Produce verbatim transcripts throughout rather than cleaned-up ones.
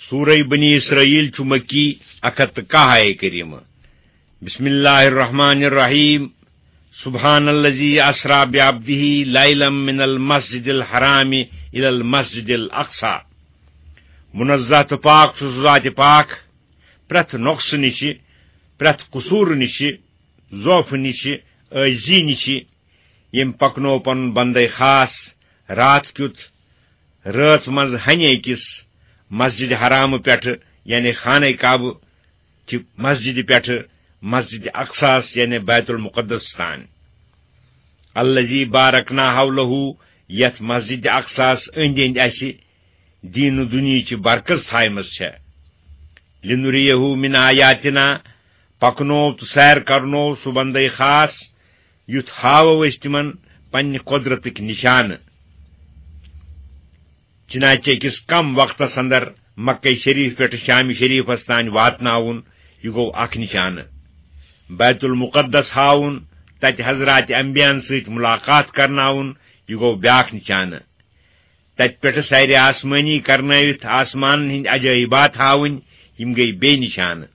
سورہ بنی اسرائیل چھُ مکی، اکھ ہتھ تہٕ کاہ آیہ کریمہ۔ بسم اللہ الرحمن الرحیم۔ سبحان الذی اسرا بعبدہ لیلا من المسجد الحرام الی المسجد الاقصی۔ منزہ تہٕ پاک چھُ سُہ ذات پاک پرٛٮ۪تھ نۄقصہٕ نِشہِ، پرٛٮ۪تھ قصوٗرٕ نِشہِ، ضعفہٕ نِشہِ، عٲجزی نِشہِ، ییٚمۍ پکنوو پنُن بندے خاص راتھ کیُتھ رٲژ منٛز ہنہِ أکِس مسجد حرامہٕ پٮ۪ٹھٕ، یعنی خانہ کعبہٕ چہِ مسجدِ پٮ۪ٹھٕ مسجد اقصاس، یعنی بیت المقدس تام۔ الذی بارکنا حولہ، یتھ مسجد اقصاس أنٛدۍ أنٛدۍ اسہِ دین و دنیاہچ برکت تھایمژ چھےٚ۔ لنریہ من آیاتنا، پکنوو تہٕ سیر کرنوو سُہ بندے خاص، یُتھ ہاوو أسۍ تِمن پننہِ قدرتٕکۍ نشانہٕ۔ چنانچہ أکِس کم وقتس اندر مکہ شریف پٮ۪ٹھٕ شام شریفس تام واتناوُن، یہِ گوٚو اکھ نشانہٕ۔ بیت المقدس ہاوُن، تتہِ حضرات انبیاہن سۭتۍ ملاقات کرناوُن، یہِ گوٚو بیاکھ نشانہٕ۔ تتہِ پٮ۪ٹھٕ سیر آسمٲنی کرنٲوِتھ آسمانن ہٕنٛدۍ عجٲیبات ہاوٕنۍ، یِم گٔیہِ بیٚیہِ نشانہٕ۔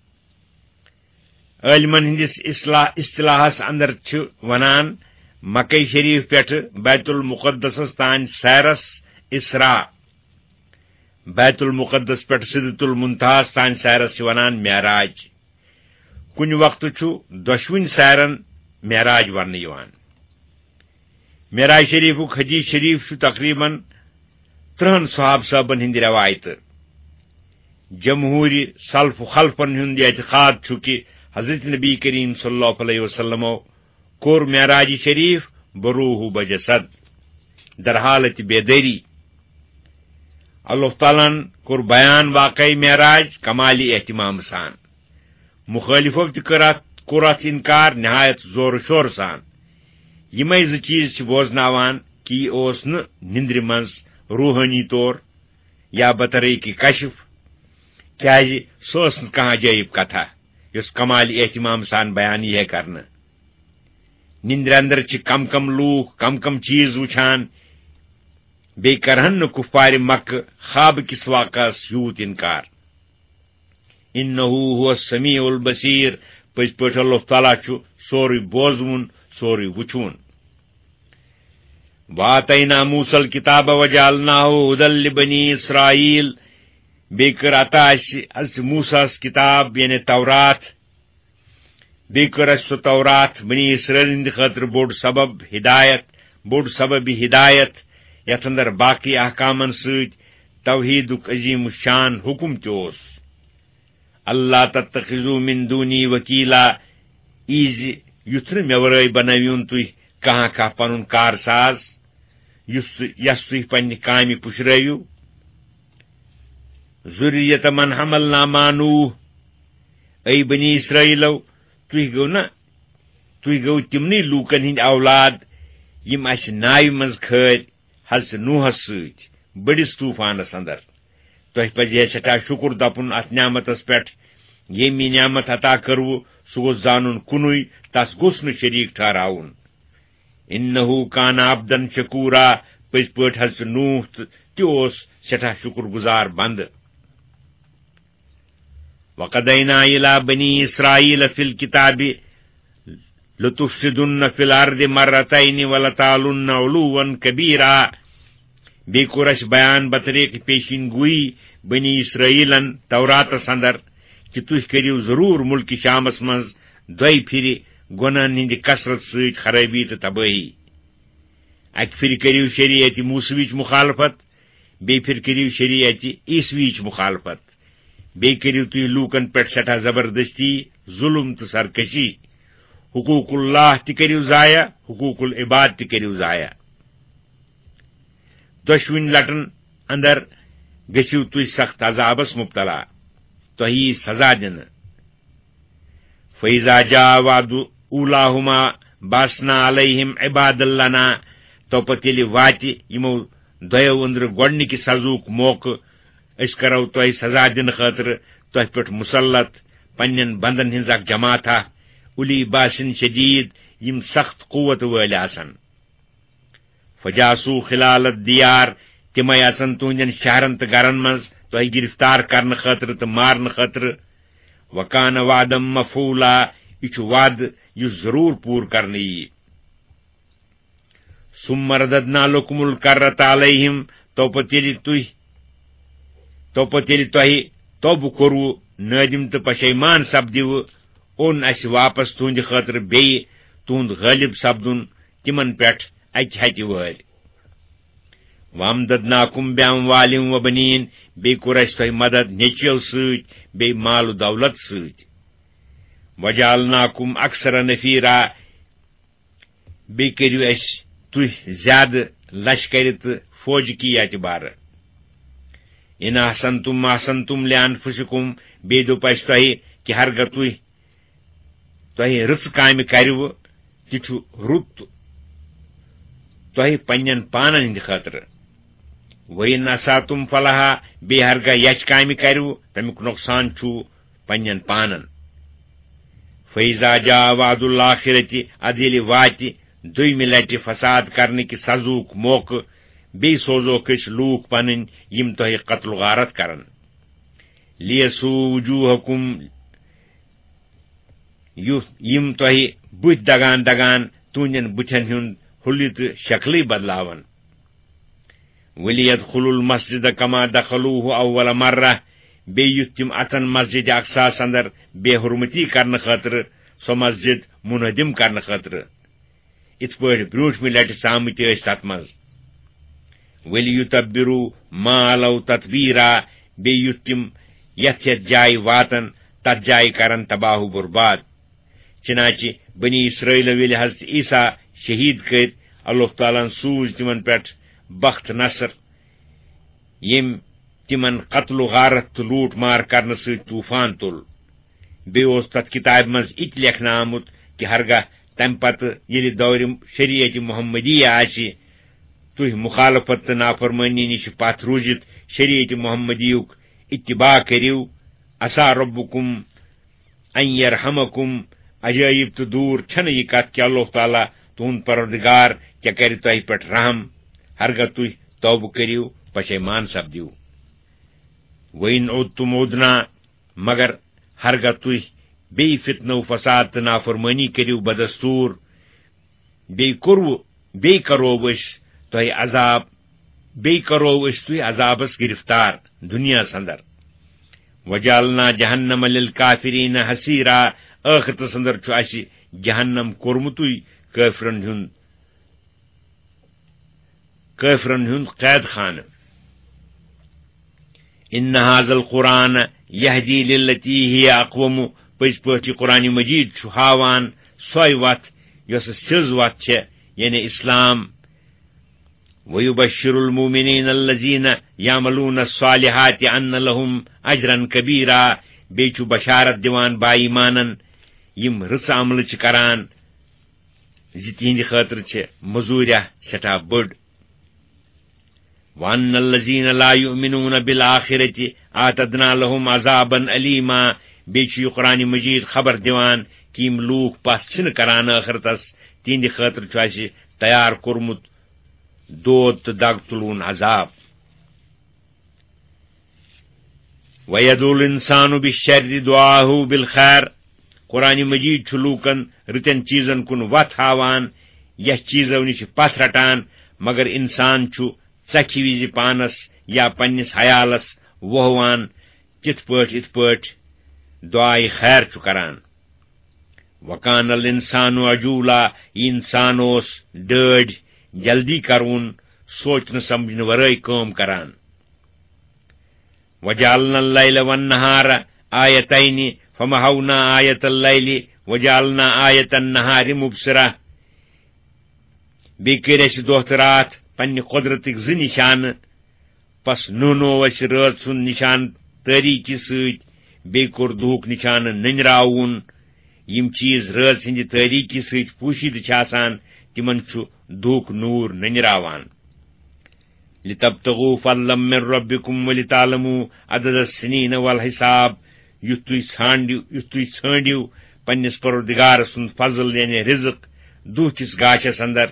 عٲلمن ہٕنٛدِس اصلاح-، اصطلاحس اندر چھِ ونان، مکہ شریف پٮ۪ٹھٕ بیت المقدسس تام سیرس اسراء، بیت المقدس پٮ۪ٹھٕ سدرۃ المنتہاہس تام سیرس چھِ ونان معراج۔ کُنہِ وقتہٕ چھُ دۄشوٕنۍ سیرن معراج وننہٕ یِوان۔ معراج شریفُک حدیث شریف چھُ تقریباً ترٛہن صحابہٕ صٲبن ہٕنٛدِ رٮ۪وایتہٕ۔ جمہوٗرِ سلف و خلفن ہُنٛد یہِ اعتقاد چھُ کہِ حضرت نبی کریم صلی اللہ علیہ وسلمو کوٚر معراج شریف بروح و بجسد، در حالت بیدٲری۔ اللہ تعالیٰ ہن کوٚر بیان واقعہ معراج کمال اہتمام سان۔ مخٲلفو تہِ کٔر اتھ، کوٚر اتھ انکار نہایت زور و شور سان۔ یِمے زٕ چیز چھِ بوزناوان کہِ یہِ اوس نہٕ نِندرِ منٛز روحٲنی طور یا بطریق کشف، کیازِ سۄ ٲس نہٕ کانٛہہ عجٲیب کتھا یۄس کمال اہتمام سان بیان یی ہے کرنہٕ۔ نِندرِ اندر چھِ کم کم لوٗکھ کم کم چیز وٕچھان، بیٚیہِ کرہن نہٕ کفارِ مکہ خواب کِس واقعس یوٗت انکار۔ انہ هو السمیع البصیر، پٔزۍ پٲٹھۍ اللہ تعالیٰ چھُ سورُے بوزوُن، سورُے وٕچھوُن۔ وآتینا موسیٰ الکتاب وجعلناه هدى لبنی اسرائیل، بیٚیہِ کٔر عطا اَسہِ حضرت موسیٰ ہس کتاب، یعنی تورات، بیٚیہِ کٔر اَسہِ سۄ تورات بنی اسرائیل ہٕنٛدِ خٲطرٕ بوٚڑ سبب ہدایت، بوٚڑ سبب ہدایت، یتھ اندر باقی احکامن سۭتۍ توحیدُک عظیم الشان حکم تہِ اوس۔ اللہ تتخذوا من دونی وکیلا، ایزِ یُتھ نہٕ مےٚ ورٲے بنٲوِوُن تُہۍ کانٛہہ کانٛہہ پنُن کارساز، یُس تُہۍ، یس تُہۍ پننہِ کامہِ پُشرٲوِو۔ ذریة من حملنا مع نوح، اے بنی اسرائیلو، تُہۍ گٔو نا، تُہۍ گٔو تِمنٕے لوٗکن ہٕنٛدۍ اولاد، یِم اَسہِ ناوِ منٛز کھٲرۍ حضرت نوحس سۭتۍ بٔڑِس طوفانس اندر۔ تۄہہِ پزِ ہے سٮ۪ٹھاہ شُکُر دپُن اتھ نعمتس پٮ۪ٹھ، ییٚمۍ یہِ نعمت عطا کٔروٕ، سُہ گوٚژھ زانُن کُنُے، تس گوٚژھ نہٕ شریٖک ٹھہراوُن۔ انہ کان عبدا شکورا، پٔزۍ پٲٹھۍ حضرت نوح تہٕ تہِ اوس سٮ۪ٹھاہ شُکُر گُزار بندٕ۔ وقضینا الی بنی اسرائیل فی الکتاب لتفسدن فی الارض مرتین ولتعلن علوا کبیرا۔ بیٚیہِ کوٚر اَسہِ بیان بطریق پیشین گوئی بنی اسرائیلن توراتس اندر کہِ تُہۍ کٔرِو ضروٗر مُلکہِ شامس منٛز دۄیہِ پھِرِ گۄناہن ہٕنٛدِ کثرت سۭتۍ خرٲبی تہٕ تبٲہی۔ اکہِ پھِرِ کٔرِو شریعت موسویچ مخالفت، بیٚیہِ پھِرِ کٔرِو شریعت عیسویچ مخالفت۔ بیٚیہِ کٔرِو تُہۍ لوٗکن پٮ۪ٹھ سٮ۪ٹھاہ زبردستی، ظُلم تہٕ سرکشی۔ حقوق اللہ تہِ کٔرِو ضایع، حقوق العباد تہِ کٔرِو ضایع۔ دۄشوٕنۍ لٹن اندر گٔژھِو تُہۍ سخت عذابس مبتلا۔ تۄہہِ یی سزا دِنہٕ۔ فَإِذَا جَاءَ وَعْدُ أُولَاهُمَا بَعَثْنَا عَلَيْهِمْ عِبَادًا لَنَا، تو پتہٕ ییٚلہِ واتہِ یِمو دۄیو أنٛدرٕ گۄڈٕنِکہِ سزاہُک موقعہٕ، أسۍ کرو تۄہہِ سزا دِنہٕ خٲطرٕ تۄہہِ پٮ۪ٹھ مُسلط پننٮ۪ن بندن ہٕنٛز اکھ جماعتھا، اولی باسن شدید، یِم سخت قوت وٲلۍ آسن۔ فجاسو خلال الدیار، تِمے اژن تُہنٛدٮ۪ن شہرن تہٕ گرن منٛز۔ تۄہہِ گرفتار کرنہٕ خٲطرٕ تہٕ مارنہٕ خٲطرٕ۔ وکان وعدم مفعولا، یہِ چھُ وعدٕ یُس ضروٗر پوٗرٕ کرنہٕ یِیہِ۔ ثم رددنا لكم الكرة عليهم، تو پتہٕ ییٚلہِ تُہۍ، تو پتہٕ ییٚلہِ تۄہہِ توبہٕ کوٚروٕ، نٲدِم تہٕ پشیمان سپدِوٕ، اوٚن اَسہِ واپس تُہنٛدِ خٲطرٕ بیٚیہِ تُہنٛد غٲلب سپدُن تِمن پٮ۪ٹھ اکہِ ہتہِ وٲرۍ۔ وامددناکم باموال وبنین، بیٚیہِ کوٚر اَسہِ تۄہہِ مدد نیٚچویو سۭتۍ، بیٚیہِ مال و دولت سۭتۍ۔ وجعلناکم اکثر نفیرا، بیٚیہِ کٔرِو اَسہِ تُہۍ زیادٕ لشکرِ تہٕ فوجہِ کہِ اعتبارٕ۔ ان احسنتم احسنتم لانفسکم، بیٚیہِ دوٚپ اَسہِ تۄہہِ کہِ ہرگاہ تُہۍ، تۄہہِ رٕژٕ کامہِ کَرِوٕ، تہِ چھُ رُت تۄہہِ پننٮ۪ن پانن ہٕنٛدِ خٲطرٕ۔ وَإِنْ أَسَأْتُمْ فَلَهَا، بیٚیہِ ہرگاہ یچھ کامہِ کَرِوٕ، تَمیُک نۄقصان چھُ پننٮ۪ن پانن۔ فَإِذَا جَاءَ وَعْدُ الْآخِرَةِ، اَدٕ ییٚلہِ واتہِ دوٚیمہِ لٹہِ فساد کرنہٕ کہِ سزہُک موقعہٕ، بیٚیہِ سوزوکھ أسۍ لوٗکھ پنٕنۍ یِم تۄہہِ قتل و غارت کرن۔ لِيَسُوءُ وُجُوهَكُمْ، یُتھ یِم تۄہہِ بُتھۍ دگان دگان تُہنٛدٮ۪ن بُتھٮ۪ن ہُنٛد حُلیہِ تہٕ شکلٕے بدلاون۔ وَلِيَدْخُلُوا الْمَسْجِدَ كَمَا دَخَلُوهُ أَوَّلَ مَرَّةٍ، بیٚیہِ یُتھ تِم اژن مسجد اقصاہَس اندر بے حرمتی کرنہٕ خٲطرٕ، سۄ مسجد منہدم کرنہٕ خٲطرٕ، یِتھ پٲٹھۍ برونٛٹھمہِ لٹہِ ژامٕتۍ ٲسۍ تتھ منٛز۔ وَلِيُتَبِّرُوا مَا عَلَوْا تَتْبِيرًا، بیٚیہِ یُتھ تِم یتھ یتھ جایہِ واتن، تتھ جایہِ کرن تباہ و برباد۔ چنانچہ بنی اسرائیلو ییٚلہِ حضرت عیسیٰ شہید کٔرۍ، اللہ تعالیٰ ہن سوٗز تِمن پٮ۪ٹھ بخت نصر، ییٚمۍ تِمن قتل و غارت تہٕ لوٗٹ مار کرنہٕ سۭتۍ طوفان تُل۔ بیٚیہِ اوس تتھ کتابہِ منٛز یہِ تہِ لیکھنہٕ آمُت کہِ ہرگاہ تمہِ پتہٕ ییٚلہِ دورِ شریعت محمدیہ آسہِ، تُہۍ مخالفت تہٕ نافرمٲنی نِش پتھ روٗزِتھ شریعت محمدیُک اتباع کٔرِو، عسیٰ ربکم ان یرحمکم، عجٲیب تہٕ دوٗر چھنہٕ یہِ کتھ کہِ اللہ تعالیٰ تُہُنٛد پروردگار کیٛاہ کرِ تۄہہِ پٮ۪ٹھ رحم، ہرگاہ تُہۍ توبہٕ کٔرِو، پشیمان سپدِو۔ وَإِنْ عُدْتُمْ عُدْنَا، مگر ہرگاہ تُہۍ بیٚیہِ فتنہٕ و فساد تہٕ نافرمٲنی کٔرِو بدستوٗر، بیٚیہِ کوٚروٕ، بیٚیہِ کرو أسۍ تۄہہِ عذاب، بیٚیہِ کرو أسۍ تُہۍ عذابس گرفتار دُنیاہس اندر۔ وَجَعَلْنَا جَهَنَّمَ لِلْكَافِرِينَ حَصِيرًا، ٲخرتس اندر چھُ اَسہِ جہنم کوٚرمُتُے کٲفرن ہُنٛد، کٲفرن ہُنٛد قید خانہٕ۔ إِنَّ هَٰذَا الْقُرْآنَ يَهْدِي لِلَّتِي هِيَ أَقْوَمُ، پٔزۍ پٲٹھۍ یہِ قرآن مجید چھُ ہاوان سۄے وتھ یۄس سیٚز وتھ چھےٚ، یعنی اسلام۔ وَيُبَشِّرُ الْمُؤْمِنِينَ الَّذِينَ يَعْمَلُونَ الصَّالِحَاتِ أَنَّ لَهُمْ أَجْرًا كَبِيرًا، بیٚیہِ چھُ بشارت دِوان با ایمانن یِم رٕژ عملہٕ چھِ کران زِ تِہنٛدِ خٲطرٕ چھِ مزوٗریا سٮ۪ٹھاہ بٔڑ۔ وَأَنَّ الَّذِينَ لَا يُؤْمِنُونَ بِالْآخِرَةِ أَعْتَدْنَا لَهُمْ عَذَابًا أَلِيمًا، بیٚیہِ چھُ یہِ قرآن مجید خبر دِوان کہِ یِم لوٗکھ پَس چھِنہٕ کران ٲخرتس، تِہنٛدِ خٲطرٕ چھُ اَسہِ تیار کوٚرمُت دود تہٕ دگ تُلوُن عذاب۔ وَيَدْعُو الْإِنسَانُ بِالشَّرِّ دُعَاءَهُ بِالْخَيْرِ، قرآن مجید چھُ لوٗکن رٕتٮ۪ن چیٖزن کُن وتھ ہاوان، یتھ چیٖزو نِش پتھ رٹان، مگر انسان چھُ ژکھِ وِزِ پانس یا پننِس حیالس وۄہوان، تِتھ پٲٹھۍ، یِتھ پٲٹھۍ دعائے خیر چھُ کران۔ وَكَانَ الْإِنسَانُ عَجُولًا، یہِ انسان اوس ڈٲڑۍ جلدی کرون، سونچنہٕ سمجھنہٕ ورٲے کٲم کران۔ وَجَعَلْنَا اللَّيْلَ وَالنَّهَارَ آيَتَيْنِ فَمَحَوْنَا آيَةَ اللَّيْلِ وَجَعَلْنَا آيَةَ النَّهَارِ مُبْصِرَةً، بیٚیہِ کٔرۍ اَسہِ دۄہ تہٕ راتھ پننہِ قۄدرتٕکۍ زٕ نِشانہٕ، پس نوٚنوو اَسہِ رٲژ ہُنٛد نِشان تٲریٖکی سۭتۍ، بیٚیہِ کوٚر دُہُک نِشانہٕ نٔنراوُن۔ یِم چیٖز رٲژ ہٕنٛدِ تٲریٖکی سۭتۍ پوٗشیدٕ چھِ آسان، تِمن چھُ دُہُک نوٗر نٔنراوان۔ لِتَبْتَغُوا فَضْلًا مِّن رَّبِّكُمْ وَلِتَعْلَمُوا عَدَدَ السِّنِينَ وَالْحِسَابَ، یُتھ تُہۍ ژھانٛڈِو، یُتھ تُہۍ ژھٲنٛڈِو پننِس پروردگار سُنٛد فضل، یعنی رزق، دُہ کِس گاشس اندر،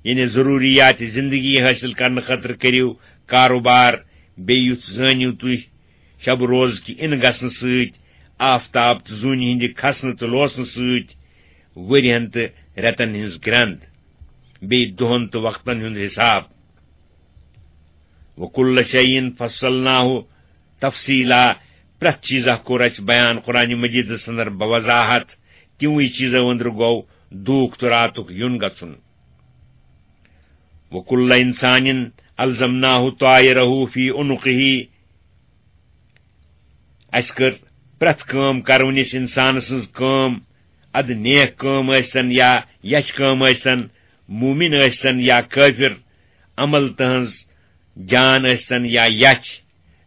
یعنی ضروریات زندگی حٲصِل کرنہٕ خٲطرٕ کٔرِو کاروبار، بیٚیہِ یُتھ زٲنِو تُہۍ، شب روز کہِ اِن گژھنہٕ سۭتۍ، آفتاب تہٕ زوٗنہِ ہٕنٛدِ کھسنہٕ تہٕ لوسنہٕ سۭتۍ، ؤرۍیَن تہٕ رٮ۪تن ہٕنٛز گرٛنٛد، بیٚیہِ دۄہن تہٕ وقتن ہُنٛد حساب۔ وَكُلَّ شَيْءٍ فَصَّلْنَاهُ تَفْصِيلًا، پرٛٮ۪تھ چیٖزا کوٚر اَسہِ بیان قرآن مجیدس اندر بوضاحت، تِموٕے چیٖزو أنٛدرٕ گوٚو دوٗکھ تہٕ راتُک یُن گژھُن۔ وَكُلَّ إِنسَانٍ أَلْزَمْنَاهُ طَائِرَهُ فِي عُنُقِهِ، اَسہِ کٔر پرٛٮ۪تھ کٲم کرونِس اِنسان سٕنٛز کٲم، اَدٕ نیک کٲم ٲسۍتن یا یَچھ کٲم ٲسۍتن، مومِن ٲسۍتن یا کٲفِر، عمل تٕہٕنٛز جان ٲسۍتن یا یَچھ،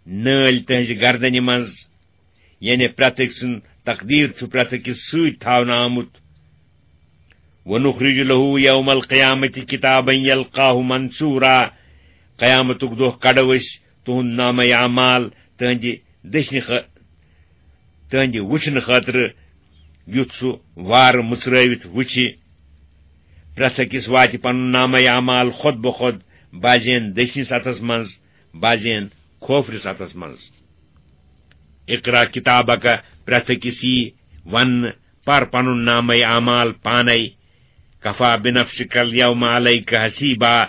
نٲلۍ تٕہٕنٛزِ گردنہِ منٛز، یعنی پرٛٮ۪تھ أکۍ سُنٛد تقدیٖر چھُ پرٛٮ۪تھ أکِس سۭتۍ تھاونہٕ آمُت۔ وَنُخْرِجُ لَهُ يَوْمَ الْقِيَامَةِ كِتَابًا يَلْقَاهُ مَنْشُورًا، قیامتُک دۄہ کڑو أسۍ تُہُنٛد نامہ اعمال تُہٕنٛدِ دٔچھنہِ خٲ-، تُہٕنٛدِ وٕچھنہٕ خٲطرٕ، یُتھ سُہ وارٕ مُژرٲوِتھ وٕچھِ۔ پرٛٮ۪تھ أکِس واتہِ پنُن نامہ اعمال خۄد بخۄد، بعضین دٔچھنِس اَتھس منٛز، بعضین کھوفرِس اَتھس منٛز۔ اقرا کتابک، پرٛٮ۪تھ أکِس یی وننہٕ، پر پنُن نامہ اعمال پانے۔ کفا بنفسک الیوم علیک حسیبا،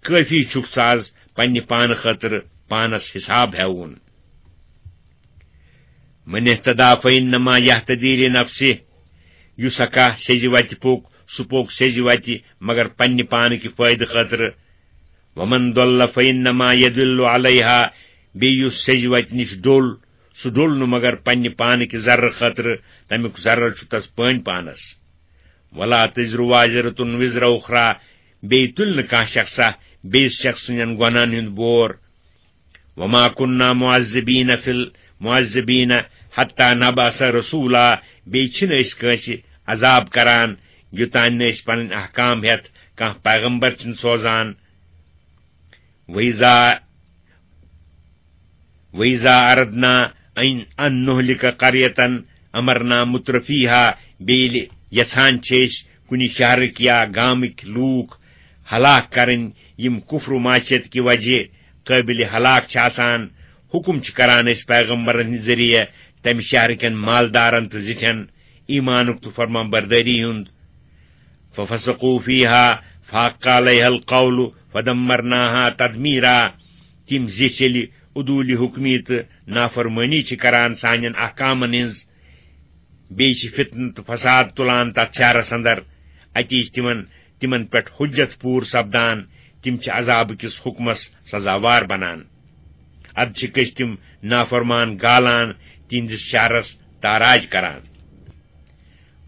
کٲفی چھُکھ ژٕ از پننہِ پانہٕ خٲطرٕ پانس حساب ہیوُن۔ من اہتدا فانما یہتدی لنفسہ، یُس ہا کانٛہہ سیٚزِ وتہِ پوٚک، سُہ پوٚک سیٚزِ وتہِ مگر پننہِ پانہٕ کہِ فٲیدٕ خٲطرٕ۔ ومن ضل فانما یضل علیہا، بیٚیہِ یُس سیٚزِ وتہِ نِش ڈوٚل، سُہ ڈوٚل نہٕ مگر پننہِ پانہٕ کہِ ضررٕ خٲطرٕ، تمیُک ضرر چھُ تس پٲنۍ پانس۔ ولا تزر وازرة وزر اخری، بیٚیہِ تُلہِ نہٕ کانٛہہ شخصا بیٚیِس شخص سٕنٛدٮ۪ن گۄناہن ہُنٛد بور۔ وما كنا معذبين في ال-، معذبين حتى نبعث رسولا، بیٚیہِ چھِنہٕ أسۍ کٲنٛسہِ عذاب کران، یوٚتام نہٕ أسۍ پنٕنۍ احکام ہٮ۪تھ کانٛہہ پیغمبر چھِنہٕ سوزان۔ وَإِذَا، وَإِذَا أَرَدْنَا أَن، أَن نُّهْلِكَ قَرْيَةً أَمَرْنَا مُتْرَفِيهَا، بیٚیہِ ییٚلہِ یژھان چھِ أسۍ کُنہِ شہرٕکۍ یا گامٕکۍ لوٗکھ ہلاک کرٕنۍ، یِم کفر و معصیت کہِ وجہ قٲبلِ ہلاک چھِ آسان، حکم چھِ کران أسۍ پیغمبرن ہٕنٛدِ ذٔریعہٕ تمہِ شہرٕ کٮ۪ن مالدارن تہٕ زِٹھٮ۪ن ایمانُک تہٕ فرمان بردٲری ہُنٛد۔ ففسقوا فیہا فحق علیہا القول فدمرناہا تدمیرا۔ تِم زِٹھۍ ییٚلہِ عدوٗلِ حُکمی تہٕ نافرمٲنی چھِ کران سانٮ۪ن احکامن ہٕنٛز، بیٚیہِ چھِ فتنہٕ تہٕ فساد تُلان تتھ شہرس اندر، اتی چھِ تِمن، تِمن پٮ۪ٹھ حجت پوٗرٕ سپدان، تِم چھِ عذابہٕ کِس حُکمس سزاوار بنان۔ ادٕ چھِکھ أسۍ تِم نافرمان گالان، تِہنٛدِس شہرس تاراج کران۔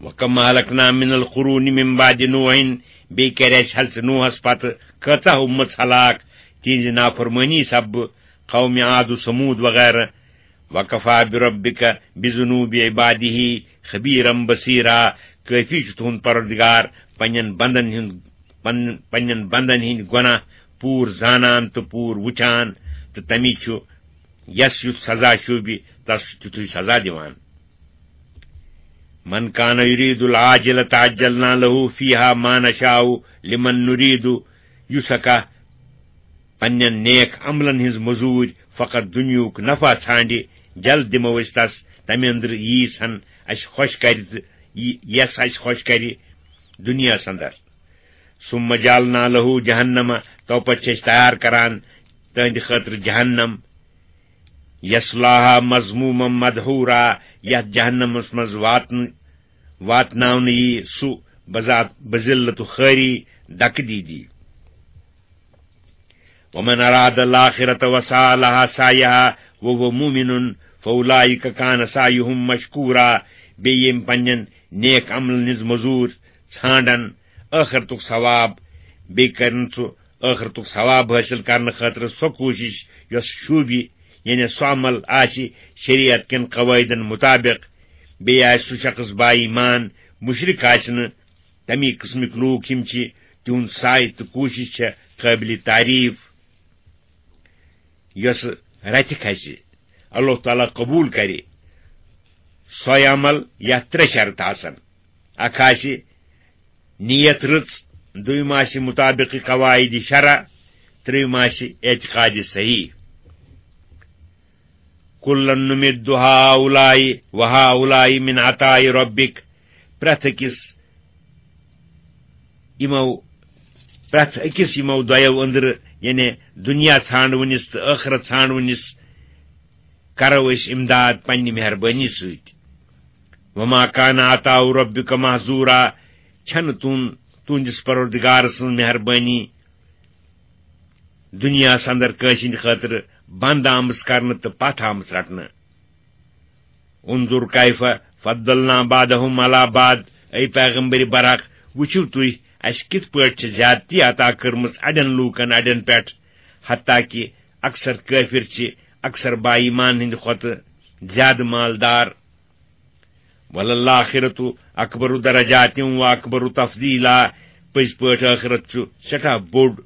وَكَمْ أَهْلَكْنَا مِنَ الْقُرُونِ مِنْ بَعْدِ نُوحٍ، بیٚیہِ کَرِ اَسہِ حضرت نوحس پتہٕ کۭژاہ اُمژ ہلاک تِہنٛزِ نافرمٲنی سببہٕ، قومِ عاد و ثمود وغیرہ۔ وَكَفَىٰ بِرَبِّكَ بِذُنُوبِ عِبَادِهِ خَبِيرًا بَصِيرًا، کٲفی چھُ تُہُنٛد پروردگار پننٮ۪ن بندن ہُنٛد، پن-، پننٮ۪ن بندن ہٕنٛدۍ گۄناہ پوٗرٕ زانان تہٕ پوٗرٕ وُچھان، تہٕ تَمی چھُ یَس یُتھ سزا شوٗبہِ، تَس چھُ تیُتھُے سزا دِوان۔ من كان يريد العاجلة عجلنا له فيها ما نشاء لمن نريد، یُس ہا کانٛہہ پننٮ۪ن نیک عملن ہٕنٛز مٔزوٗرۍ فقط دُنیاہُک نفع ژھانڈِ، جلد دِمو أسۍ تس، تمہِ اندرٕ ییٖژ ہن اسہِ خۄش کرِ تہٕ یہِ-، یس اسہِ خۄش کرِ دُنیاہس اندر۔ ثم جعلنا له جہنم، تو پتہٕ چھِ أسۍ تیار کران تہنٛدِ خٲطرٕ جہنم، یصلاها مذموما مدحورا، یتھ جہنمس منٛز واتن-، واتناونہٕ یی سُہ بذات بذلت و خٲری دکہٕ دیٖدی۔ ومن اراد الآخرة وسعى لها سعيها وهو مؤمن فأولئك كان سعيهم مشكورا۔ بیٚیہِ ییٚمۍ پننٮ۪ن نیک عملن ہٕنٛز مٔزوٗرۍ ژھانڈن ٲخرتُک ثواب، بیٚیہِ کرن سُہ ٲخرتُک ثواب حٲصِل کرنہٕ خٲطرٕ سۄ کوٗشِش یۄس شوٗبہِ، یعنی سُہ عمل آسہِ شریعت کٮ۪ن قواعدن مُطابق، بیٚیہِ آسہِ سُہ شخص با ایمان، مُشرِک آسہِ نہٕ، تَمی قٕسمٕکۍ لوٗکھ یِم چھِ، تِہُنٛد سعی تہٕ کوٗشِش چھےٚ قٲبلِ تعریٖف، یۄس رَتہِ کھسہِ، اللہ تعالیٰ قبوٗل کرِ سۄے عمل یَتھ ترٛےٚ شرط آسن۔ اکھ آسہِ نیت رٕژ، دوٚیِم آسہِ مُطابق قواعد شرع، ترٛیٚیِم آسہِ اعتقاد صحیح۔ کُلًّا نُمِدُّ ہَؤُلَاءِ وَہَؤُلَاءِ مِنْ عَطَاءِ رَبِّکَ۔ پرٛٮ۪تھ أکِس یِمو، پرٛٮ۪تھ أکِس یِمو دۄیو أنٛدرٕ، یعنی دُنیا ژھانٛڈوٕنِس تہٕ ٲخرت ژھانٛڈوٕنِس، کرو أسۍ اِمداد پننہِ مہربٲنی سۭتۍ۔ وما کان عطاء ربک محظورا، چھنہٕ تُہُنٛد، تُہنٛدِس پروردگار سٕنٛز مہربٲنی دُنیاہس اندر کٲنٛسہِ ہٕنٛدِ خٲطرٕ بنٛد آمٕژ کرنہٕ تہٕ پتھ آمٕژ رٹنہٕ۔ انظر کیف فضلنا بعضهم علی بعض، اے پیغمبر برحق، وٕچھِو تُہۍ، اسہِ کِتھ پٲٹھۍ چھِ زیادتی عطا کٔرمٕژ اڑٮ۪ن لوٗکن اڑٮ۪ن پٮ۪ٹھ، حتیٰ کہِ اکثر کٲفِر چھِ اکثر با ایمان ہٕنٛدِ کھۄتہٕ زیادٕ مالدار۔ وللآخرۃ اکبر درجات و اکبر تفضیلا، پٔزۍ پٲٹھۍ ٲخرت چھُ سٮ۪ٹھاہ بوٚڑ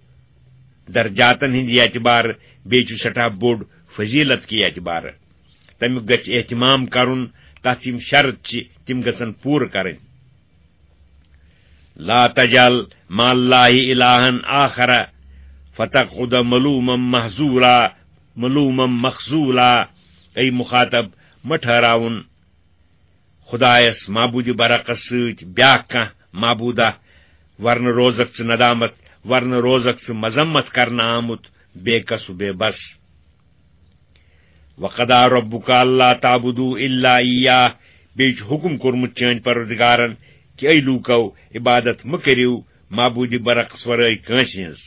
درجاتن ہٕنٛدِ اعتبارٕ، بیٚیہِ چھُ سٮ۪ٹھاہ بوٚڑ فضیلت کہِ اعتبارٕ۔ تمیُک گژھِ اہتمام کرُن، تتھ یِم شرط چھِ، تِم گژھن پوٗرٕ کرٕنۍ۔ لا تجعل مع اللہ الہا آخر فتقعد ملوما محذورا، ملوما مخذولا۔ اے مخاطب، مہ ٹھہراوُن خدایس معبود برحقس سۭتۍ بیاکھ کانٛہہ معبودہ، ورنہٕ روزکھ ژٕ ندامت، ورنہٕ روزکھ ژٕ مذمت کرنہٕ آمُت، بے کس و بے بس۔ وقضی ربک الا تعبدوا الا ایاہ، بیٚیہِ چھُ حُکم کوٚرمُت چٲنۍ پروردگارن کہِ اے لوٗکو، عبادت مہ کٔرِو معبود برحقس ورٲے کٲنٛسہِ ہٕنٛز۔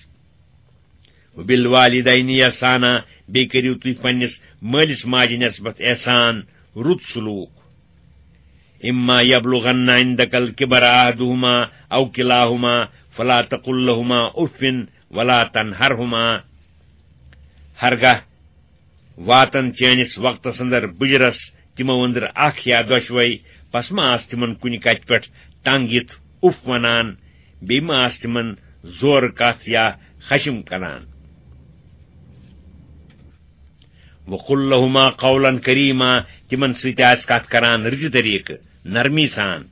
وبالوالدین احسانا، بیٚیہِ کٔرِو تُہۍ پننِس مٲلِس ماجہِ نسبت احسان، رُت سلوک۔ اما یبلغن عندک الکبر احدہما او کلاہما فلا تقل لہما اف ولا تنہرہما۔ ہرگاہ واتن چٲنِس وقتس اندر بُجرس تِمو أنٛدرٕ اکھ یا دۄشوے، پس ما آس تِمن کُنہِ کتھِ پٮ۪ٹھ تنگ یِتھ اُف ونان، بیٚیہِ ما آس تِمن زورٕ کتھ یا خشم کران۔ وقل لہما قولا کریما، تِمن سۭتۍ آس کتھ کران رٕتہِ طریقہٕ، نرمی سان۔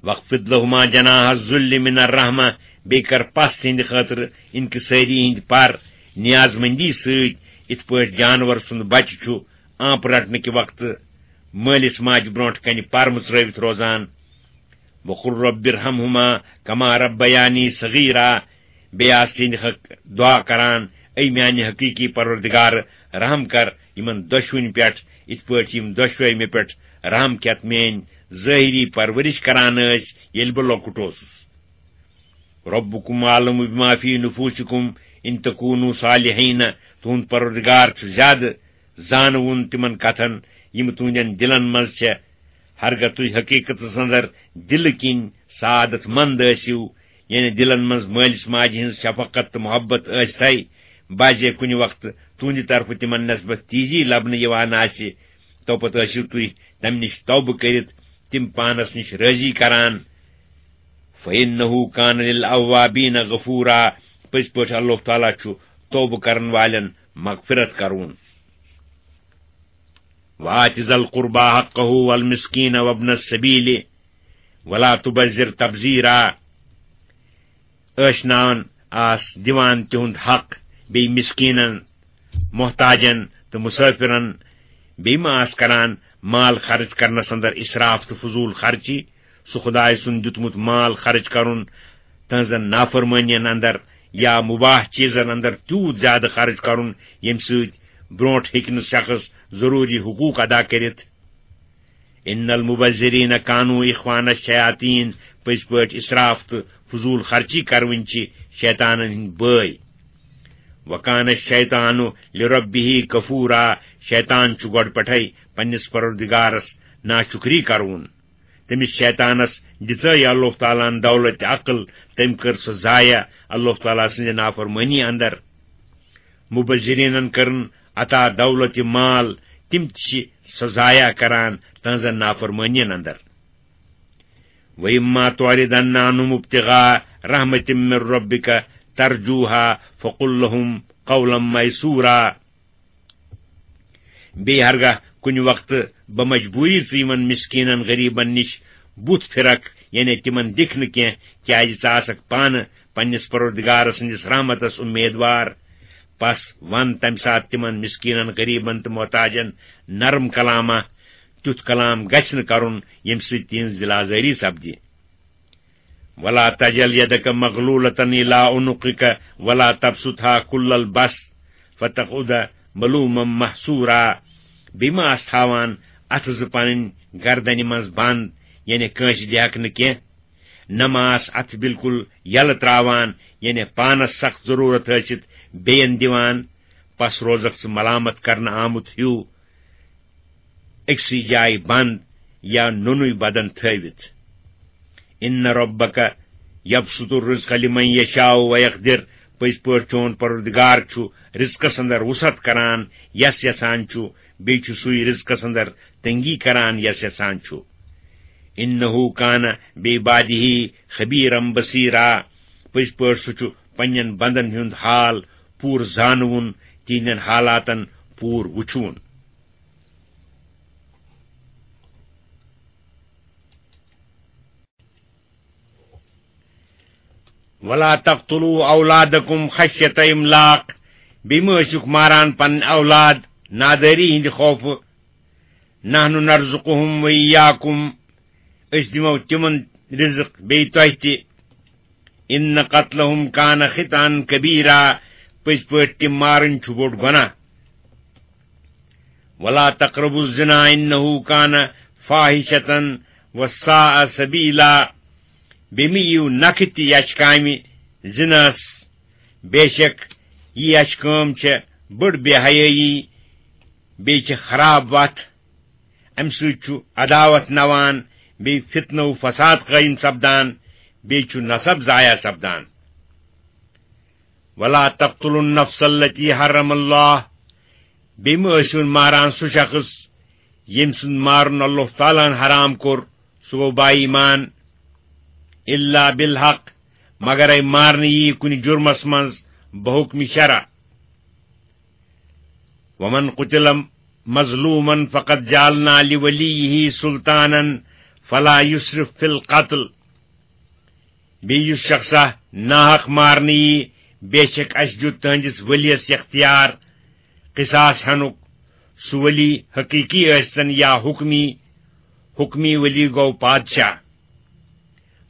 واخفض لہما جناح الذل من الرحمہ، بیٚیہِ کر پس تِہنٛدِ خٲطرٕ انکسٲری ہٕنٛدۍ پر نیاز مندی سۭتۍ، یِتھ پٲٹھۍ جانور سُنٛد بچہِ چھُ آنٛپ رٹنہٕ کہِ وقتہٕ مٲلِس ماجہِ برونٛٹھ کنہِ پر مُژرٲوِتھ روزان۔ وقل رب ارحمہما کما ربیانی صغیرا، بیٚیہِ آس تِہنٛدِ حق دعا کران، اے میانہِ حقیقی پروردگار، رحم کر یِمن دۄشوٕنۍ پٮ۪ٹھ، یِتھ پٲٹھۍ یِم دۄشوے مےٚ پٮ۪ٹھ رحم کھٮ۪تھ میٲنۍ ظٲہری پرورش کران ٲسۍ، ییٚلہِ بہٕ لۄکُٹ اوسُس۔ ربکم عالم بما فی نفوسکم ان تکونوا صالحین، تُہُنٛد پروردگار چھُ زیادٕ زانوُن تِمن کتھن یِم تُہنٛدٮ۪ن دِلن منٛز چھےٚ۔ ہرگاہ تُہۍ حقیقتس اندر دِلہٕ کِنۍ سعادت مند ٲسِو، یعنی دِلن منٛز مٲلِس ماجہِ ہٕنٛز شفقت تہٕ محبت ٲسۍ تھے، بعضے کُنہِ وقتہٕ تُہنٛدِ طرفہٕ تِمن نسبت تیزی لبنہٕ یِوان آسہِ، توپتہٕ ٲسِو تُہۍ تمہِ نِش توبہٕ کٔرِتھ تِم پانس نِش رٲضی کران۔ فَإِنَّهُ كَانَ لِلْأَوَّابِينَ غَفُورًا، پٔزۍ پٲٹھۍ اللہ تعالیٰ چھُ توبہٕ کرن والٮ۪ن مغفرت کرون۔ وَآتِ ذَا الْقُرْبَى حَقَّهُ وَالْمِسْكِينَ وَابْنَ السَّبِيلِ وَلَا تُبَذِّرْ تَبْذِيرًا۔ ٲشناون آس دِوان تِہُنٛد حق، بیٚیہِ مِسکیٖنن، محتاجن تہٕ مُسٲفِرن۔ بیٚیہِ ما آس کران مال خرٕچ کرنس اندر اِسراف تہٕ فضوٗل خرچی؟ سُہ خدایہِ سُنٛد دیُتمُت مال خرٕچ کرُن تہنٛزن نافرمٲنین اندر یا مُباح چیٖزن اندر تیوٗت زیادٕ خرٕچ کرُن، ییٚمہِ سۭتۍ برونٛٹھ ہیٚکہِ نہٕ شخص ضروٗری حقوٗق ادا کٔرِتھ۔ ان المبذرین کانوا اخوان الشیاطین، پٔزۍ پٲٹھۍ اسراف تہٕ فضول خرچی کرونۍ چھِ شیطانن ہٕنٛدۍ بٲے۔ وکان الشیطان لربہ کفورا، شیطان چھُ گۄڈٕ پٮ۪ٹھے پننِس پروردگارس ناشکری کرون۔ تٔمِس شیطانس دِژے اللہ تعالیٰ ہن دولت عقل، تٔمۍ کٔر سۄ ضایع اللہ تعالیٰ سٕنٛزِ نافرمٲنی اندر۔ مبذرینن کٔرٕن عطا دولت مال، تِم تہِ چھِ سۄ ضایع کران تہنٛزن نافرمٲنین اندر۔ وَإِمَّا تُعْرِضَنَّ عَنْهُمُ ابْتِغَاءَ رَحْمَةٍ مِّن رَّبِّكَ تَرْجُوهَا فَقُل لَّهُمْ قَوْلًا مَّيْسُورًا۔ بیٚیہِ ہرگاہ کُنہِ وقتہٕ بمجبوٗری ژٕ یِمن مِسکیٖنن غریٖبن نِش بُتھ پھِرکھ، یعنی تِمن دِکھ نہٕ کینٛہہ، کیازِ ژٕ آسکھ پانہٕ پننِس پروردگار سٕنٛدِس رحمتس اُمیدوار۔ پس ون تمہِ ساتہٕ تِمن مسکیٖنن، غریٖبن تہٕ محتاجن نرم کلامہ۔ تیُتھ کلام گژھِ نہٕ کرُن، ییٚمہِ سۭتۍ تِہنٛز دِل آزٲری سپدِ۔ ولا تجعل يدك مغلولة إلى عنقك ولا تبسطها كل البسط فتقعد ملوما محسورا۔ بیٚیہِ ما آس تھاوان اتھٕ زٕ پنٕنۍ گردنہِ منٛز بند، یعنی کٲنٛسہِ دِہکھ نہٕ کینٛہہ، نہ ما آس اتھٕ بالکل یلہٕ تراوان، یعنی پانس سخت ضرورت ٲسِتھ بیٚین دِوان، پس روزکھ ژٕ ملامت کرنہٕ آمُت ہیوٗ أکسٕے جایہِ بند یا نوٚنُے بدن تھٲوِتھ۔ ان ربک یبسط الرزق لمن یشاء ویقدر، پٔزۍ پٲٹھۍ چون پروردگار چھُ رزقس اندر وسعت کران یس یژھان چھُ، بیٚیہِ چھُ سُے رزقس اندر تنگی کران یس یژھان چھُ۔ انہ کان بعبادہ خبیرا بصیرا، پٔزۍ پٲٹھۍ سُہ چھُ پننٮ۪ن بندن ہُنٛد حال پوٗرٕ زانوُن، تِہنٛدٮ۪ن حالاتن پوٗرٕ وُچھوُن۔ ولا تقتلوا اولادکم خشیت املاق، بیٚیہِ مہ ٲسِکھ ماران پنٕنۍ اولاد نادٲری ہٕنٛدِ خوفہٕ۔ نحن نرزقهم وإياكم، أسۍ دِمو تِمن رزق بیٚیہِ تۄہہِ تہِ۔ ان قتلهم کان خطا کبیرا، پٔزۍ پٲٹھۍ تِم مارٕنۍ چھُ بوٚڑ گۄناہ۔ ولا تقربوا الزنا انه کان فاحشة وساء سبیلا، بیٚیہِ مہ یِیِو نکھٕ تہِ یچھ کامہِ زِناہس، بے شک یہِ یچھ کٲم چھےٚ بٔڑ بے حیٲیی، بیٚیہِ چھےٚ خراب وتھ۔ امہِ سۭتۍ چھُ عداوت نوان، بیٚیہِ فتنہٕ و فساد قٲیِم سپدان، بیٚیہِ چھُ نسب ضایع سپدان۔ ولا تقتلوا النفس التي حرم الله، بیٚیہِ مہ ٲسِو ماران سُہ شخص ییٚمہِ سُنٛد مارُن اللہ تعالیٰ ہن حرام کوٚر، سُہ گوٚو با ایمان۔ الا بالحق، مگر اے مارنہٕ یی کُنہِ جُرمس منٛز بحکم شرع۔ ومن قتل مظلوما فقد جعلنا لوليه سلطانا فلا يسرف في القتل۔ بیٚیہِ یُس شخصا ناحق مارنہٕ یی، بے شک اسہِ دیُت تہنٛدِس ؤلیَس اختیار قصاص ہنُک، سُہ ولی حقیقی ٲسۍتن یا حکمی، حکمی ولی گوٚو پادشاہ۔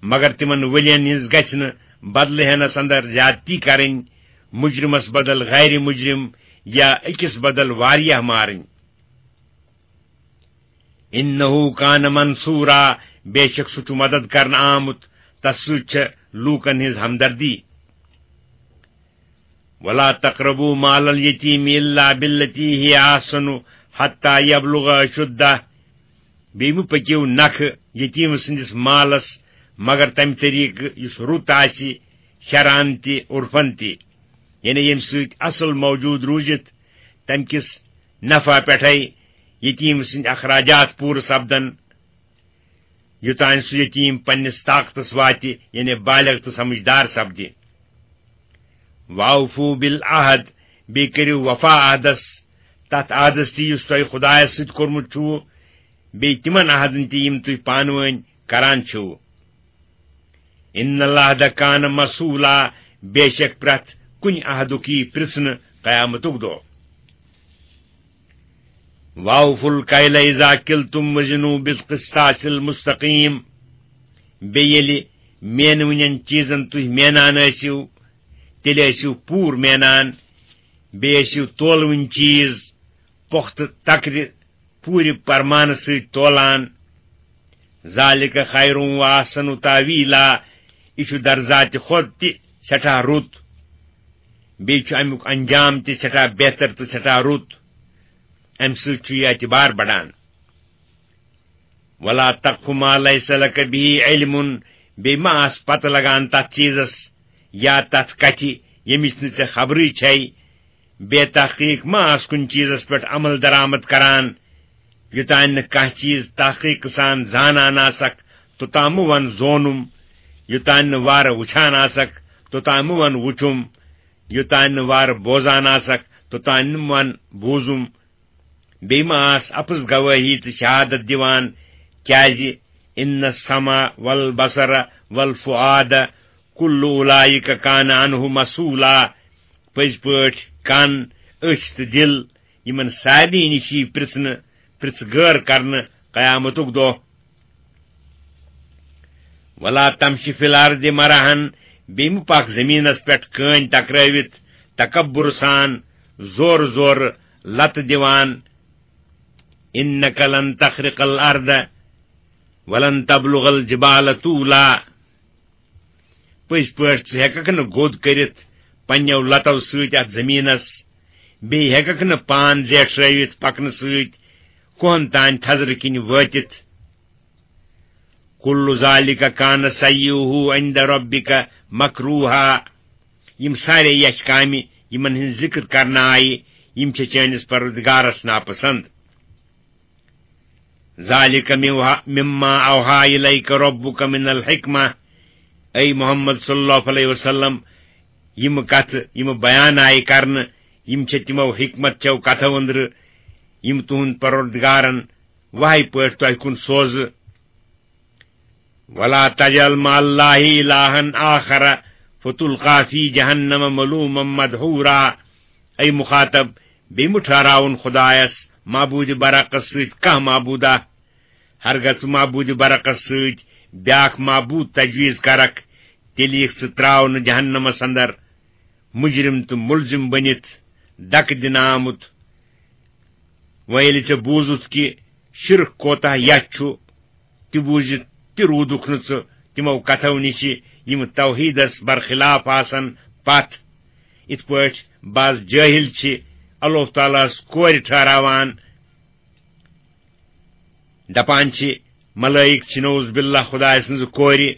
مگر تِمن ؤلین ہٕنٛز گژھِ نہٕ بدلہٕ ہینس اندر زیادتی کرٕنۍ، مجرمس بدل غیر مجرم یا أکِس بدل واریاہ مارٕنۍ۔ انه کان منصورا، بے شک سُہ چھُ مدد کرنہٕ آمُت، تس سۭتۍ چھےٚ لوٗکن ہٕنٛز ہمدردی۔ ولا تقربوا مال اليتيم الا بالتي هي احسن حتى يبلغ اشده، بیٚیہِ مہٕ پٔکِو نکھٕ یتیٖم سٕنٛدِس مالس مگر تمہِ طریقہٕ یُس رُت آسہِ شرعن تہِ عرفن تہِ، یعنی ییٚمہِ سۭتۍ اصل موجود روٗزِتھ تمہِ کِس نفع پٮ۪ٹھے یتیٖم سٕنٛدۍ اخراجات پوٗرٕ سپدن، یوٚتام سُہ یتیٖم پننِس طاقتس واتہِ، یعنی بالغ تہٕ سمجھدار سپدِ۔ واوفو بالعہد، بیٚیہِ کٔرِو وفا عہدس، تتھ عہدس تہِ یُس تۄہہِ خدایس سۭتۍ کوٚرمُت چھُو، بیٚیہِ تِمن عہدن تہِ یِم تُہۍ پانہٕ وٲنۍ کران چھِو۔ ان العہد کان مسئولا، بے شک پرٛٮ۪تھ کُنہِ عہدُک یی پرٛژھنہٕ قیامتُک دۄہ۔ واوفوا الکیل اذا کلتم وزنوا بالقسطاس المستقیم۔ بیٚیہِ ییٚلہِ مینوٕنٮ۪ن چیٖزن تُہۍ مینان ٲسِو، تیٚلہِ ٲسِو پوٗرٕ مینان، بیٚیہِ ٲسِو تولوٕنۍ چیٖز پۄختہٕ تکرِ پوٗرٕ پرمانہٕ سۭتۍ تولان۔ ذالک خیر و احسن تاویلا، یہِ چھُ درزاتِ خۄد تہِ سٮ۪ٹھاہ رُت، بیٚیہِ چھُ امیُک انجام تہِ سٮ۪ٹھاہ بہتر تہٕ سٮ۪ٹھاہ رُت۔ امہِ سۭتۍ چھُ یہِ اعتبار بڑان۔ ولا تقف ما لیس لک به علم، بیٚیہِ ما آس پتہ لگان تتھ چیٖزس یا تتھ کتھِ ییٚمِچ نہٕ ژےٚ خبرٕے چھے، بے تحقیق ما آس کُنہِ چیٖزس پٮ۪ٹھ عمل درآمد کران۔ یوٚتام نہٕ کانٛہہ چیٖز تحقیق سان زانان آسکھ، توٚتام مہٕ ون زونُم۔ یوٚتام نہٕ وارٕ وٕچھان آسکھ، توٚتام مہٕ ون وٕچھُم۔ یوٚتام نہٕ وارٕ بوزان آسکھ، توٚتام نہٕ ون بوٗزُم۔ بیٚیہِ ما آس اپٕز گوٲہی تہٕ شہادت دِوان، کیازِ ان السمع والبصر والفؤاد کل اولئک کان عنہ مسئولا، پٔزۍ پٲٹھۍ کن، أچھ تہٕ دِل، یِمن سارنٕے نِش یی پرژھنہٕ، پرژھ گٲر کرنہٕ قیامتُک دۄہ۔ ولا تمشِ فی الارض مرحا، بیٚیہِ مہٕ پکھ زٔمیٖنس پٮ۪ٹھ کٲنۍ تکرٲوِتھ، تکبر سان، زورٕ زورٕ لتہٕ دِوان۔ انک لن تخرق الارض ولن تبلغ الجبال طولا۔ پٔزۍ پٲٹھۍ ژٕ ہٮ۪ککھ نہٕ گوٚد کٔرِتھ پننیو لتو سۭتۍ اتھ زٔمیٖنس، بیٚیہِ ہٮ۪ککھ نہٕ پان زیٹھرٲوِتھ پکنہٕ سۭتۍ کوہن تام تھزرٕ کِنۍ وٲتِتھ۔ کل ذالک کان سیئہ عند ربک مکروہا۔ یِم سارے یچھ کامہِ، یِمن ہٕنٛز ذکر کرنہٕ آیہِ، یِم چھِ چٲنِس پروردگارس ناپسند۔ ذالک مما اوحی الیک ربک من الحکمہ۔ اے محمد صلی اللہ علیہ وسلم، یِم کتھٕ، یِم بیان آیہِ کرنہٕ، یِم چھِ تِمو حکمت چو کتھو أنٛدرٕ، یِم تُہُنٛد پروردگارن وحی پٲٹھۍ تۄہہِ کُن سوزٕ۔ ولا تجعل مع اللہ الہا آخر فتلقی فی جہنم ملوما مدحورا۔ اے مخاطب، بیٚیہِ مہٕ ٹھہراوُن خدایس معبود برحقس سۭتۍ کانٛہہ معبودہ۔ ہرگاہ ژٕ معبود برحقس سۭتۍ بیاکھ معبود تجویز کرکھ، تیٚلہِ یِکھ ژٕ تراونہٕ جہنمس اندر، مجرم تہٕ ملزم بٔنِتھ دکہٕ دِنہٕ آمُت۔ وۄنۍ ییٚلہِ ژےٚ بوٗزُتھ کہِ شرک کوتاہ یتھ چھُ، تہِ بوٗزِتھ تہِ روٗدُکھ نہٕ ژٕ تِمو کتھو نِشہِ، یِم توحیدس برخلاف آسن پتھ۔ یِتھ پٲٹھۍ بعض جٲہِل چھِ اللہ تعالیٰ ہس کورِ ٹھہراوان، دپان چھِ، ملائک چھِ نعوذ باللہ خدایہِ سٕنٛزٕ کورِ۔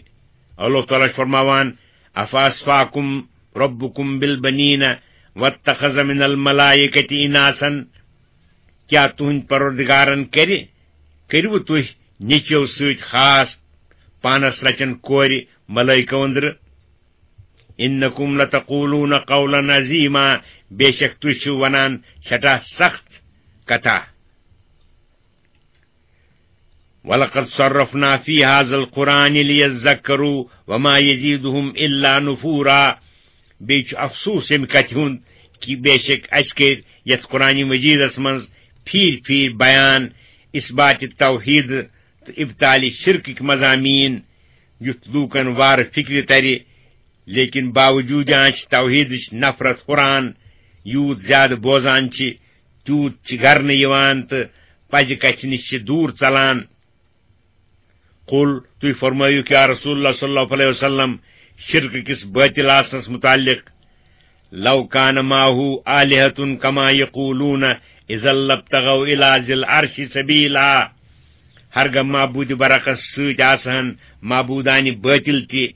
اللہ تعالیٰ چھُ فرماوان، افاصفاکم ربکم بالبنین واتخذ من الملائکۃ اناثا۔ کیٛاہ تُہنٛدۍ پروردگارن کرِ، کٔرِوٕ تُہۍ نیٚچوۍ سۭتۍ خاص، پانس رچن کورِ ملائکو أنٛدرٕ؟ انکم لتقولون قولا عظیما، بے شک تُہۍ چھِو ونان سٮ۪ٹھاہ سخت کتھا۔ ولقد صرفنا فی هذا القرآن لیذکروا وما یزیدہم الا نفورا۔ بیٚیہِ چھُ افسوس ییٚمہِ کتھِ ہُنٛد کہِ بے شک اسہِ کٔرۍ یتھ قرآن مجیدس منٛز پھیرۍ پھیرۍ بیان اثبات توحید تہٕ ابطال شرکٕکۍ مضامین، یُتھ لوٗکن وارٕ فکرِ ترِ۔ لیکن باوجود آنچ توحیدٕچ نفرت ہُران، یوٗت زیادٕ بوزان چھِ، تیوٗت چھِ گرنہٕ یِوان تہٕ پزِ کتھِ نِش چھِ دوٗر ژلان۔ قل، تُہۍ فرمٲیِو یا رسول اللہ صلی اللہ علیہ وسلم، شرک کِس باطل آسنس متعلق، لو کان معه آلهة کما یقولون اذا لابتغوا الی ذی العرش سبیلا۔ ہرگاہ معبود برحقس سۭتۍ آسہن معبودان باطل تہِ،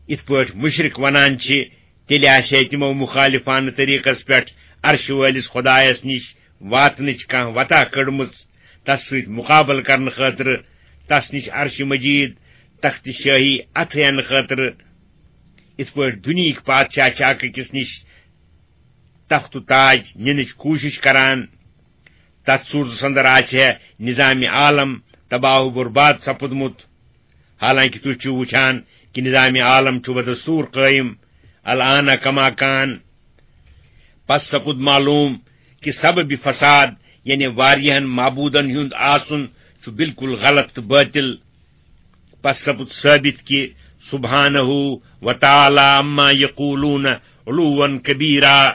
یِتھ پٲٹھۍ مُشرِک وَنان چھِ، تیٚلہِ آسہِ ہے تِمو مُخالِفانہٕ طریٖقس پٮ۪ٹھ عرشہِ وٲلِس خۄدایس نِش واتنٕچ کانٛہہ وَتہ کٔڑمٕژ، تس سۭتۍ مُقابلہٕ کرنہٕ خٲطرٕ، تس نِش عرشہِ مجیٖد، تخت شٲہی اَتھٕ ہٮ۪نہٕ خٲطرٕ۔ یِتھ پٲٹھۍ دُنیہٕکۍ پادشاہ چھِ اکھ أکِس نِش تخت و تاج نِنٕچ کوٗشِش کران، تتھ صوٗرتس اندر آسہِ ہے نظام عالم تباہ و برباد سپُدمُت۔ حالانکہ تُہۍ چھِو وٕچھان کہِ نظام عالم چھُ بدستوٗر قٲیِم، الآن کما کان۔ پس سپُد معلوٗم کہِ سبب فساد، یعنی واریاہن معبوٗدن ہُنٛد آسُن چھُ بالکل غلط تہٕ باطل۔ پس سپُد ثٲبت کہِ سبحانہ و تعالی عما یقولون علوا کبیرا۔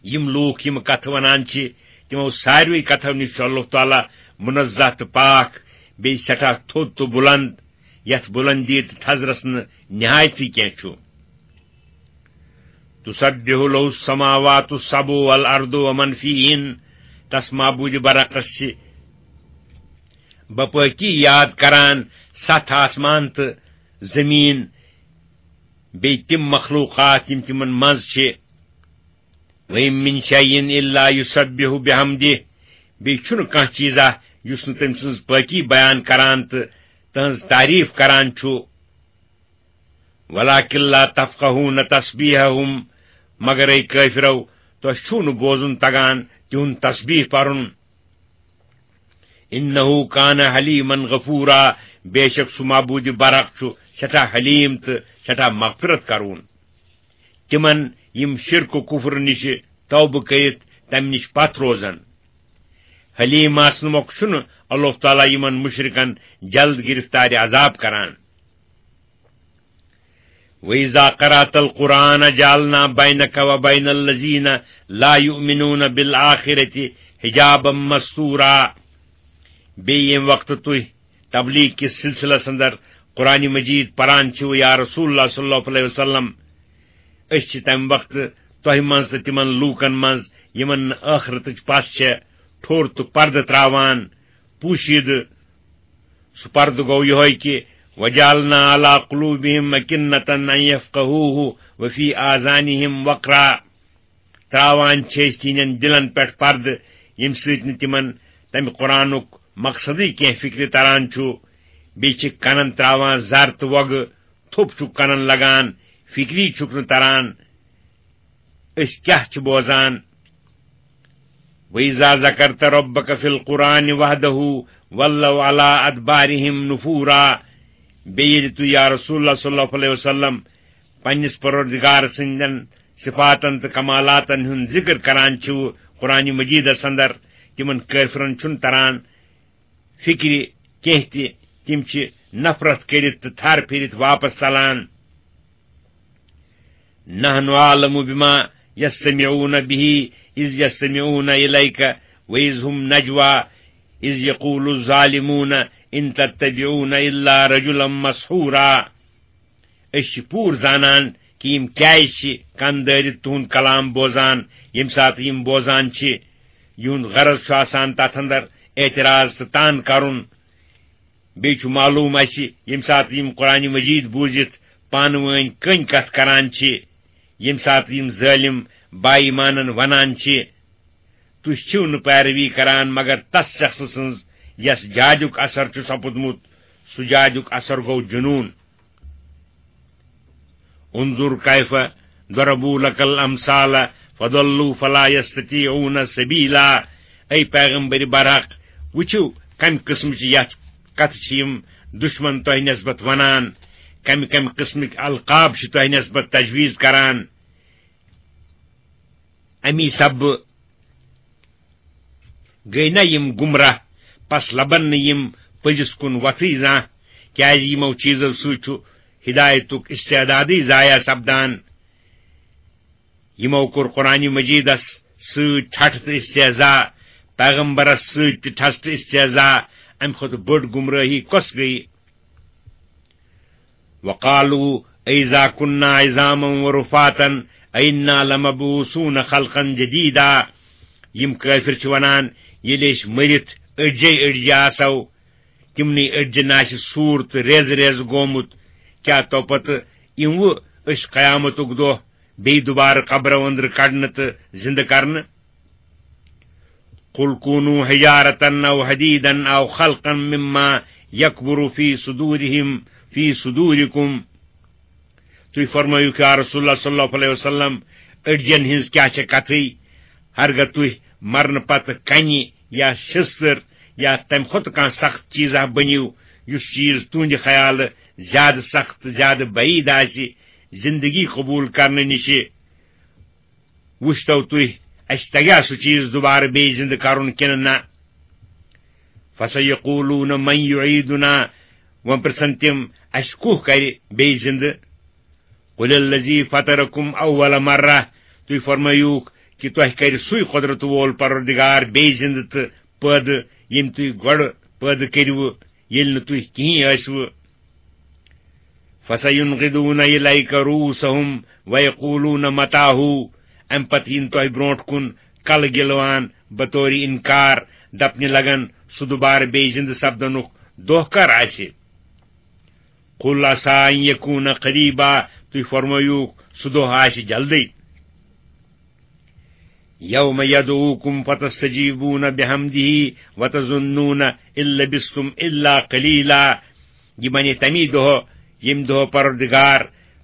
یِم لوٗکھ یِم کتھٕ ونان چھِ، تِمو ساروٕے کتھو نِش چھُ اللہ تعالیٰ منزہ تہٕ پاک، بیٚیہِ سٮ۪ٹھاہ تھوٚد تہٕ بُلند، یتھ بُلندی تہٕ تھزرس نہٕ نہایتٕے کینٛہہ چھُ۔ تسبح له السماوات السبع والارض ومن فیہن، تس معبود برحقس چھِ بپٲکی یاد کران ستھ آسمان تہٕ زمیٖن، بیٚیہِ تِم مخلوقات یِم تِمن منٛز چھِ۔ وَإِن مِّن شَيْءٍ إِلَّا يُسَبِّحُ بِحَمْدِهِ، بیٚیہِ چھُنہٕ کانٛہہ چیٖزا یُس نہٕ تٔمۍ سٕنٛز پٲکی بیان کران تہٕ تٕہٕنٛز تعریٖف کران چھُ۔ وَلَٰكِن لَّا تَفْقَهُونَ تَسْبِيحَهُمْ، مگر اے کٲفرو، تۄہہِ چھُو نہٕ بوزُن تگان تِہُنٛد تسبیح پرُن۔ إِنَّهُ كَانَ حَلِيمًا غَفُورًا، بے شک سُہ معبود برحق چھُ سٮ۪ٹھاہ حلیم تہٕ سٮ۪ٹھاہ مغفرت کرون۔ تِمن یِم شرک و کفر نِش توبہٕ کٔرِتھ تمہِ نِش پتھ روزن۔ حلیم آسنہٕ مۄکھٕ چھُنہٕ اللہ تعالیٰ یِمن مشرکن جلد گرفتارِ عذاب کران۔ وَإِذَا قَرَأْتَ الْقُرْآنَ جَعَلْنَا بَيْنَكَ وَبَيْنَ الَّذِينَ لَا يُؤْمِنُونَ بِالْآخِرَةِ حِجَابًا مَسْتُورًا۔ بیٚیہِ ییٚمہِ وقتہٕ تُہۍ تبلیغ کِس سلسلس اندر قرآن مجید پران چھِو یا رسول اللہ صلی اللہ علیہ وسلم، أسۍ چھِ تمہِ وقتہٕ تۄہہِ منٛز تہٕ تِمن لوٗکن منٛز یِمن نہٕ ٲخرتٕچ پژھ چھےٚ، ٹھوٚر تہٕ پردٕ تراوان، پوٗشیدٕ۔ سُہ پردٕ گوٚو یِہوٚے کہِ وَجَعَلْنَا عَلَىٰ قُلُوبِهِمْ أَكِنَّةً أَن يَفْقَهُوهُ وَفِي آذَانِهِمْ وَقْرًا۔ تراوان چھِ أسۍ تِہنٛدٮ۪ن دِلن پٮ۪ٹھ پردٕ، ییٚمہِ سۭتۍ نہٕ تِمن تمہِ قرآنُک مقصدٕے کینٛہہ فِکرِ تران چھُ۔ بیٚیہِ چھِ کنن تراوان زر تہٕ وۄگہٕ، تھوٚپ چھُکھ کنن لگان، فِکری چھُکھ نہٕ تران أسۍ کیٛاہ چھِ بوزان۔ وَإِذَا ذَكَرْتَ رَبَّكَ فِي الْقُرْآنِ وَحْدَهُ وَلَّوْا عَلَىٰ أَدْبَارِهِمْ نُفُورًا۔ بیٚیہِ ییٚلہِ تُہۍ یا رسول اللہ صلی اللہ علیہ وسلم پننِس پروردگار سٕنٛدٮ۪ن صفاتن تہٕ کمالاتن ہُنٛد ذکر کران چھِو قرآن مجیدس اندر، تِمن کٲفرن چھُنہٕ تران فِکرِ کینٛہہ تہِ، تِم چھِ نفرت کٔرِتھ تہٕ تھر پھِرِتھ واپس ژلان۔ نحن أعلم بما يستمعون به إذ يستمعون إليك وإذ هم نجوى إذ يقول الظالمون إن تتبعون إلا رجلا مسحورا۔ أسۍ چھِ پوٗرٕ زانان کہِ یِم کیازِ چھِ کن دٲرِتھ تُہُنٛد کلام بوزان، ییٚمہِ ساتہٕ یِم بوزان چھِ۔ یِہُنٛد غرض چھُ آسان تتھ اندر اعتراض تہٕ تان کرُن۔ بیٚیہِ چھُ معلوم اسہِ، ییٚمہِ ساتہٕ یِم قرآن مجید بوٗزِتھ پانہٕ وٲنۍ کٔنۍ کتھ کران چھِ، ییٚمہِ ساتہٕ یِم ظٲلِم با ایمانن ونان چھِ، تُہۍ چھِو نہٕ پیروی کران مگر تس شخصہٕ سٕنٛز یس جادُک اثر چھُ سپُدمُت، سُہ جادُک اثر گوٚو جنون۔ انظر كيف ضربوا لك الأمثال فضلوا فلا يستطيعون سبيلا۔ اے پیغمبر برحق، وٕچھِو کمہِ قٕسمٕچ یتھ کتھٕ چھِ یِم دشمن تۄہہِ نسبت ونان، کمہِ کمہِ قٕسمٕکۍ القاب چھِ تۄہہِ نسبت تجویز کران۔ امی سببہٕ گٔے نہ یِم گمراہ، پس لبن نہٕ یِم پٔزِس کُن وۄتھٕے زانٛہہ، کیازِ یِمو چیزو سۭتۍ چھُ ہدایتُک استعدادٕے ضایع سپدان۔ یِمو کوٚر قرآن مجیدس سۭتۍ ٹھٹھ تہٕ استہزا، پیغمبرس سۭتۍ تہِ ٹھٹھ تہٕ استہزا، امہِ کھۄتہٕ بٔڑ گمرٲہی کۄس گٔیہِ؟ وقالوا أئذا كنا عظاما ورفاتا أئنا لمبعوثون خلقا جديدا۔ یِم کٲفِر چھِ ونان، ییٚلہِ أسۍ مٔرِتھ أڈجے أڈجہِ آسو، تِمنٕے أڈجن آسہِ سوٗر تہٕ ریزٕ ریزٕ گوٚمُت، کیٛاہ تو پتہٕ یِموٕ أسۍ قیامتُک دۄہ بیٚیہِ دُبارٕ قبرو أنٛدرٕ کڑنہٕ تہٕ زِنٛدٕ کرنہٕ؟ قل كونوا حجارة أو حديدا أو خلقا مما يكبر في صدورهم في صدوركم۔ تُہۍ فرمٲیِو یا رسول اللہ صلی اللہ علیہ وسلم، أڈجن ہٕنٛز کیٛاہ چھےٚ کتھٕے؟ ہرگاہ تُہۍ مرنہٕ پتہٕ کنہِ یا شستٕر یا تمہِ کھۄتہٕ کانٛہہ سخت چیٖزا بٔنِو، یُس چیٖز تُہنٛدِ خیالہٕ زیادٕ سخت، زیادٕ بعید آسہِ زندگی قبول کرنہٕ نِشہِ۔ وُچھتو تُہۍ، اسہِ تگیٛا سُہ چیٖز دُبارٕ بیٚیہِ زِنٛدٕ کرُن کِنہٕ نہ؟ فَسَيَقُولُونَ مَن يُعِيدُنَا، وۄنۍ پرٛژھن تِم، اسہِ کُہ کرِ بیٚیہِ زِنٛدٕ؟ قُلِ الَّذِي فَطَرَكُمْ أَوَّلَ مَرَّةٍ، تُہۍ فرمٲیوکھ کہِ تۄہہِ کرِ سُے قۄدرت وول پروردگار بیٚیہِ زِنٛدٕ تہٕ پٲدٕ، ییٚمۍ تُہۍ گۄڈٕ پٲدٕ کٔرِوٕ، ییٚلہِ نہٕ تُہۍ کِہیٖنۍ ٲسوٕ۔ فَسَيُنْغِضُونَ إِلَيْكَ رُءُوسَهُمْ وَيَقُولُونَ مَتَىٰ هُوَ۔ امہِ پتہٕ یِن تۄہہِ برونٛٹھ کُن کلہٕ گِلوان بطورِ انکار، دپنہِ لگن، سُہ دُبارٕ بیٚیہِ زِنٛدٕ سپدنُک دۄہ کر آسہِ؟ قُلْ عَسَىٰ أَن يَكُونَ قَرِيبًا، تُہۍ فرمٲیوکھ، سُہ دۄہ آسہِ جلدٕے۔ يَوْمَ يَدْعُوكُمْ فَتَسْتَجِيبُونَ بِحَمْدِهِ وَتَظُنُّونَ إِن لَّبِثْتُمْ إِلَّا قَلِيلًا۔ یہِ بنہِ تمی دۄہ، ییٚمہِ دۄہ پروردگار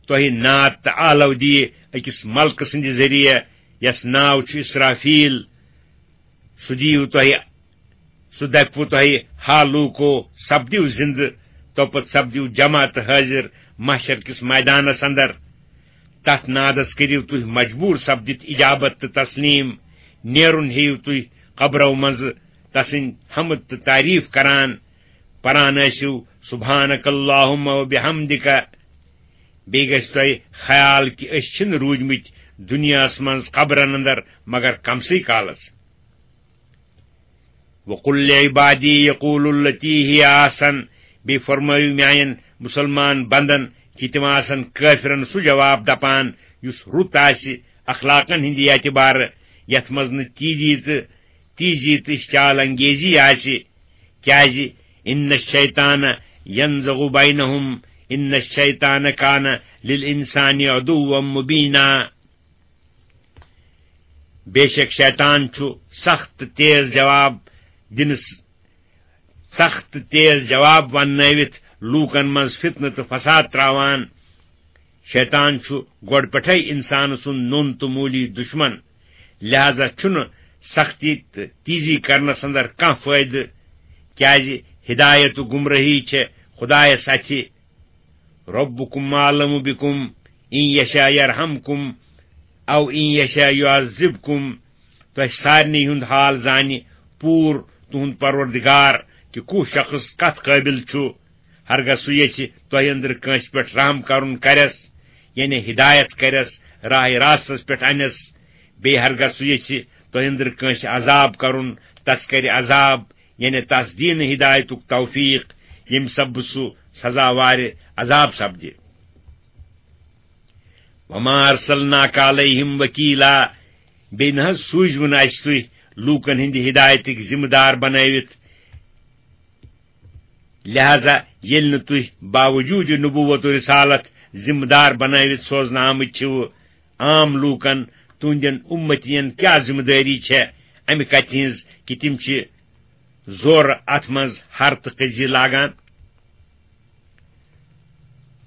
تۄہہِ نعت تہٕ آلو دِیہِ أکِس ملکہٕ سٕنٛدِ ذٔریعہٕ، یَس ناو چھُ اسرافیل۔ سُہ دِیِو تۄہہِ، سُہ دَپِوٕ تۄہہِ، ہا لوٗکو، سپدِو زِنٛدٕ، توپتہٕ سپدِو جمع تہٕ حٲضِر محشر کِس مٲدانس اندر۔ تتھ نادس کٔرِو تُہۍ مجبوٗر سپدِتھ اجابت تہٕ تسلیم۔ نیرُن ہیٚیِو تُہۍ قبرو منٛزٕ تسٕنٛدۍ حمد تہٕ تعریف کران، پران ٲسِو سبحانک اللہم و بحمدک۔ بیٚیہِ گژھِ تۄہہِ خیال کہِ أسۍ چھِنہٕ روٗدمٕتۍ دُنیاہس منٛز قبرن اندر مگر کمسٕے کالس۔ وقل لعبادی یقول التی ہی احسن، بیٚیہِ فرمٲیِو میانٮ۪ن مُسلمان بندن کہِ تِم آسن کٲفرن سُہ جواب دپان یُس رُت آسہِ اخلاقن ہٕنٛدِ اعتبارٕ، یتھ منٛز نہٕ تیزی تہٕ تیزی تہٕ اشتعال انگیزی آسہِ، کیازِ ان الشیطان ینزغ بینہم ان الشیطان کان للانسان عدوا مبینا۔ بے شک شیطان چھُ سخت تیز جواب دِنس، سخت تیز جواب وننٲوِتھ لوٗکن منٛز فتنہٕ تہٕ فساد تراوان۔ شیطان چھُ گۄڈٕ پٮ۪ٹھے انسان سُنٛد نوٚن تہٕ موٗلی دشمن، لہذا چھُنہٕ سختی تہٕ تیزی کرنس اندر کانٛہہ فٲیدٕ، کیازِ ہدایت و گمراہی چھےٚ خدایس اتھِ۔ ربکم اعلم بکم ان یشاء یرحمکم او ان یشاء یعذبکم۔ تۄہہِ سارنٕے ہُنٛد حال زانہِ پوٗرٕ تُہُنٛد پروردگار کہِ کُس شخص کتھ قٲبل چھُ۔ ہرگاہ سُہ یژھِ تۄہہِ أنٛدرٕ کٲنٛسہِ پٮ۪ٹھ رحم کرُن کرٮ۪س، یعنی ہدایت کرٮ۪س، راہ راستس پٮ۪ٹھ انٮ۪س۔ بیٚیہِ ہرگاہ سُہ یژھِ تۄہہِ أنٛدرٕ کٲنٛسہِ عذاب کرُن، تس کرِ عذاب، یعنی تس دِیہِ نہٕ ہدایتُک توفیق، ییٚمہِ سببہٕ سُہ سزاوارِ عذاب سپدِ۔ وما ارسلناک علیہم وکیلا، بیٚیہِ نہ حظ سوٗزوٕ نہٕ اسہِ تُہۍ لوٗکن ہٕنٛدِ ہدایتٕکۍ ذمہٕ دار بنٲوِتھ۔ لہذا ییٚلہِ نہٕ تُہۍ باوجوٗد نبوت و رسالت ذمہٕ دار بنٲوِتھ سوزنہٕ آمٕتۍ چھِو عام لوٗکن، تُہنٛدٮ۪ن اُمتین کیٛاہ ذمہٕ دٲری چھےٚ امہِ کتھِ ہٕنٛز کہِ تِم چھِ زورٕ اتھ منٛز ہر تہٕ کٔزی لاگان؟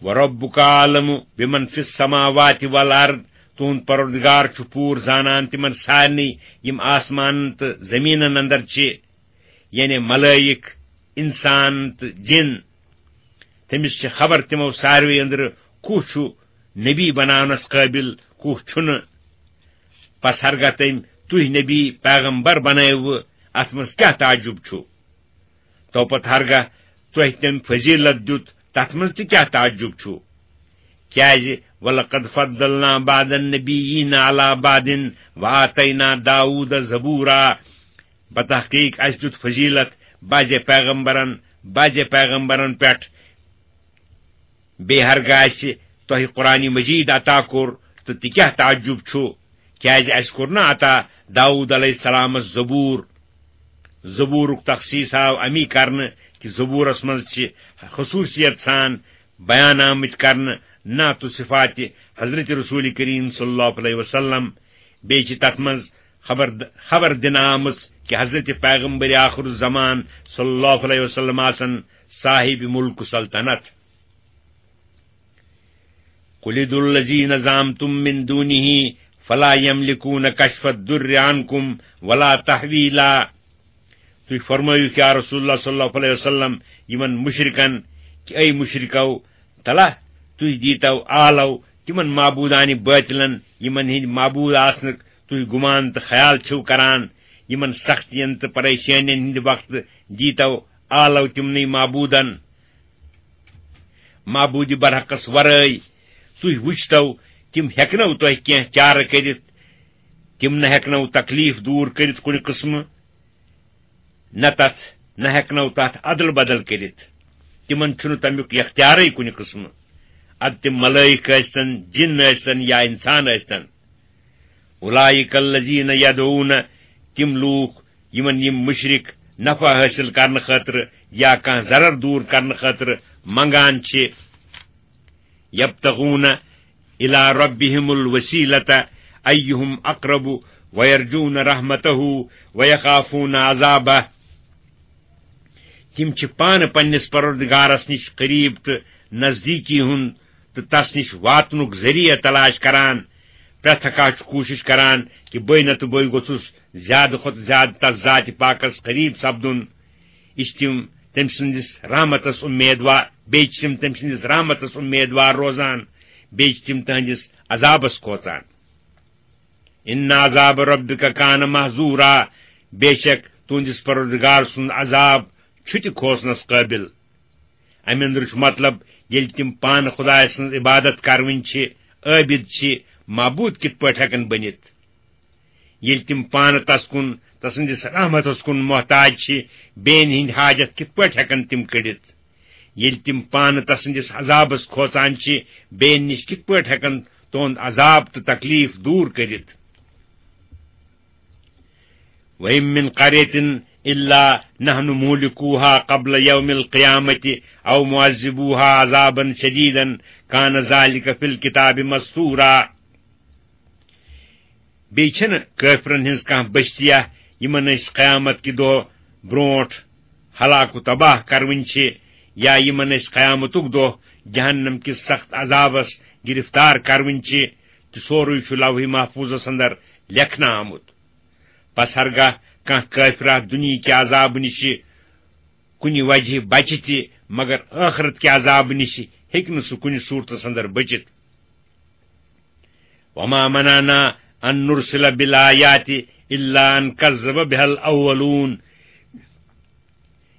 وربک اعلم بمن فی السماوات والارض، تُہُنٛد پروردگار چھُ پوٗرٕ زانان تِمن سارنٕے یِم آسمانن تہٕ زٔمیٖنن اندر چھِ، یعنی ملٲیِک، انسان تہٕ جِن۔ تٔمِس چھِ خبر تِمو ساروٕے أنٛدرٕ کُس چھُ نبی بناونس قٲبل، کُس چھُنہٕ۔ پس ہرگاہ تٔمۍ تُہۍ نبی پیغمبر بنٲوٕ، اتھ منٛز کیٛاہ تعجب چھُ؟ تو پتہٕ ہرگاہ تۄہہِ تٔمۍ فضیلت دیُت، تتھ منٛز تہِ کیٛاہ تعجب چھُ؟ کیازِ، ولقد فضلنا بعض النبیین علی بعض وآتینا داوود زبورا۔ بتحقیق اسہِ دیُت فضیلت بعضے پیغمبرن، بعضے پیغمبرن پٮ۪ٹھ۔ بیٚیہِ ہرگاہ اسہِ تۄہہِ قرآن مجید عطا کوٚر، تہٕ تہِ کیٛاہ تعجب چھُ؟ کیازِ اسہِ کوٚر نہ عطا داوود علیہ السلامس زبور؟ زبورُک تخصیص آو امی کرنہٕ کہِ زبورس منٛز چھِ خصوصیت سان بیان آمٕتۍ کرنہٕ نعت و صفات حضرت رسول کریم صلی اللہ علیہ وسلم۔ بیٚیہِ چھِ تتھ منٛز خبر، خبر دِنہٕ آمٕژ کہِ حضرت پیغمبر آخر الزمان صلی اللہ علیہ وسلم آسن صاحب ملک و سلطنت۔ قل ادعوا الذین زعمتم من دونه فلا یملکون کشف الضر عنکم ولا تحویلا۔ تُہۍ فرمٲیِو یا رسول اللہ صلی اللہ علیہ وسلم یِمن مشرکن کہِ اے مشرکو، تلا تُہۍ دیٖتو آلو تِمن معبوٗدانہِ باطلن، یِمن ہٕنٛدۍ معبوٗد آسنُک تُہۍ گُمان تہٕ خیال چھِو کران، یِمن سختین تہٕ پریشٲنین ہٕنٛدِ وقتہٕ دیٖتو آلو تِمنٕے معبوٗدن، معبوٗدِ برحقس ورٲے۔ تُہۍ وٕچھتو، تِم ہٮ۪کنو تۄہہِ کینٛہہ چارٕ کٔرِتھ، تِم نہ ہٮ۪کنو تکلیف دوٗر کٔرِتھ کُنہِ قٕسمہٕ، نہ تتھ، نہ ہٮ۪کنو تتھ ادل بدل کٔرِتھ۔ تِمن چھُنہٕ تمیُک اختیارٕے کُنہِ قٕسمہٕ۔ ادٕ تِم ملٲیِک ٲسۍتن، جِن ٲسۍتن یا انسان ٲسۍتن۔ اولئک الذین یدعون، تِم لوٗکھ یِمن یِم مشرک نفع حٲصِل کرنہٕ خٲطرٕ یا کانٛہہ ضرر دوٗر کرنہٕ خٲطرٕ منگان چھِ، یبتغون الی ربہم الوسیلۃ ایہم اقرب ویرجون رحمتہ ویخافون عذابہ۔ تِم چھِ پانہٕ پننِس پروردگارس نِش قریب تہٕ نزدیٖکی ہُنٛد تہٕ تس نِش واتنُک ذٔریعہٕ تلاش کران۔ پرٛٮ۪تھ کانٛہہ چھُ کوٗشِش کران کہِ بٕے نتہٕ بٕے گوٚژھُس زیادٕ کھۄتہٕ زیادٕ تس ذاتِ پاکس قریب سپدُن۔ یہِ چھِ تِم تٔمۍ سٕنٛدِس رحمتس اُمیدوار، بیٚیہِ چھِ تِم تٔمۍ سٕنٛدِس رحمتس اُمیدوار روزان، بیٚیہِ چھِ تِم تٕہٕنٛدِس عذابس کھوژان۔ ان عذاب ربک کان محذورا، بے شک تُہنٛدِس پروردگار سُنٛد عذاب چھُ تہِ کھوژنس قٲبِل۔ امہِ اندرٕ چھُ مطلب، ییٚلہِ تِم پانہٕ خدایہِ سٕنٛز عبادت کرٕنۍ چھِ، عٲبِد چھِ، معبوٗد کِتھ پٲٹھۍ ہٮ۪کن بٔنِتھ؟ ییٚلہِ تِم پانہٕ تس کُن، تسٕنٛدِس رحمتس کُن محتاج چھِ، بیٚین ہٕنٛدۍ حاجت کِتھ پٲٹھۍ ہٮ۪کن تِم کٔڑِتھ؟ ییٚلہِ تِم پانہٕ تسٕنٛدِس عذابس کھوژان چھِ، بیٚین نِش کِتھ پٲٹھۍ ہٮ۪کن تُہُنٛد عذاب تہٕ تکلیف دوٗر کٔرِتھ؟ وَإِن مِّن قَرْيَةٍ إِلَّا نَحْنُ مُهْلِكُوهَا قَبْلَ يَوْمِ الْقِيَامَةِ أَوْ مُعَذِّبُوهَا عَذَابًا شَدِيدًا كَانَ ذَلِكَ فِي الْكِتَابِ مَسْطُورًا۔ بیٚیہِ چھَنہٕ کٲفرَن ہٕنٛز کانٛہہ بستیا، یِمن أسۍ قیامت کہِ دۄہ برونٛٹھ ہلاک و تباہ کروٕنۍ چھِ، یا یِمن أسۍ قیامتُک دۄہ جہنم کِس سخت عذابس گرفتار کروٕنۍ چھِ، تہٕ سورُے چھُ لوح محفوظس اندر لیکھنہٕ آمُت۔ پس ہرگاہ کانٛہہ کٲفرا دُنیہٕکہِ عذابہٕ نِشہِ کُنہِ وجہہ بچہِ تہِ، مگر ٲخرت کہِ عذابہٕ نِشہِ ہیٚکہِ نہٕ سُہ کُنہِ صوٗرتس اندر بٔچِتھ۔ وما منعنا ان نرسل بالآیات الا ان کذب بها الاولون۔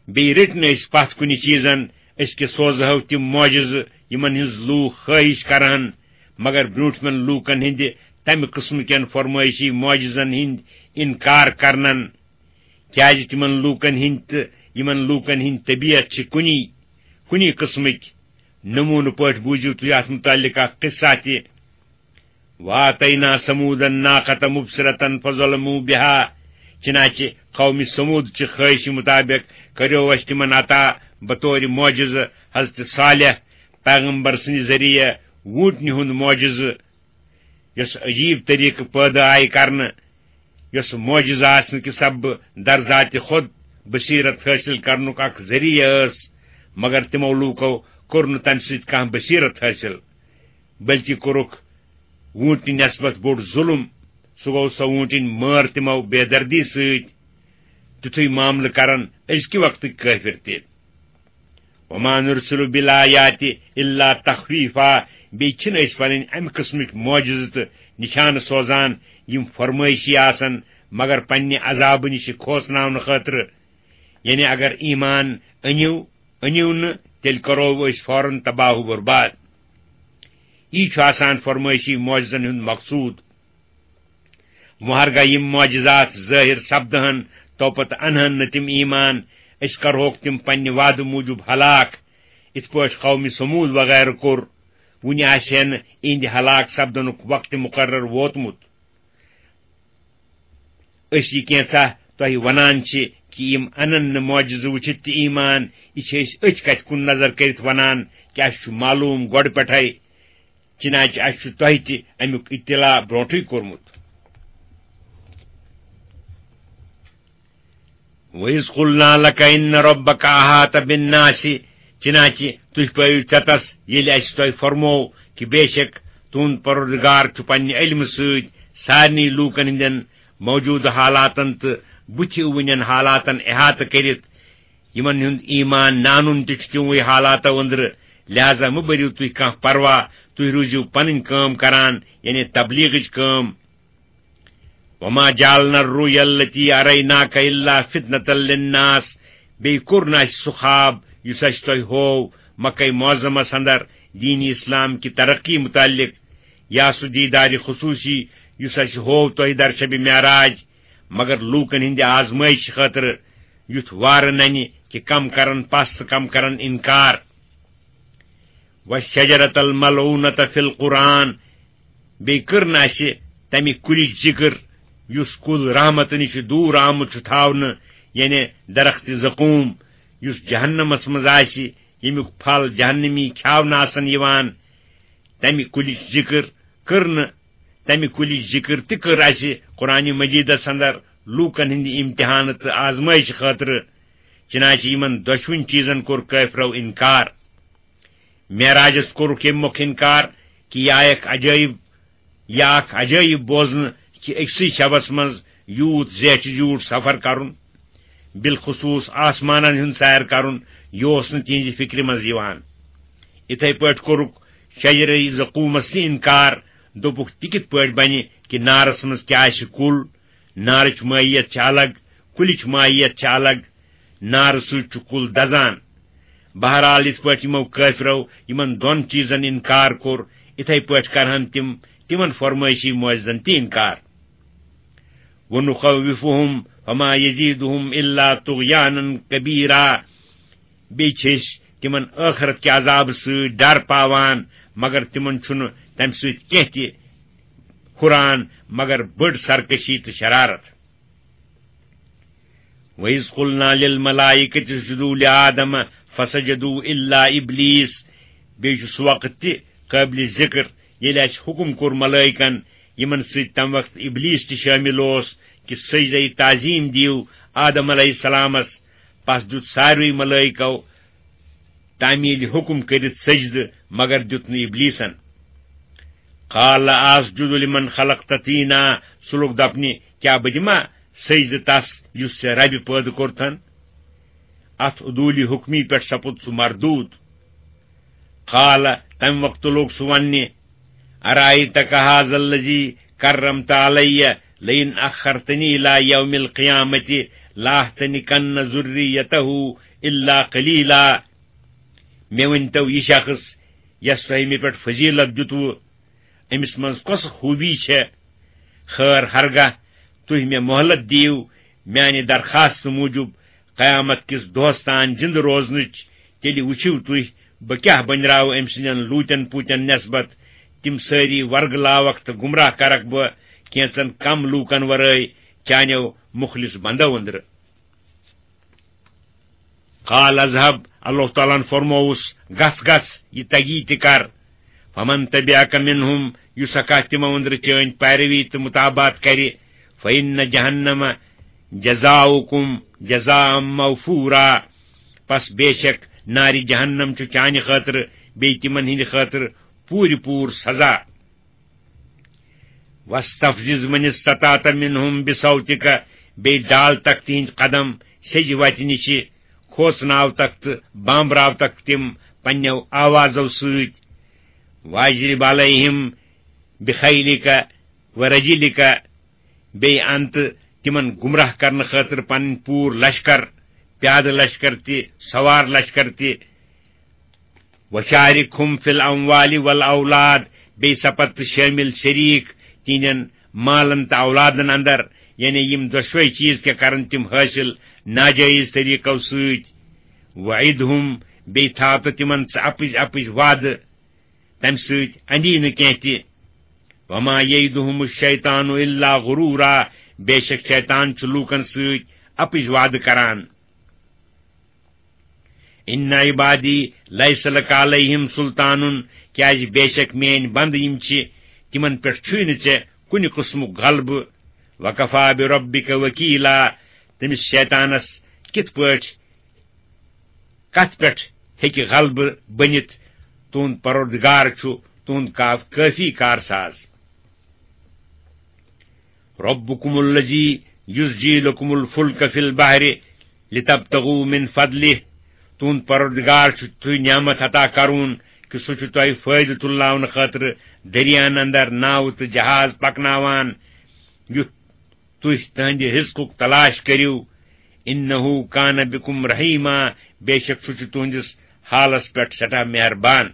بیٚیہِ رٔٹۍ نہٕ أسۍ پتھ کُنہِ چیٖزن، أسۍ کہِ سوزہو تِم معجزٕ، یِمن ہٕنٛز لوٗکھ خٲہِش کرہن، مگر برٛونٛٹھمٮ۪ن لوٗکن ہٕنٛدِ تمہِ قٕسمہٕ کٮ۪ن فرمٲیشی معجزن ہٕنٛدۍ انکار کرنن۔ کیازِ تِمن لوٗکن ہٕنٛدۍ تہٕ یِمن لوٗکن ہٕنٛدۍ طبیعت چھِ کُنی، کُنی قٕسمٕکۍ۔ نموٗنہٕ پٲٹھۍ بوٗزِو تُہۍ اتھ مُتعلق اکھ قصہ تہِ۔ وآتینا ثمود الناقة مبصرة فظلموا بها۔ چنانچہ قوم ثمود چہِ خٲہشہِ مُطابق کریو اسہِ تِمن عطا بطور معجزٕ حضرت صالح پیغمبر سٕنٛدِ ذٔریعہٕ ووٗنٛٹنہِ ہُنٛد معجزٕ، یۄس عجیب طریقہٕ پٲدٕ آیہِ کرنہٕ، یۄس معجزٕ آسنہٕ کہِ سببہٕ در ذاتِ خود بصیرت حٲصِل کرنُک اکھ ذٔریعہٕ ٲس، مگر تِمو لوٗکو کوٚر نہٕ تمہِ سۭتۍ کانٛہہ بصیرت حٲصِل، بلکہِ کوٚرُکھ ووٗنٛٹنہِ نسبت بوٚڑ ظُلم۔ سُہ گوٚو، سۄ ووٗنٛٹِنۍ مٲر تِمو بے دردی سۭتۍ۔ تیُتھُے معاملہٕ کرن أزکہِ وقتٕکۍ کٲفِر تہِ۔ وما نرسل بالآیات الا تخویفا، بیٚیہِ چھِنہٕ أسۍ پنٕنۍ امہِ قٕسمٕکۍ معجزٕ تہٕ نشانہٕ سوزان، یِم فرمٲیشی آسن، مگر پننہِ عذابہٕ نِش کھوژناونہٕ خٲطرٕ۔ یعنی اگر ایمان أنِو، أنِو نہٕ، تیٚلہِ کرو أسۍ فوراً تباہ و برباد۔ یی چھُ آسان فرمٲیشی معجزن ہُنٛد مقصوٗد۔ وۄنۍ ہرگاہ یِم معجزات ظٲہِر سپدٕہن، توپتہٕ انہن نہٕ تِم ایمان، أسۍ کرہوکھ تِم پننہِ وعدٕ موٗجوٗب ہلاک، یِتھ پٲٹھۍ قومِ ثمود وغیرہ کوٚر۔ وُنہِ آسہِ ہے نہٕ اِہنٛدِ ہلاک سپدنُک وقت مقرر ووتمُت۔ أسۍ یہِ کینٛژھا تۄہہِ ونان چھِ کہِ یِم انن نہٕ معجزٕ وٕچھِتھ تہِ ایمان، یہِ چھِ أسۍ أتھۍ کتھِ کُن نظر کٔرِتھ ونان کہِ اسہِ چھُ معلوم گۄڈٕ پٮ۪ٹھے، چنانچہ اسہِ چھُ تۄہہِ تہِ امیُک اطلاع برونٹھٕے کوٚرمُت۔ وَإِذْ قُلْنَا لَكَ إِنَّ رَبَّكَ أَحَاطَ بِالنَّاسِ، چنانچہ تُہۍ پٲیِو ژٮ۪تس، ییٚلہِ اسہِ تۄہہِ فرموو کہِ بے شک تُہُنٛد پروردگار چھُ پننہِ علمہٕ سۭتۍ سارنٕے لوٗکن ہٕنٛدٮ۪ن موجودٕ حالاتن تہٕ بُتھِ وٕنٮ۪ن حالاتن احاطہٕ کٔرِتھ۔ یِمن ہُنٛد ایمان نہٕ انُن تہِ چھُ تِموٕے حالاتو أنٛدرٕ، لہذا مہٕ بٔرِو تُہۍ کانٛہہ پرواہ، تُہۍ روٗزِو پنٕنۍ کٲم کران، یعنی تبلیغٕچ کٲم۔ وما جعلنا الرؤيا التي أريناك إلا فتنة للناس، بیٚیہِ کوٚر نہٕ اسہِ سُہ خواب یُس اسہِ تۄہہِ ہوو مکہ معظمس اندر دین اسلام کہِ ترقی متعلق، یا سُہ دیدار خصوصی یُس اسہِ ہوو تۄہہِ در شب معراج، مگر لوٗکن ہٕنٛدِ آزمٲیشہِ خٲطرٕ، یُتھ وارٕ ننہِ کہِ کم کرن پس تہٕ کم کرن انکار۔ والشجرة الملعونة في القرآن، بیٚیہِ کٔر نہٕ اسہِ تمہِ کُلِچ ذکر یُس کُل رحمتہٕ نِش دوٗر آمُت چھُ تھاونہٕ، یعنی درخت زقوم، یُس جہنمس منٛز آسہِ، ییٚمیُک پھل جہنمی کھیاونہٕ آسن یِوان۔ تمہِ کُلِچ ذکر کٔر نہٕ، تمہِ کُلِچ ذکر تہِ کٔر اسہِ قرآن مجیدس اندر لوٗکن ہٕنٛدِ امتحانہٕ تہٕ آزمٲیشہِ خٲطرٕ، چنانچہ یِمن دۄشوٕنۍ چیٖزن کوٚر کٲفرو انکار۔ معراجس کوٚرُکھ ییٚمہِ مۄکھٕ انکار کہِ یہِ آیکھ عجٲیب، یہِ اکھ عجٲیب بوزنہٕ کہِ أکسٕے شبس منٛز یوٗت زیچھِ زیوٗٹھ سفر کرُن، بالخصوص آسمانن ہُنٛد سیر کرُن، یہِ اوس نہٕ تِہنٛزِ فکرِ منٛز یِوان۔ یِتھے پٲٹھۍ کوٚرُکھ شجرِ زقومس تہِ انکار، دوٚپُکھ، تہِ کِتھ پٲٹھۍ بنہِ کہِ نارس منٛز کیٛاہ آسہِ کُل؟ نارٕچ ماہیت چھِ الگ، کُلِچ ماہیت چھِ الگ۔ نارٕ سۭتۍ چھُ کُل دزان۔ بہرحال، یِتھ پٲٹھۍ یِمو کٲفرو یِمن دۄن چیٖزن انکار کوٚر، اِتھے پٲٹھۍ کرہن تِم تِمن فرمٲیشی معجزن تہِ انکار۔ وَنُخَوِّفُهُمْ فَمَا يَزِيدُهُمْ إِلَّا طُغْيَانًا كَبِيرًا۔ بیٚیہِ چھِ أسۍ تِمن ٲخرت کہِ عذابہٕ سۭتۍ ڈر پاوان، مگر تِمن چھُنہٕ تَمہِ سۭتۍ کینٛہہ تہِ ہُران، مگر بٔڑ سرکشی تہٕ شرارت۔ وَإِذْ قُلْنَا لِلْمَلَائِكَةِ اسْجُدُوا لِآدَمَ فَسَجَدُوا إِلَّا إِبْلِيسَ۔ بیٚیہِ چھُ سُہ وقت تہِ قٲبلِ ذِکر، ییٚلہِ اَسہِ حُکُم کوٚر ملٲیکن، یِمن سۭتۍ تَمہِ وقتہٕ اِبلیٖس تہِ شٲمِل اوس، کہِ سجدہ تعظیٖم دِیِو آدم علیہ السلامس۔ پس دیُت ساروٕے ملٲیکو تعمیٖلِ حُکُم کٔرِتھ سجدٕ، مگر دیُت نہٕ اِبلیٖسن۔ قال أسجد لمن خلقت طينا۔ سُہ لوٚگ دپنہِ، کیٛاہ بہٕ دِما سجدٕ تس یُس ژےٚ ربِ پٲدٕ کوٚرتھن؟ اتھ عدوٗلِ حُکمی پٮ۪ٹھ سپُد سُہ مردوٗد۔ قال، تمہِ وقتہٕ لوٚگ سُہ وننہِ، أرأيتك هذا الذي كرمت علي لئن أخرتني إلى يوم القيامة لأحتنكن ذريته إلا قليلا۔ مےٚ ؤنۍتو، یہِ شخص یس تۄہہِ مےٚ پٮ۪ٹھ فضیلت دِتوٕ، أمِس منٛز کۄس خوٗبی چھےٚ؟ خٲر، ہرگاہ تُہۍ مےٚ مۄہلت دِیِو میانہِ درخاست موٗجوٗب قیامت کِس دۄہس تام زِندٕ روزنٕچ، تیٚلہِ وٕچھِو تُہۍ، بہٕ کیٛاہ بٔنراوٕ أمۍ سٕنٛدٮ۪ن لوٗتٮ۪ن پوٗتٮ۪ن نٮ۪سبت۔ تِم سٲری ورگلاوکھ تہٕ گمراہ کرکھ بہٕ کینٛژن کم لوٗکن ورٲے چانیو مُخلص بندو أنٛدرٕ۔ قال اذهب، اللہ تعالیٰ ہن فرمووُس، گژھ گژھ، یہِ تگی تہِ کر۔ فمن تبعك منهم، یُس ہا کانٛہہ تِمو أنٛدرٕ چٲنۍ پیروی تہٕ متابعت کرِ، فإن جهنم جزاؤكم جزاء موفورا، پس بے شک نارِ جہنم چھُ چانہِ خٲطرٕ بیٚیہِ تِمن ہٕنٛدِ خٲطرٕ پوٗرٕ پوٗرٕ سزا۔ واستفزز من استطعت منهم بصوتك، بیٚیہِ ڈال تک تِہنٛدۍ قدم سیٚزِ وتہِ نِشہِ، کھوژناو تک تہٕ بامبراو تک تِم پننیو آوازو سۭتۍ۔ واجلب عليهم بخيلك ورجلك، بیٚیہِ ان تہٕ تِمن گمراہ کرنہٕ خٲطرٕ پنٕنۍ پوٗرٕ لشکر، پیادٕ لشکر تہِ، سوار لشکر تہِ۔ وشاركهم في الأموال والأولاد، بیٚیہِ سپد تہٕ شٲمِل شریٖک تِہنٛدٮ۪ن مالن تہٕ اولادن اندر، یعنی یِم دۄشوے چیٖز کیٛاہ کرن تِم حٲصِل ناجٲیز طریٖقو سۭتۍ۔ وعدهم، بیٚیہِ تھاو تہٕ تِمن ژٕ اپٕز اپٕز وعدٕ، تمہِ سۭتۍ اندی نہٕ کینٛہہ تہِ۔ وما يعدهم الشيطان إلا غرورا، بے شک شیطان چھُ لوٗکن سۭتۍ اپٕز وعدٕ کران۔ ان عبادی ليس لك عليهم سلطان، کیازِ بے شک میٲنۍ بندٕ یِم چھِ، تِمن پٮ۪ٹھ چھُے نہٕ ژےٚ کُنہِ قٕسمُک غلبہٕ۔ وكفى بربك وكيلا، تٔمِس شیطانس کِتھ پٲٹھۍ، کتھ پٮ۪ٹھ ہیٚکہِ غلبہٕ بٔنِتھ؟ تُہُنٛد پروردگار چھُ تُہُنٛد کا-، کٲفی کارساز۔ ربكم الذي يزجي لكم الفلك في البحر لتبتغوا من فضله۔ تُہُنٛد پروردگار چھُ تُہۍ نعمت عطا کرون کہِ سُہ چھُ تۄہہِ فٲیدٕ تُلناونہٕ خٲطرٕ دٔریاہن اندر ناوٕ تہٕ جہاز پکناوان، یُتھ تُہۍ تٕہنٛدِ رزقُک تلاش کٔرِو۔ انه كان بكم رحيما، بے شک سُہ چھُ تُہنٛدِس حالس پٮ۪ٹھ سٮ۪ٹھاہ مہربان۔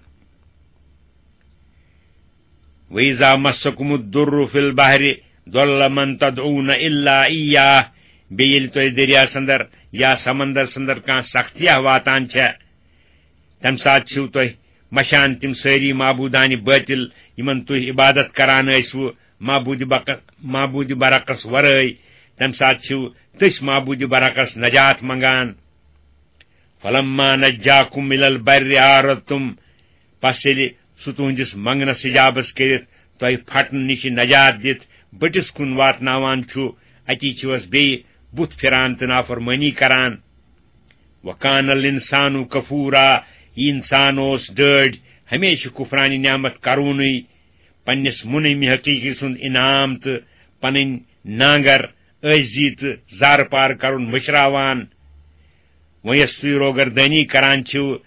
وإذا مسكم الضر في البحر ضل من تدعون إلا إياه، بیٚیہِ ییٚلہِ تۄہہِ دٔریاہس اندر یا سمندرس اندر کانٛہہ سختیا واتان چھےٚ، تمہِ ساتہٕ چھِو تُہۍ مشان تِم سٲری معبوٗدانہِ بٲطِل، یِمن تُہۍ عبادت کران ٲسوٕ معبوٗدِ بق-، معبوٗدِ برحقس ورٲے۔ تمہِ ساتہٕ چھِو تٔسۍ معبوٗدِ برحقس نجات منگان۔ فلما نجاكم إلى البر أعرضتم، پس ییٚلہِ سُہ تُہنٛدِس منگنس اجابس کٔرِتھ تۄہہِ پھٹنہٕ نِش نجات دِتھ بٔٹِس کُن واتناوان چھُ، اتی چھِوس بیٚیہِ بُتھ پھِران تہٕ نافرمٲنی کران۔ وكان الإنسان كفورا، یہِ انسان اوس ڈٲڑۍ، ہمیشہِ کفرانہِ نعمت کرونٕے، پننِس منعم حقیقی سُنٛد انعام تہٕ پنٕنۍ نانگر، عٲجزی تہٕ زارٕ پار کرُن مٔشراوان۔ وۄنۍ یۄس تُہۍ روگردٲنی کران چھِو،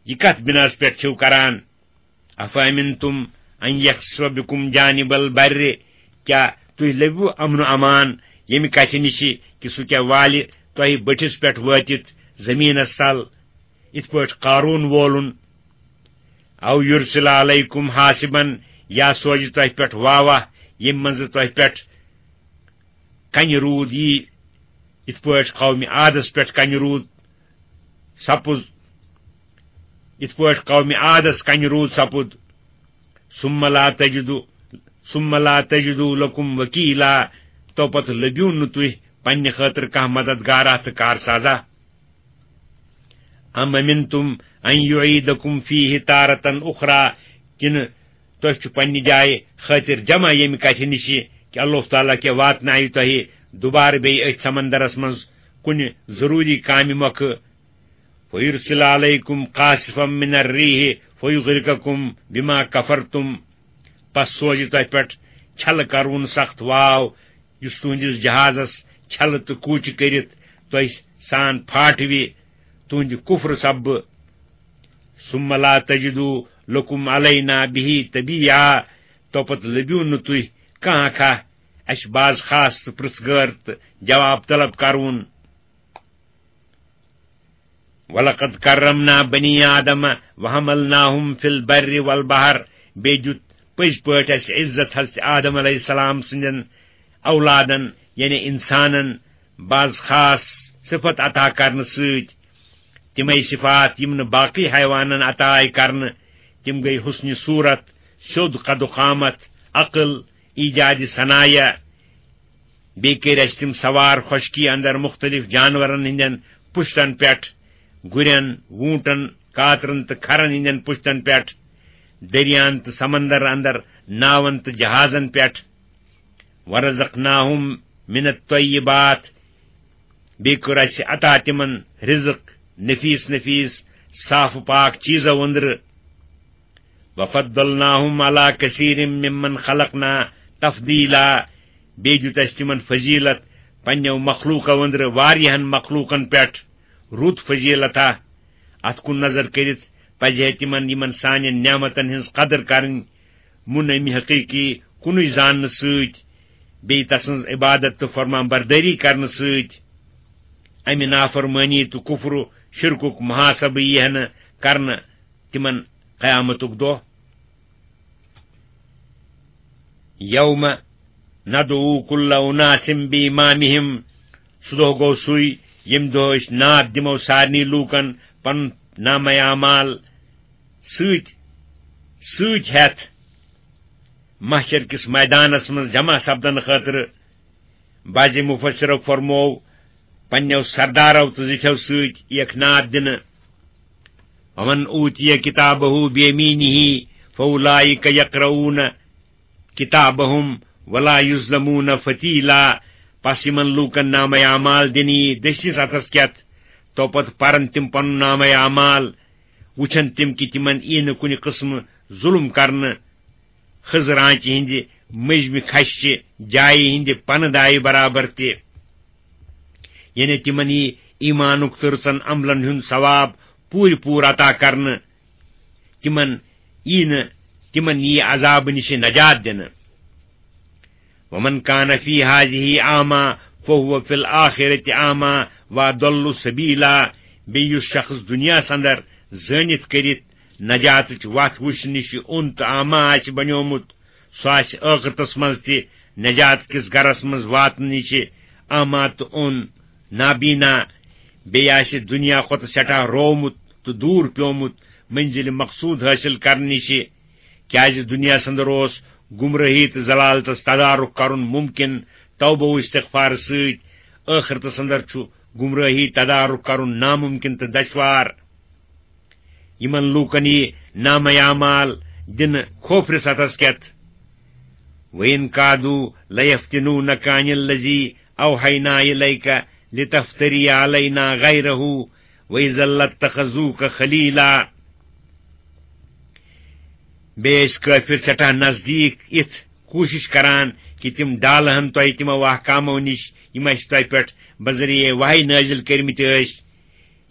یہِ کتھ بناس پٮ۪ٹھ چھِو کران؟ أفأمنتم ان یخسف بکم جانب البر، کیا تُہۍ لٔبِو امن و امان ییٚمہِ کتھِ نِش کہِ سُہ کیا والہِ تۄہہِ بٔٹھِس پٮ۪ٹھ وٲتِتھ زٔمیٖنس تل، یِتھ پٲٹھۍ قارون وولُن؟ او یرسل علیکم حاسبا، یا سوزِ تۄہہِ پٮ۪ٹھ واوہ، ییٚمہِ منٛزٕ تۄہہِ پٮ۪ٹھ کنہِ روٗد یی، یِتھ پٲٹھۍ قومِ عادس پٮ۪ٹھ کنہِ روٗد سپُز، یِتھ پٲٹھۍ قومِ عادس کنہِ روٗد سپُد۔ ثم لا تجدوا، ثم لا تجدوا لکم وکیلا، تو پتہٕ لٔبِو نہٕ تُہۍ پننہِ خٲطرٕ کانٛہہ مددگارا تہٕ کارسازا۔ ام امنتم ان یعیدکم فیہ تارة اخری، کِنہٕ تۄہہِ چھُ پننہِ جایہِ خٲطر جمع ییٚمہِ کتھِ نِش کہِ اللہ تعالیٰ کیٛاہ واتنایہِ تۄہہِ دُبارٕ بیٚیہِ أتھۍ سمندرس منٛز کُنہِ ضروٗری کامہِ مۄکھٕ؟ فیرسل علیکم قاصفا من الریح فیغرقکم بما کفرتم، پس سوزِ تۄہہِ پٮ۪ٹھ چھلہٕ کرون سخت واو، یُس تُہنٛدِس جہازس چھلہٕ تہٕ کوٗچہِ کٔرِتھ تۄہہِ سان پھاٹوِ تُہنٛدِ کفرٕ سببہٕ۔ ثم لا تجدوا لکم علینا بہ تبیعا، توپتہٕ لٔبِو نہٕ تُہۍ کانٛہہ اکھا اسہِ باز خاص تہٕ پرژھ گٲر تہٕ جواب طلب کرون۔ ولقد کرمنا بنی آدم وحملناہم فی البر والبحر، بیٚیہِ دیُت پٔزۍ پٲٹھۍ اسہِ عزت حضرت آدم علیہ السلام سٕنٛدٮ۪ن اولادن، یعنی انسانن، باز خاص صفت عطا کرنہٕ سۭتۍ۔ تِمے صفات یِم نہٕ باقٕے حیوانن عطا آیہِ کرنہٕ، تِم گٔے حسنِ صورت، سیوٚد قد و قامت، عقل، ایجادِ صنایع، بیٚیہِ کٔرۍ اَسہِ تِم سوار خۄشکی اندر مُختٔلِف جانورن ہٕنٛدٮ۪ن پُشتن پٮ۪ٹھ، گُرٮ۪ن، ووٗنٹن، کاترن تہٕ کھرن ہٕنٛدٮ۪ن پُشتن پٮ۪ٹھ، دٔریاہن تہٕ سمندر اندر ناون تہٕ جہازن پٮ۪ٹھ۔ ورزقناہم من الطیبات، بیٚیہِ کوٚر اَسہِ عطا تِمن رزق، نفیس نفیس، صاف و پاک چیزو أنٛدرٕ۔ وفضلناہم علی کثیر ممن خلقنا تفضیلا، بیٚیہِ دیُت اَسہِ تِمن فضیلت پننیو مخلوقو أنٛدرٕ واریاہن مخلوقن پٮ۪ٹھ، رُت فضیلتا۔ اتھ کُن نظر کٔرِتھ پزِ ہے تِمن یِمن سانٮ۪ن نعمتن ہٕنٛز قدر کرٕنۍ، مُنعمِ حقیقی کُنُے زاننہٕ سۭتۍ، بیٚیہِ تسٕنٛز عبادت تہٕ فرمان بردٲری کرنہٕ سۭتۍ۔ امہِ نافرمٲنی تہٕ کفر و شرکُک محاسبہٕ ییہِ ہے نہٕ کرنہٕ تِمن قیامتُک دۄہ۔ یوم ندعو کل اناس بامامہم، سُہ دۄہ گوٚو سُے، ییٚمہِ دۄہ أسۍ ناد دِمو سارنٕے لوٗکن پنُن نامہ اعمال سۭتۍ، سۭتۍ ہٮ۪تھ محشر کِس میدانس منٛز جمع سپدنہٕ خٲطرٕ۔ بعض مفسرو فرموو، پننیو سردارو تہٕ زِٹھیو سۭتۍ یِیَکھ ناد دِنہٕ۔ ومن اوتی کتابہ بیمینہ فاولئک یقرؤون کتابہم ولا یظلمون فتیلا۔ پس یِمن لوٗکن نامہ اعمال دِنہٕ یی دٔچھنِس اتھس کٮ۪تھ، تو پتہٕ پرن تِم پنُن نامہ اعمال، وٕچھن تِم کہِ تِمن یی نہٕ کُنہِ قٕسمہٕ ظُلم کرنہٕ، خٔزٕر آنٛچہِ ہٕنٛدِ مٔنٛزمہِ کھشہِ جایہِ ہٕنٛدِ پنہٕ دایہِ برابر تہِ۔ یعنی تِمن یی ایمانُک تہٕ رٕژن عملن ہُنٛد ثواب پوٗرٕ پوٗرٕ عطا کرنہٕ۔ تِمن یی نہٕ، تِمن یی عذابہٕ نِش نجات دِنہٕ۔ ومن کان فی ہذہ اعمی فہو فی الآخرۃ اعمی واضل سبیلا۔ بیٚیہِ یُس شخص دُنیاہس اندر زٲنِتھ کٔرِتھ نجاتٕچ وتھ وٕچھنہٕ نِش اوٚن تہٕ اعمی آسہِ بنیومُت، سُہ آسہِ ٲخرتس منٛز تہِ نجات کِس گرس منٛز واتنہٕ نِش اعمی تہٕ اوٚن، نابینا۔ بیٚیہِ آسہِ دُنیا کھۄتہٕ سٮ۪ٹھاہ روومُت تہٕ دوٗر پیومُت منزلِ مقصود حٲصِل کرنہٕ نِش۔ کیازِ دُنیاہس اندر اوس گمرٲہی تہٕ ضلالتس تدارک کرُن ممکن توبہ و استغفار سۭتۍ، ٲخرتس اندر چھُ گمرٲہی تدارک کرُن ناممکن تہٕ دشوار۔ یِمن لوٗکن یی نامہ اعمال دِنہٕ کھوفرِس اتھس کٮ۪تھ۔ وَإِن كَادُوا لَيَفْتِنُونَكَ عَنِ الَّذِي أَوْحَيْنَا إِلَيْكَ لِتَفْتَرِيَ عَلَيْنَا غَيْرَهُ وَإِذًا لَاتَّخَذُوكَ خَلِيلًا۔ بیٚیہِ ٲسۍ کٲفِر سٮ۪ٹھاہ نزدیٖک یِتھ کوٗشِش کران کہِ تِم ڈالہٕ ہن تۄہہِ تِمو احکامو نِش، یِم اَسہِ تۄہہِ پٮ۪ٹھ بذریعہ وحی نٲزِل کٔرمٕتۍ ٲسۍ۔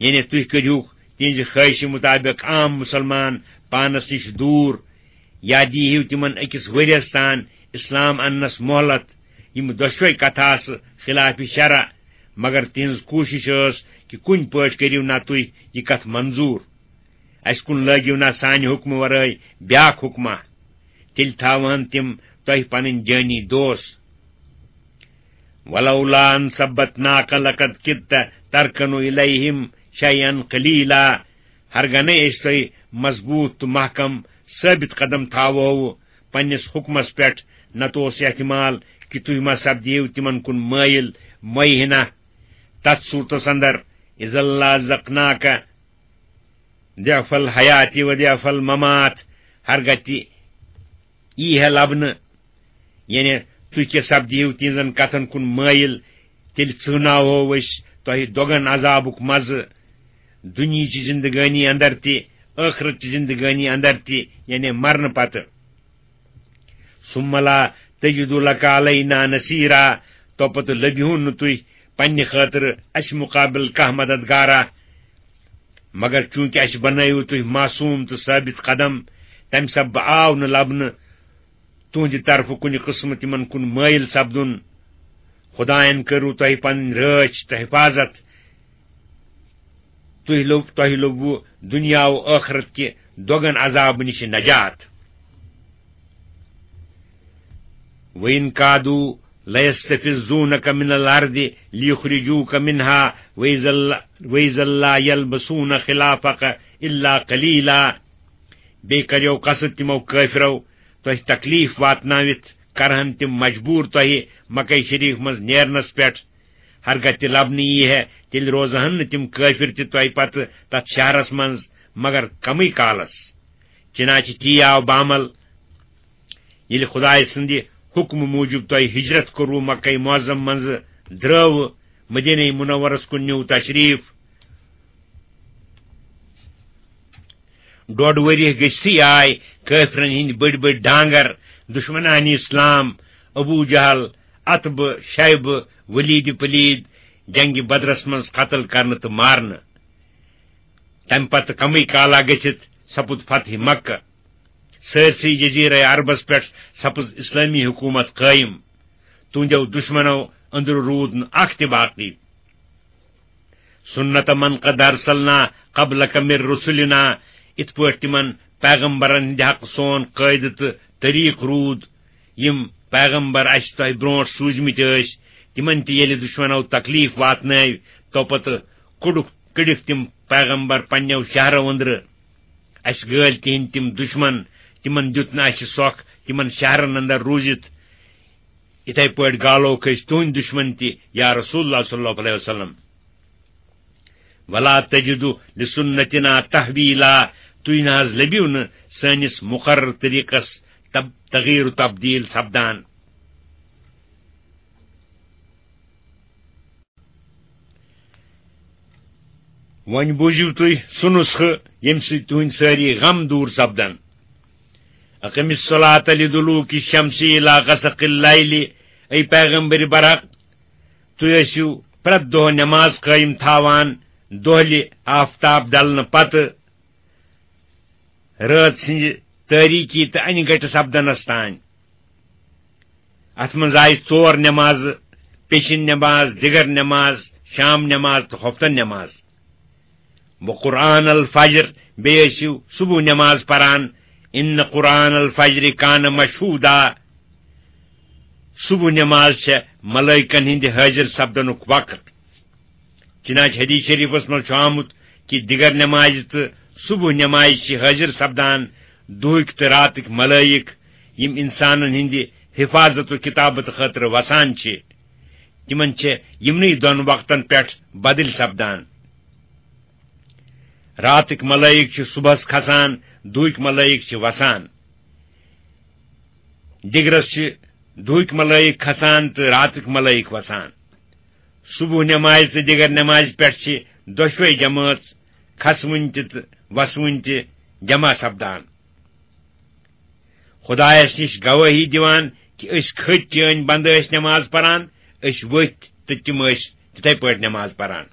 یعنی تُہۍ کٔرۍہوٗکھ تِہنٛزِ خٲہِشہِ مُطابِق عام مُسلمان پانس نِش دوٗر۔ یا دیٖہِو تِمن أکِس ؤرِیَس تام اسلام اننس مۄہلت۔ یِم دۄشوے کتھٕ آسہٕ خلاف شرع، مگر تِہنٛز کوٗشش ٲس کہِ کُنہِ پٲٹھۍ کٔرِو نا تُہۍ یہِ کتھ منظوٗر، اسہِ کُن لٲگِو نا سانہِ حُکمہٕ ورٲے بیاکھ حُکمہ، تیٚلہِ تھاوہن تِم تۄہہِ پنٕنۍ جٲنی دوست۔ ولولا ان ثبتناک لقد کدت ترکن الیہم شیئا قلیلا۔ ہرگنے أسۍ تۄہہِ مضبوٗط تہٕ محکم ثٲبت قدم تھاوہو پننِس حُکمس پٮ۪ٹھ، نتہٕ اوس احتمال کہِ تُہۍ ما سپدِہِو تِمن کُن مٲیِل، مۄیہِ ہنا۔ تتھ صوٗرتس اندر، اذا لازقناک ضعف الحیات و ضعف الممات، ہرگاہ تہِ یی ہے لبنہٕ، یعنی تُہۍ کیٛاہ سپدِہِو تِہنٛزن کتھن کُن مٲیِل، تیٚلہِ ژٕہناوہو أسۍ تۄہہِ دۄگن عذابُک مزٕ، دُنیہٕچہِ زندگٲنی اندر تہِ، ٲخرتچہِ زندگٲنی اندر تہِ، یعنی مرنہٕ پتہٕ۔ ثم لا تجد لك علينا نصيرا، تو پتہٕ لٔبِہُن نہٕ تُہۍ پننہِ خٲطرٕ اسہِ مُقابل کانٛہہ مددگارا۔ مگر چوٗنٛکہِ اسہِ بنٲوِو تُہۍ معصوٗم تہٕ ثٲبت قدم، تمہِ سببہٕ آو نہٕ لبنہٕ تُہنٛدِ طرفہٕ کُنہِ قٕسمہٕ تِمن کُن مٲیِل سپدُن۔ خدایَن کٔرٕو تۄہہِ پنٕنۍ رٲچھ تہٕ حفاظت۔ تُہۍ لوٚب-، تۄہہِ لوٚبوُ دُنیا و ٲخرت کہِ دۄگن عذابہٕ نِش نجات۔ وَإِنْ كَادُوا لَيَسْتَفِزُّونَكَ مِنَ الْأَرْضِ لِيُخْرِجُوكَ مِنْهَا وَإِذًا لَا، وَإِذًا لَا يَلْبَثُونَ خِلَافَكَ إِلَّا قَلِيلًا۔ بیٚیہِ کَریو قصد تِمو کٲفرو تۄہہِ تکلیف واتنٲوِتھ، کرہن تِم مجبوٗر تۄہہِ مکہ شریف منٛز نیرنس پٮ۪ٹھ۔ ہرگاہ تہِ لبنہٕ یی ہے، تیٚلہِ روزہن نہٕ تِم کٲفر تہِ تۄہہِ پتہٕ تتھ شہرس منٛز مگر کمٕے کالس۔ چنانچہ تی آو بعمل، ییٚلہِ خدایہِ سٕنٛدِ حُکمہٕ موٗجوٗب تۄہہِ ہجرت کوٚروٕ مکہ معظم منٛزٕ، درٛٲوٕ مدینہ منورس کُن، نیوٗ تشریف۔ ڈۄڈ ؤریہِ گٔژھتھٕے آے کٲفرن ہٕنٛدۍ بٔڑۍ بٔڑۍ ڈانگر، دشمنان اسلام، ابو جہل، عتبہٕ، شیبہٕ، ولید پلید، جنگِ بدرس منٛز قتل کرنہٕ تہٕ مارنہٕ۔ تمہِ پتہٕ کمٕے کالا گٔژھِتھ سپُد فتح مکہ۔ سٲرسٕے جزیرہ عربس پٮ۪ٹھ سپٕز اسلٲمی حکومت قٲیم۔ تُہنٛدیو دشمنو أنٛدرٕ روٗد نہٕ اکھ تہِ باقی۔ سُنت من قد ارسلنا قبلک من رسلنا، یِتھ پٲٹھۍ تِمن پیغمبرن ہٕنٛدِ حق سون قٲعدٕ تہٕ طریٖق روٗد، یِم پیغمبر اسہِ تۄہہِ برونٛٹھ سوٗزمٕتۍ ٲسۍ، تِمن تہِ ییٚلہِ دُشمنو تکلیف واتنٲوۍ، تو پتہٕ کوٚڑُکھ، کٔڑِکھ تِم پیغمبر پننیو شہرو أنٛدرٕ۔ اسہِ گٲلۍ تِہنٛدۍ تِم دُشمن، تِمن دیُت نہٕ اسہِ سۄکھ تِمن شہرن اندر روٗزِتھ۔ یِتھے پٲٹھۍ گالوکھ أسۍ تُہنٛدۍ دُشمن تہِ، یا رسول اللہ صلی اللہ علیہ وسلم۔ ولا تجد لسنتنا تحویلا، تُہۍ نہ حظ لٔبِو نہٕ سٲنِس مقرر طریٖقس تب-، تغییر و تبدیل سپدان۔ وۄنۍ بوٗزِو تُہۍ سُہ نُسخہٕ، ییٚمہِ سۭتۍ تُہنٛدۍ سٲری غم دوٗر سپدن۔ اقم الصلاة لدلوک الشمس الی غسق اللیل، اے پیغمبر برحق، تُہۍ ٲسِو پرٛٮ۪تھ دۄہ نماز قٲیِم تھاوان دۄہلہِ آفتاب ڈلنہٕ پتہٕ رٲژ سٕنٛزِ تٲریٖکی تہٕ انہِ گٹہِ سپدنس تام۔ اتھ منٛز آیہِ ژور نمازٕ، پیشن نماز، دِگر نماز، شام نماز تہٕ ہوفتن نماز۔ وقرآن الفجر، بیٚیہِ ٲسِو صبح نماز پران۔ ان قرآن الفجر کان مشہودا، صبح نماز چھےٚ ملائکن ہٕنٛدِ حٲضِر سپدنُک وقت۔ چنانچہ حدیث شریفس منٛز چھُ آمُت کہِ دِگر نمازِ تہٕ صبح نمازِ چھِ حٲضِر سپدان دُہٕکۍ تہٕ راتٕکۍ ملائک، یِم انسانن ہٕنٛدِ حفاظت و کتابت خٲطرٕ وسان چھِ۔ تِمن چھِ یِمنٕے دۄن وقتن پٮ۪ٹھ بدل سپدان۔ راتٕکۍ ملائک چھِ صبحس کھسان، دُہٕکۍ ملائک چھِ وسان۔ دِگرس چھِ دُہٕکۍ ملائک کھسان تہٕ راتٕکۍ ملائک وسان۔ صبح نمازِ تہٕ دِگر نمازِ پٮ۪ٹھ چھِ دۄشوے جمٲژ، کھسوٕنۍ تہِ تہٕ وسوٕنۍ تہِ، جمع سپدان۔ خدایس نِش گوٲہی دِوان کہِ أسۍ کھٔتۍ، چٲنۍ بندٕ ٲسۍ نماز پران، أسۍ ؤتھۍ تہٕ تِم ٲسۍ تِتھے پٲٹھۍ نماز پران۔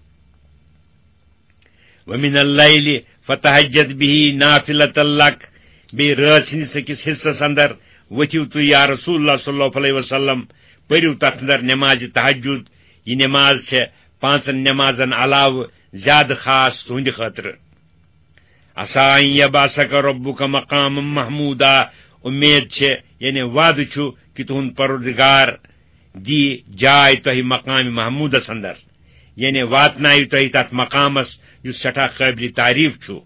ومن اللیل فتہجد به نافلة لک، بیٚیہِ رٲژ ہٕنٛدِس أکِس حصس اندر ؤتھِو تُہۍ یا رسول اللہ صلی اللہ علیہ وسلم، پٔرِو تتھ اندر نمازِ تہجد۔ یہِ نماز چھےٚ پانٛژن نمازن علاوٕ زیادٕ خاص تُہنٛدِ خٲطرٕ۔ عسیٰ ان یبعثک ربک مقاما محمودا، امید چھےٚ، یعنی وعدٕ چھُ، کہِ تُہُنٛد پروردگار دی جاے تۄہہِ مقام محمودس اندر، یعنی واتنایہِ تۄہہِ تتھ مقامس یُس سٮ۪ٹھاہ قٲبلِ تعریف چھُ۔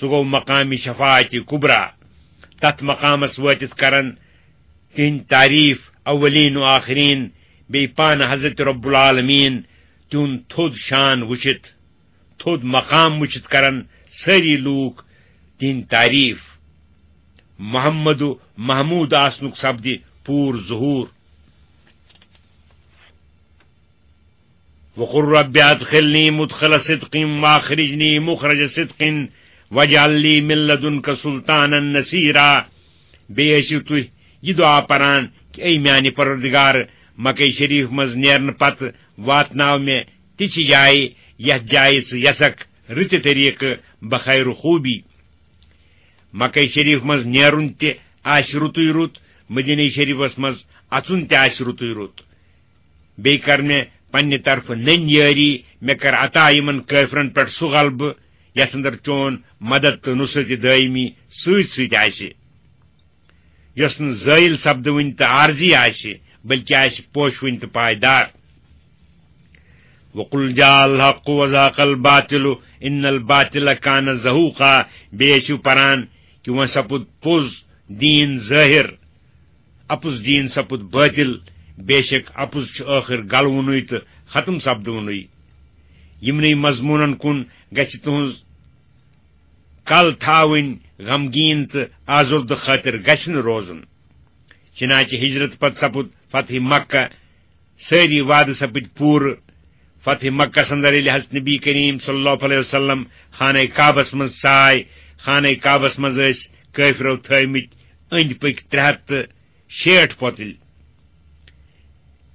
سُہ گوٚو مقامِ شفاعتِ کبریٰ۔ تتھ مقامس وٲتِتھ کرن تِہنٛدۍ تعریف اولین و آخرین، بیٚیہِ پانہٕ حضرت رب العالمین تِہُنٛد تھوٚد شان وٕچھِتھ، تھوٚد مقام وٕچھِتھ کرن سٲری لوٗکھ تِہنٛدۍ تعریف۔ محمد و محمود آسنُک سپدِ پوٗرٕ ظہوٗر۔ وقل رب ادخلنی مدخل صدق واخرجنی مخرج صدق واجعل لی من لدنک سلطانا نصیرا۔ بیٚیہِ ٲسِو تُہۍ یہِ دُعا پران کہِ اے میانہِ پروردگار، مکہ شریف منٛز نیرنہٕ پتہٕ واتناو مےٚ تِژھِ جایہِ، یتھ جایہِ ژٕ یژھکھ، رٕتہِ طریقہٕ بخیر و خوبی۔ مکہ شریف منٛز نیرُن تہِ آسہِ رُتُے رُت، مدینہ شریفس منٛز اژُن تہِ آسہِ رُتُے رُت۔ بیٚیہِ کر مےٚ پننہِ طرفہٕ نٔنۍ یٲری، مےٚ کر عطا یِمن کٲفرن پٮ۪ٹھ سُہ غلبہٕ، یتھ اندر چون مدد تہٕ نصرت دٲیمی سۭتۍ سۭتۍ آسہِ، یۄس نہٕ زٲیِل سپدوٕنۍ تہٕ عارضی آسہِ، بلکہِ آسہِ پوشوٕنۍ تہٕ پائیدار۔ وقل جاء الحق وزهق الباطل ان الباطل کان زهوقا۔ بیٚیہِ ٲسِو پران کہِ وۄنۍ سپُد پوٚز دیٖن ظٲہِر، اپُز دیٖن سپُد باطل، بے شک اپُز چھُ ٲخٕر گلوُنُے تہٕ ختم سپدوُنُے۔ یِمنٕے مضموٗنن کُن گژھِ تُہنٛز کل تھاوٕنۍ، غمگیٖن تہٕ آزُردٕ خٲطر گژھِ نہٕ روزُن۔ چنانچہ ہجرت پتہٕ سپُد فتح مکہ، سٲری وعدٕ سپٕدۍ پوٗرٕ۔ فتح مکس اندر ییٚلہِ حضرت نبی کریم صلی اللہ علیہ وسلم خانہ کعبس منٛز ژاے، خانہ کعبس منٛز ٲسۍ کٲفرو تھٲومٕتۍ أنٛدۍ پٔکۍ ترٛےٚ ہتھ تہٕ شیٹھ پۄتٕلۍ۔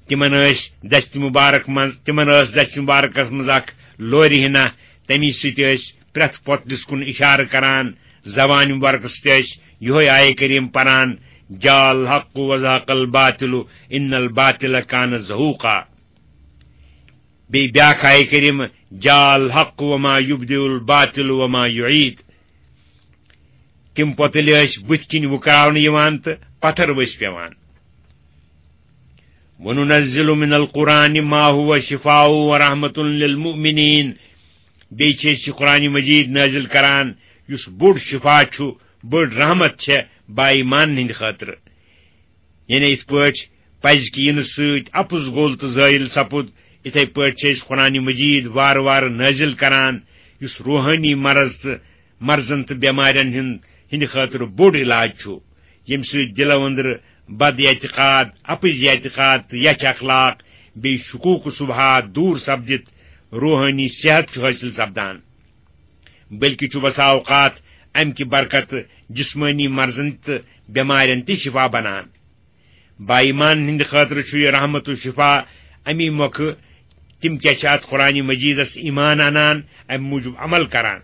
تِمن ٲسۍ دستِ مبارک منٛز، تِمن ٲس دستِ مبارکس منٛز اکھ لورِ ہنا، تمی سۭتۍ ٲسۍ پرٛٮ۪تھ پۄتلِس کُن اِشارٕ کران، زبانہِ مبارکس سۭتۍ ٲسۍ یِہوٚے آیہِ کریم پران، جاء الحق وزهق الباطل ان الباطل کان زهوقا۔ بیٚیہِ بیٛاکھ آیہِ کریم، جاء الحق وما یبدئ الباطل وما یعید۔ تِم پۄتٕلۍ ٲسۍ بٕتھِ کِنۍ وُکراونہٕ یِوان تہٕ پتھر ؤسۍ پٮ۪وان۔ وننزل من القرآن ما هو شفاء ورحمة للمؤمنین۔ بیٚیہِ چھِ أسۍ یہِ قرآن مجید نٲزِل کران، یُس بوٚڑ شفا چھُ، بٔڑ رحمت چھےٚ با ایمانن ہٕنٛدِ خٲطرٕ۔ یعنی یِتھ پٲٹھۍ پزِ کہِ یِنہٕ سۭتۍ اپُز گوٚل تہٕ زٲیِل سپُد، یِتھے پٲٹھۍ چھِ أسۍ قرآن مجید وارٕ وارٕ نٲزِل کران، یُس روحٲنی مرض تہٕ مرضن تہٕ بٮ۪مارٮ۪ن ہٕنٛد، ہٕنٛدِ خٲطرٕ بوٚڑ علاج چھُ، ییٚمہِ سۭتۍ دِلو أنٛدرٕ بد اعتقاد، اپٕزۍ اعتقاد تہٕ یچھ اخلاق، بیٚیہِ شکوک و شبہات دوٗر سپدِتھ روحٲنی صحت چھُ حٲصِل سپدان۔ بلکہِ چھُ بسا اوقات امہِ کہِ برکتہٕ جسمٲنی مرضن تہٕ بٮ۪مارٮ۪ن تہِ شفا بنان۔ با ایمانن ہٕنٛدِ خٲطرٕ چھُ یہِ رحمت و شفا۔ امی مۄکھٕ تِم کیٛاہ چھِ اتھ قرآن مجیدس ایمان انان، امہِ موٗجوٗب عمل کران،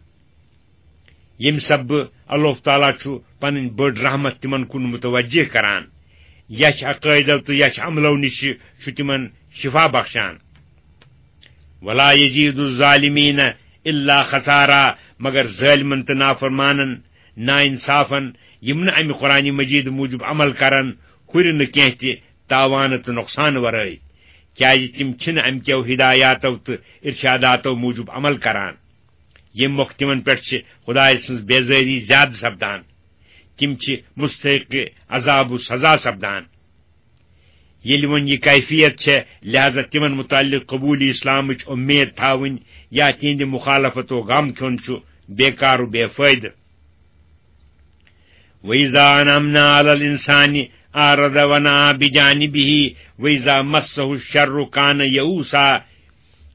ییٚمہِ سببہٕ اللہ تعالیٰ چھُ پنٕنۍ بٔڑ رحمت تِمن کُن متوجہ کران۔ یچھ عقٲیدو تہٕ یچھ عملو نِش چھُ تِمن شفا بخشان۔ ولا یزید الظالمین الا خسارا، مگر ظٲلمن تہٕ نافرمانن، ناانصافن، یِم نہٕ امہِ قرآن مجید موٗجوٗب عمل کرن، ہُرِ نہٕ کینٛہہ تہِ تاوانہٕ تہٕ نۄقصان ورٲے، کیازِ تِم چھِنہٕ امہِ کیو ہدایاتو تہٕ ارشاداتو موٗجوٗب عمل کران، ییٚمہِ مۄکھٕ تِمن پٮ۪ٹھ چھِ خدایہِ سٕنٛز بیزٲری زیادٕ سپدان۔ تِم چھِ مستحق عذاب و سزا سپدان۔ ییٚلہِ وۄنۍ یہِ کیفیت چھےٚ، لہذا تِمن متعلق قبوٗل اسلامٕچ اُمید تھاوٕنۍ یا تِہنٛدِ مخالفت و غم کھیوٚن چھُ بیکار و بے فٲیدٕ۔ وَإِذَا أَنْعَمْنَا عَلَى الْإِنسَانِ أَعْرَضَ وَنَأَىٰ بِجَانِبِهِ وَإِذَا مَسَّهُ الشَّرُّ كَانَ يَئُوسًا۔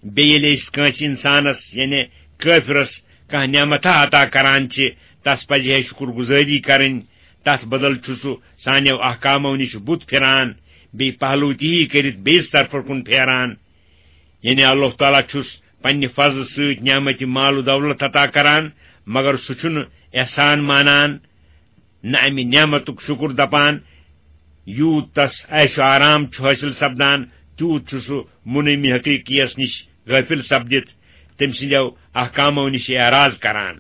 بیٚیہِ ییٚلہِ أسۍ کٲنٛسہِ اِنسانس، یعنی کٲفرس، کانٛہہ نعمتھا عطا کران چھِ، تس پزِ ہے شُکر گُزٲری کرٕنۍ۔ تتھ بدل چھُ سُہ سانیو احکامو نِش بُتھ پھِران، بیٚیہِ پہلو تہِ ہی کٔرِتھ بیٚیِس طرفہٕ کُن پھیران۔ یعنی اللہ تعالیٰ چھُس پننہِ فضلہٕ سۭتۍ نعمتِ مال و دولت عطا کران، مگر سُہ چھُنہٕ احسان مانان، نہ امہِ نعمتُک شُکُر دپان، یوٗت تس عیش و آرام چھُ حٲصِل سپدان، تیوٗت چھُ سُہ منعمی حقیقیس نِش غٲفِل سپدِتھ تٔمۍ سٕنٛدیو احکامو نِش اعراض کران۔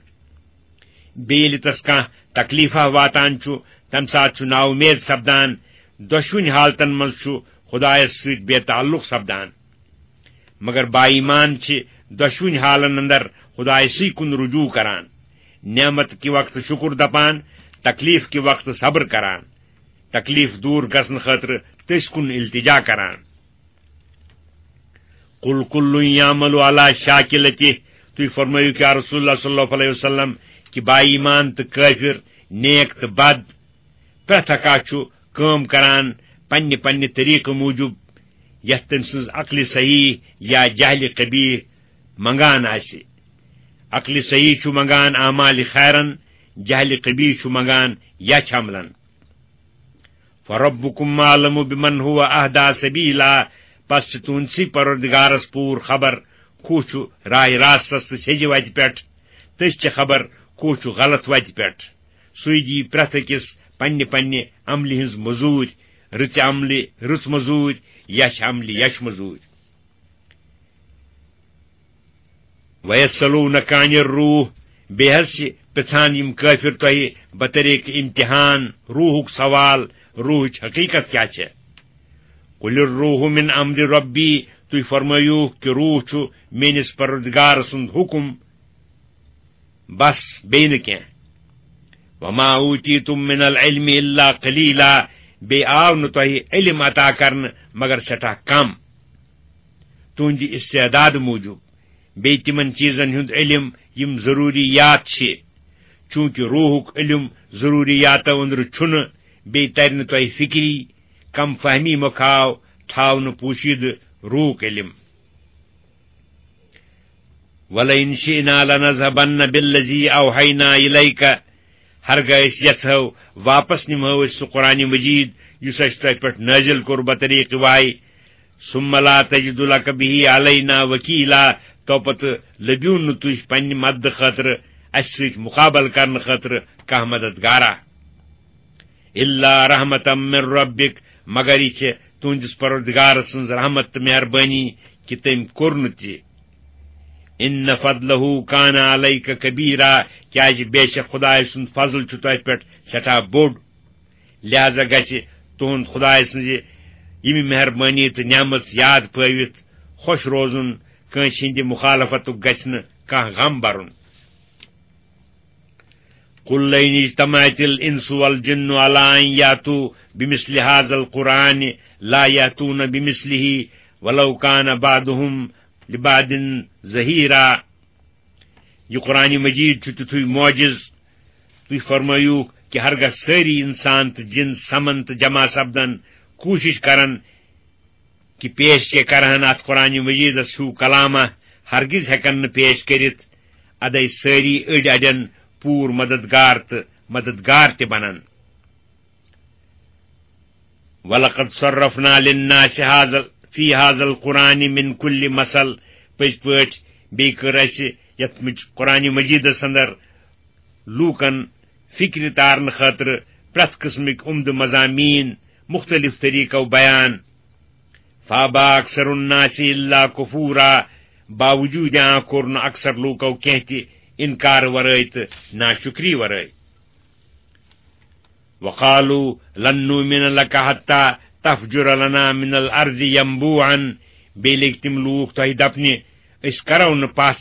بیٚیہِ ییٚلہِ تس کانٛہہ تکلیفہ واتان چھُ، تمہِ ساتہٕ چھُ نااُمید سپدان۔ دۄشوٕنۍ حالتن منٛز چھُ خدایس سۭتۍ بے تعلق سپدان۔ مگر با ایمان چھِ دۄشوٕنۍ حالن اندر خدایسٕے کُن رجوع کران، نعمت کہِ وقتہٕ شُکُر دپان، تکلیف کہِ وقتہٕ صبر کران، تکلیف دوٗر گژھنہٕ خٲطرٕ تٔسۍ کُن التجا کران۔ قل کل یعمل علی شاکلتہ، تُہۍ فرمٲیِو کیا رسول اللہ صلی اللہ علیہ وسلم کہِ با ایمان تہٕ کٲفر، نیک تہٕ بد، پرٛٮ۪تھ اکھ چھُ کٲم کران پننہِ پننہِ طریقہٕ موٗجوٗب، یتھ تٔمۍ سٕنٛز عقلِ صحیح یا جہلِ قبیح منگان آسہِ۔ عقلِ صحیح چھُ منگان اعمالِ خیرن، جہلِ قبیح چھُ منگان یچھ عملن۔ فربکم اعلم بمن هو اہدی سبیلا، پس چھِ تُہنٛدسٕے پروردگارس پوٗرٕ خبر، کُس چھُ راہِ راستس تہٕ سیٚزِ وتہِ پٮ۪ٹھ، تٔمِس چھِ خبر، کُس چھُ غلط وتہِ پٮ۪ٹھ۔ سُے دِیہِ پرٛٮ۪تھ أکِس پننہِ پننہِ عملہِ ہٕنٛز مٔزوٗرۍ، رٕژِ عملہِ رٕژ مٔزوٗرۍ، یچھ عملہِ یچھ مٔزوٗرۍ۔ وَيَسْأَلُونَكَ عَنِ الرُّوحِ، بیٚیہِ حظ چھِ پرٛژھان یِم کٲفِر تۄہہِ بطریٖق امتحان، روحُک سوال، روحٕچ حقیٖقت کیٛاہ چھےٚ؟ قُلِ الرُّوحُ مِنْ أَمْرِ رَبِّي، تُہۍ فرمٲیِو کہِ روح چھُ میٲنِس پروردگار سُنٛد حُکُم، بس، بیٚیہِ نہٕ کینٛہہ۔ وَمَا أُوتِيتُم مِّنَ الْعِلْمِ إِلَّا قَلِيلًا، بیٚیہِ آو نہٕ تۄہہِ علم عطا کرنہٕ مگر سٮ۪ٹھاہ کم، تُہنٛدِ استعداد موٗجوٗب، بیٚیہِ تِمن چیٖزن ہُنٛد علم یِم ضروٗریات چھِ۔ چوٗنٛکہِ روحُک علم ضروٗریاتو أنٛدرٕ چھُنہٕ، بیٚیہِ ترِ نہٕ تۄہہِ فِکری، کم فہمی مۄکھاو تھاونہٕ پوٗشیدٕ روحُک علم۔ وَلَئِن شِئْنَا لَنَذْهَبَنَّ بِالَّذِي أَوْحَيْنَا إِلَيْكَ، ہرگاہ أسۍ یژھو، واپس نِمہو أسۍ سُہ قرآن مجید یُس اَسہِ تۄہہِ پٮ۪ٹھ نٲزِل کوٚر بطریٖقہٕ وحی۔ ثُمَّ لَا تَجِدُ لَكَ بِهِ عَلَيْنَا وَكِيلًا، تو پتہٕ لٔبِو نہٕ تُہۍ پننہِ مددٕ خٲطرٕ اَسہِ سۭتۍ مُقابلہٕ کرنہٕ خٲطرٕ کانٛہہ مددگارا۔ إِلَّا رَحْمَةً مِّن رَبِّكَ، مگر یہِ چھِ تُہنٛدِس پروردگار سٕنٛز رحمت تہٕ مہربٲنی کہِ تٔمۍ کوٚر نہٕ تہِ۔ إِنَّ فَضْلَهُ كَانَ عَلَيْكَ كَبِيرًا، کیازِ بے شک خدایہِ سُنٛد فضل چھُ تۄہہِ پٮ۪ٹھ سٮ۪ٹھاہ بوٚڑ۔ لہذا گژھِ تُہنٛد خدایہِ سٕنٛزِ ییٚمہِ مہربٲنی تہٕ نعمت یاد پٲوِتھ خۄش روزُن، کٲنٛسہِ ہٕنٛدِ مخالفتُک گژھِ نہٕ کانٛہہ غم برُن۔ قُل لَئِنِ اجْتَمَعَتِ الْإِنسُ وَالْجِنُّ عَلَىٰ أَن يَأْتُوا بِمِثْلِ هَٰذَا الْقُرْآنِ لَا يَأْتُونَ بِمِثْلِهِ وَلَوْ كَانَ بَعْضُهُمْ لِبَعْضٍ ظَهِيرًا۔ یہِ قرآن مجید چھُ تیُتھُے معجز، تُہۍ فرمٲیِو کہِ ہرگاہ سٲری انسان تہٕ جِن سمن تہٕ جمع سپدن، کوٗشش کرن کہِ پیش کیٛاہ کرہن اتھ قرآن مجیدس ہیوٗ کلامہ، ہرگز ہیکن نہٕ پیش کٔرِتھ۔ ادے سٲری أڑۍ اڑٮ۪ن پوٗرٕ مددگار تہٕ مددگار تہِ بنن۔ وَلَقَدْ صَرَّفْنَا لِلنَّاسِ هَٰذَا، فِي هَٰذَا الْقُرْآنِ مِنْ كُلِّ مَثَلٍ، پٔزۍ پٲٹھۍ بیٚیہِ کٔر اَسہِ یَتھ مج-، قرآن مجیدس اندر لوٗکن فکرِ تارنہٕ خٲطرٕ پرٛٮ۪تھ قٕسمٕکۍ عمدٕ مضامین مختلف طریقو بیان۔ فَأَبَىٰ أَكْثَرُ النَّاسِ إِلَّا كُفُورًا، باوجوٗد آ کوٚر نہٕ اکثر لوٗکو کینٛہہ تہِ انکار ورٲے تہٕ ناشکری ورٲے۔ وَقَالُوا لَن نُّؤْمِنَ لَكَ حَتَّىٰ تَفْجُرَ لَنَا مِنَ الْأَرْضِ يَنبُوعًا، بیٚیہِ لٔگۍ تِم لوٗکھ تۄہہِ دپنہِ، أسۍ کرو نہٕ پس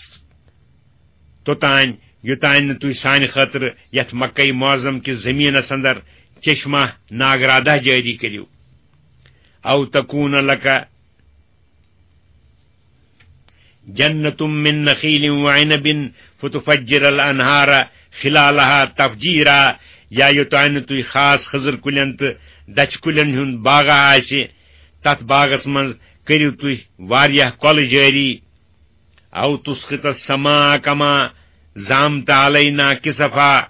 توٚتانۍ، یوٚتانۍ نہٕ تُہۍ سانہِ خٲطرٕ یَتھ مکہ معظم کِس زٔمیٖنَس اندر چشمہ ناگرادہ جٲری کٔرِو۔ أَوْ تَكُونَ لَكَ جَنَّةٌ مِّن نَخِيلٍ وَعِنَبٍ فَتُفَجِّرَ الْأَنْهَارَ خِلَالَهَا تَفْجِيرًا، یا یوٚتانۍ نہٕ تُہۍ خاص خٔزٕر کُلٮ۪ن تہٕ دَچھِ کُلٮ۪ن ہُنٛد باغہ آسہِ، تَتھ باغس منٛز کٔرِو تُہۍ واریاہ کۄلہٕ جٲری۔ أَوْ تُسْقِطَ السَّمَاءَ كَمَا زَعَمْتَ عَلَيْنَا كِسَفًا،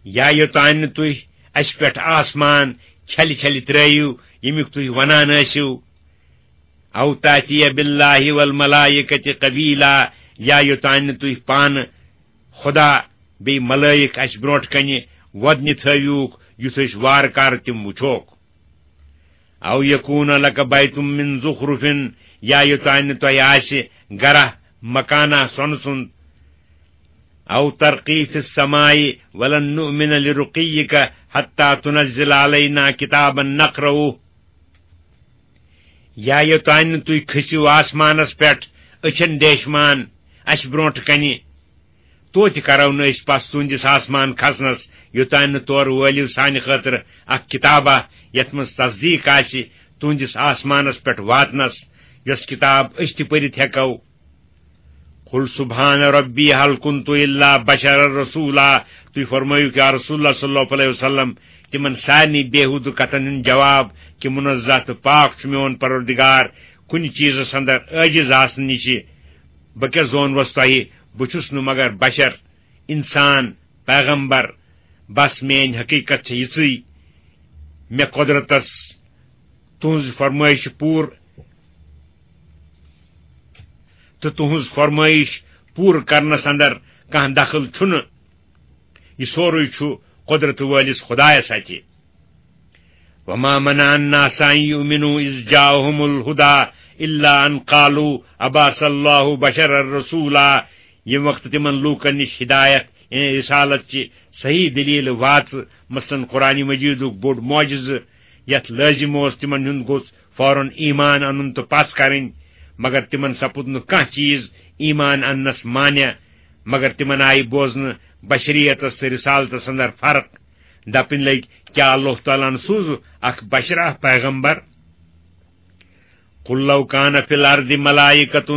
یا یوٚتانۍ نہٕ تُہۍ اَسہِ پٮ۪ٹھ آسمان چھلہِ چھلہِ ترٲیِو، ییٚمیُک تُہۍ وَنان ٲسِو۔ أَوْ تَأْتِيَ بِاللَّهِ وَالْمَلَائِكَةِ قَبِيلًا، یا یوٚتانۍ نہٕ تُہۍ پانہٕ خدا بیٚیہِ ملٲیِک اَسہِ برٛونٛٹھ کنہِ وۄدنہِ تھٲوِوکھ، یُتھ أسۍ وارٕ کارٕ تِم وُچھوکھ۔ او یکون لک بیت من زخرف، یا یوٚتام نہٕ تۄہہِ آسہِ گرہ مکانہ سۄنہٕ سُنٛد۔ او ترقی فی السماء ولن نؤمن لرقیک حتی تنزل علینا کتابا نقرؤہ۔ یا یوٚتام نہٕ تُہۍ کھٔسِو آسمانس پٮ۪ٹھ أچھن ڈیشمان اَسہِ برٛونٛٹھ کنہِ، توتہِ کرو نہٕ أسۍ پس تُہنٛدِس آسمان کھسنس، یوٚتام نہٕ تورٕ وٲلِو سانہِ خٲطرٕ اکھ کتابہ، یتھ منٛز تصدیق آسہِ تُہنٛدِس آسمانس پٮ۪ٹھ واتنس، یۄس کتاب أسۍ تہِ پٔرِتھ ہٮ۪کو۔ قل سبحان ربی هل کنت الا بشرا رسولا، تُہۍ فرمٲیِو کہ یا رسول اللہ صلی اللہ علیہ وسلم، تِمن سارنٕے بیہودٕ کتھن ہُنٛد جواب کہ منزہ تہٕ پاک چھُ میون پروردگار کُنہِ چیٖزس اندر عٲجز آسنہٕ نِشہِ۔ بہٕ کیٛاہ زونوس تۄہہِ؟ بہٕ چھُس نہٕ مگر بشر، انسان، پیغمبر۔ بس میٲنۍ حقیقت چھےٚ یِژٕے، مےٚ قۄدرتس تُہنٛز فرمٲیش پوٗرٕ تہٕ تُہنٛز فرمٲیش پوٗرٕ کرنس اندر کانٛہہ دخل چھُنہٕ۔ یہِ سورُے چھُ قۄدرت وٲلِس خۄدایس اَتھِ۔ وما منع الناس ان يؤمنوا اذ جاءهم الهدى الا ان قالوا ابعث الله بشرا رسولا۔ ییٚمہِ وقتہٕ تِمن لوٗکن نِش ہدایت، یعنی رسالت چہِ صحیح دلیل واژٕ، مثلاً قرآن مجیدُک بوٚڑ معجزٕ، یتھ لٲزم اوس تِمن ہُنٛد گوٚژھ فوراً ایمان انُن تہٕ پژھ کرٕنۍ، مگر تِمن سپُد نہٕ کانٛہہ چیٖز ایمان اننس مانع، مگر تِمن آیہِ بوزنہٕ بشریتس تہٕ رسالتس اندر فرق۔ دپٕنۍ لٔگۍ، کیٛاہ اللہ تعالیٰ ہن سوٗز اکھ بشرا پیغمبر؟ قل لو كان في الارض ملائكة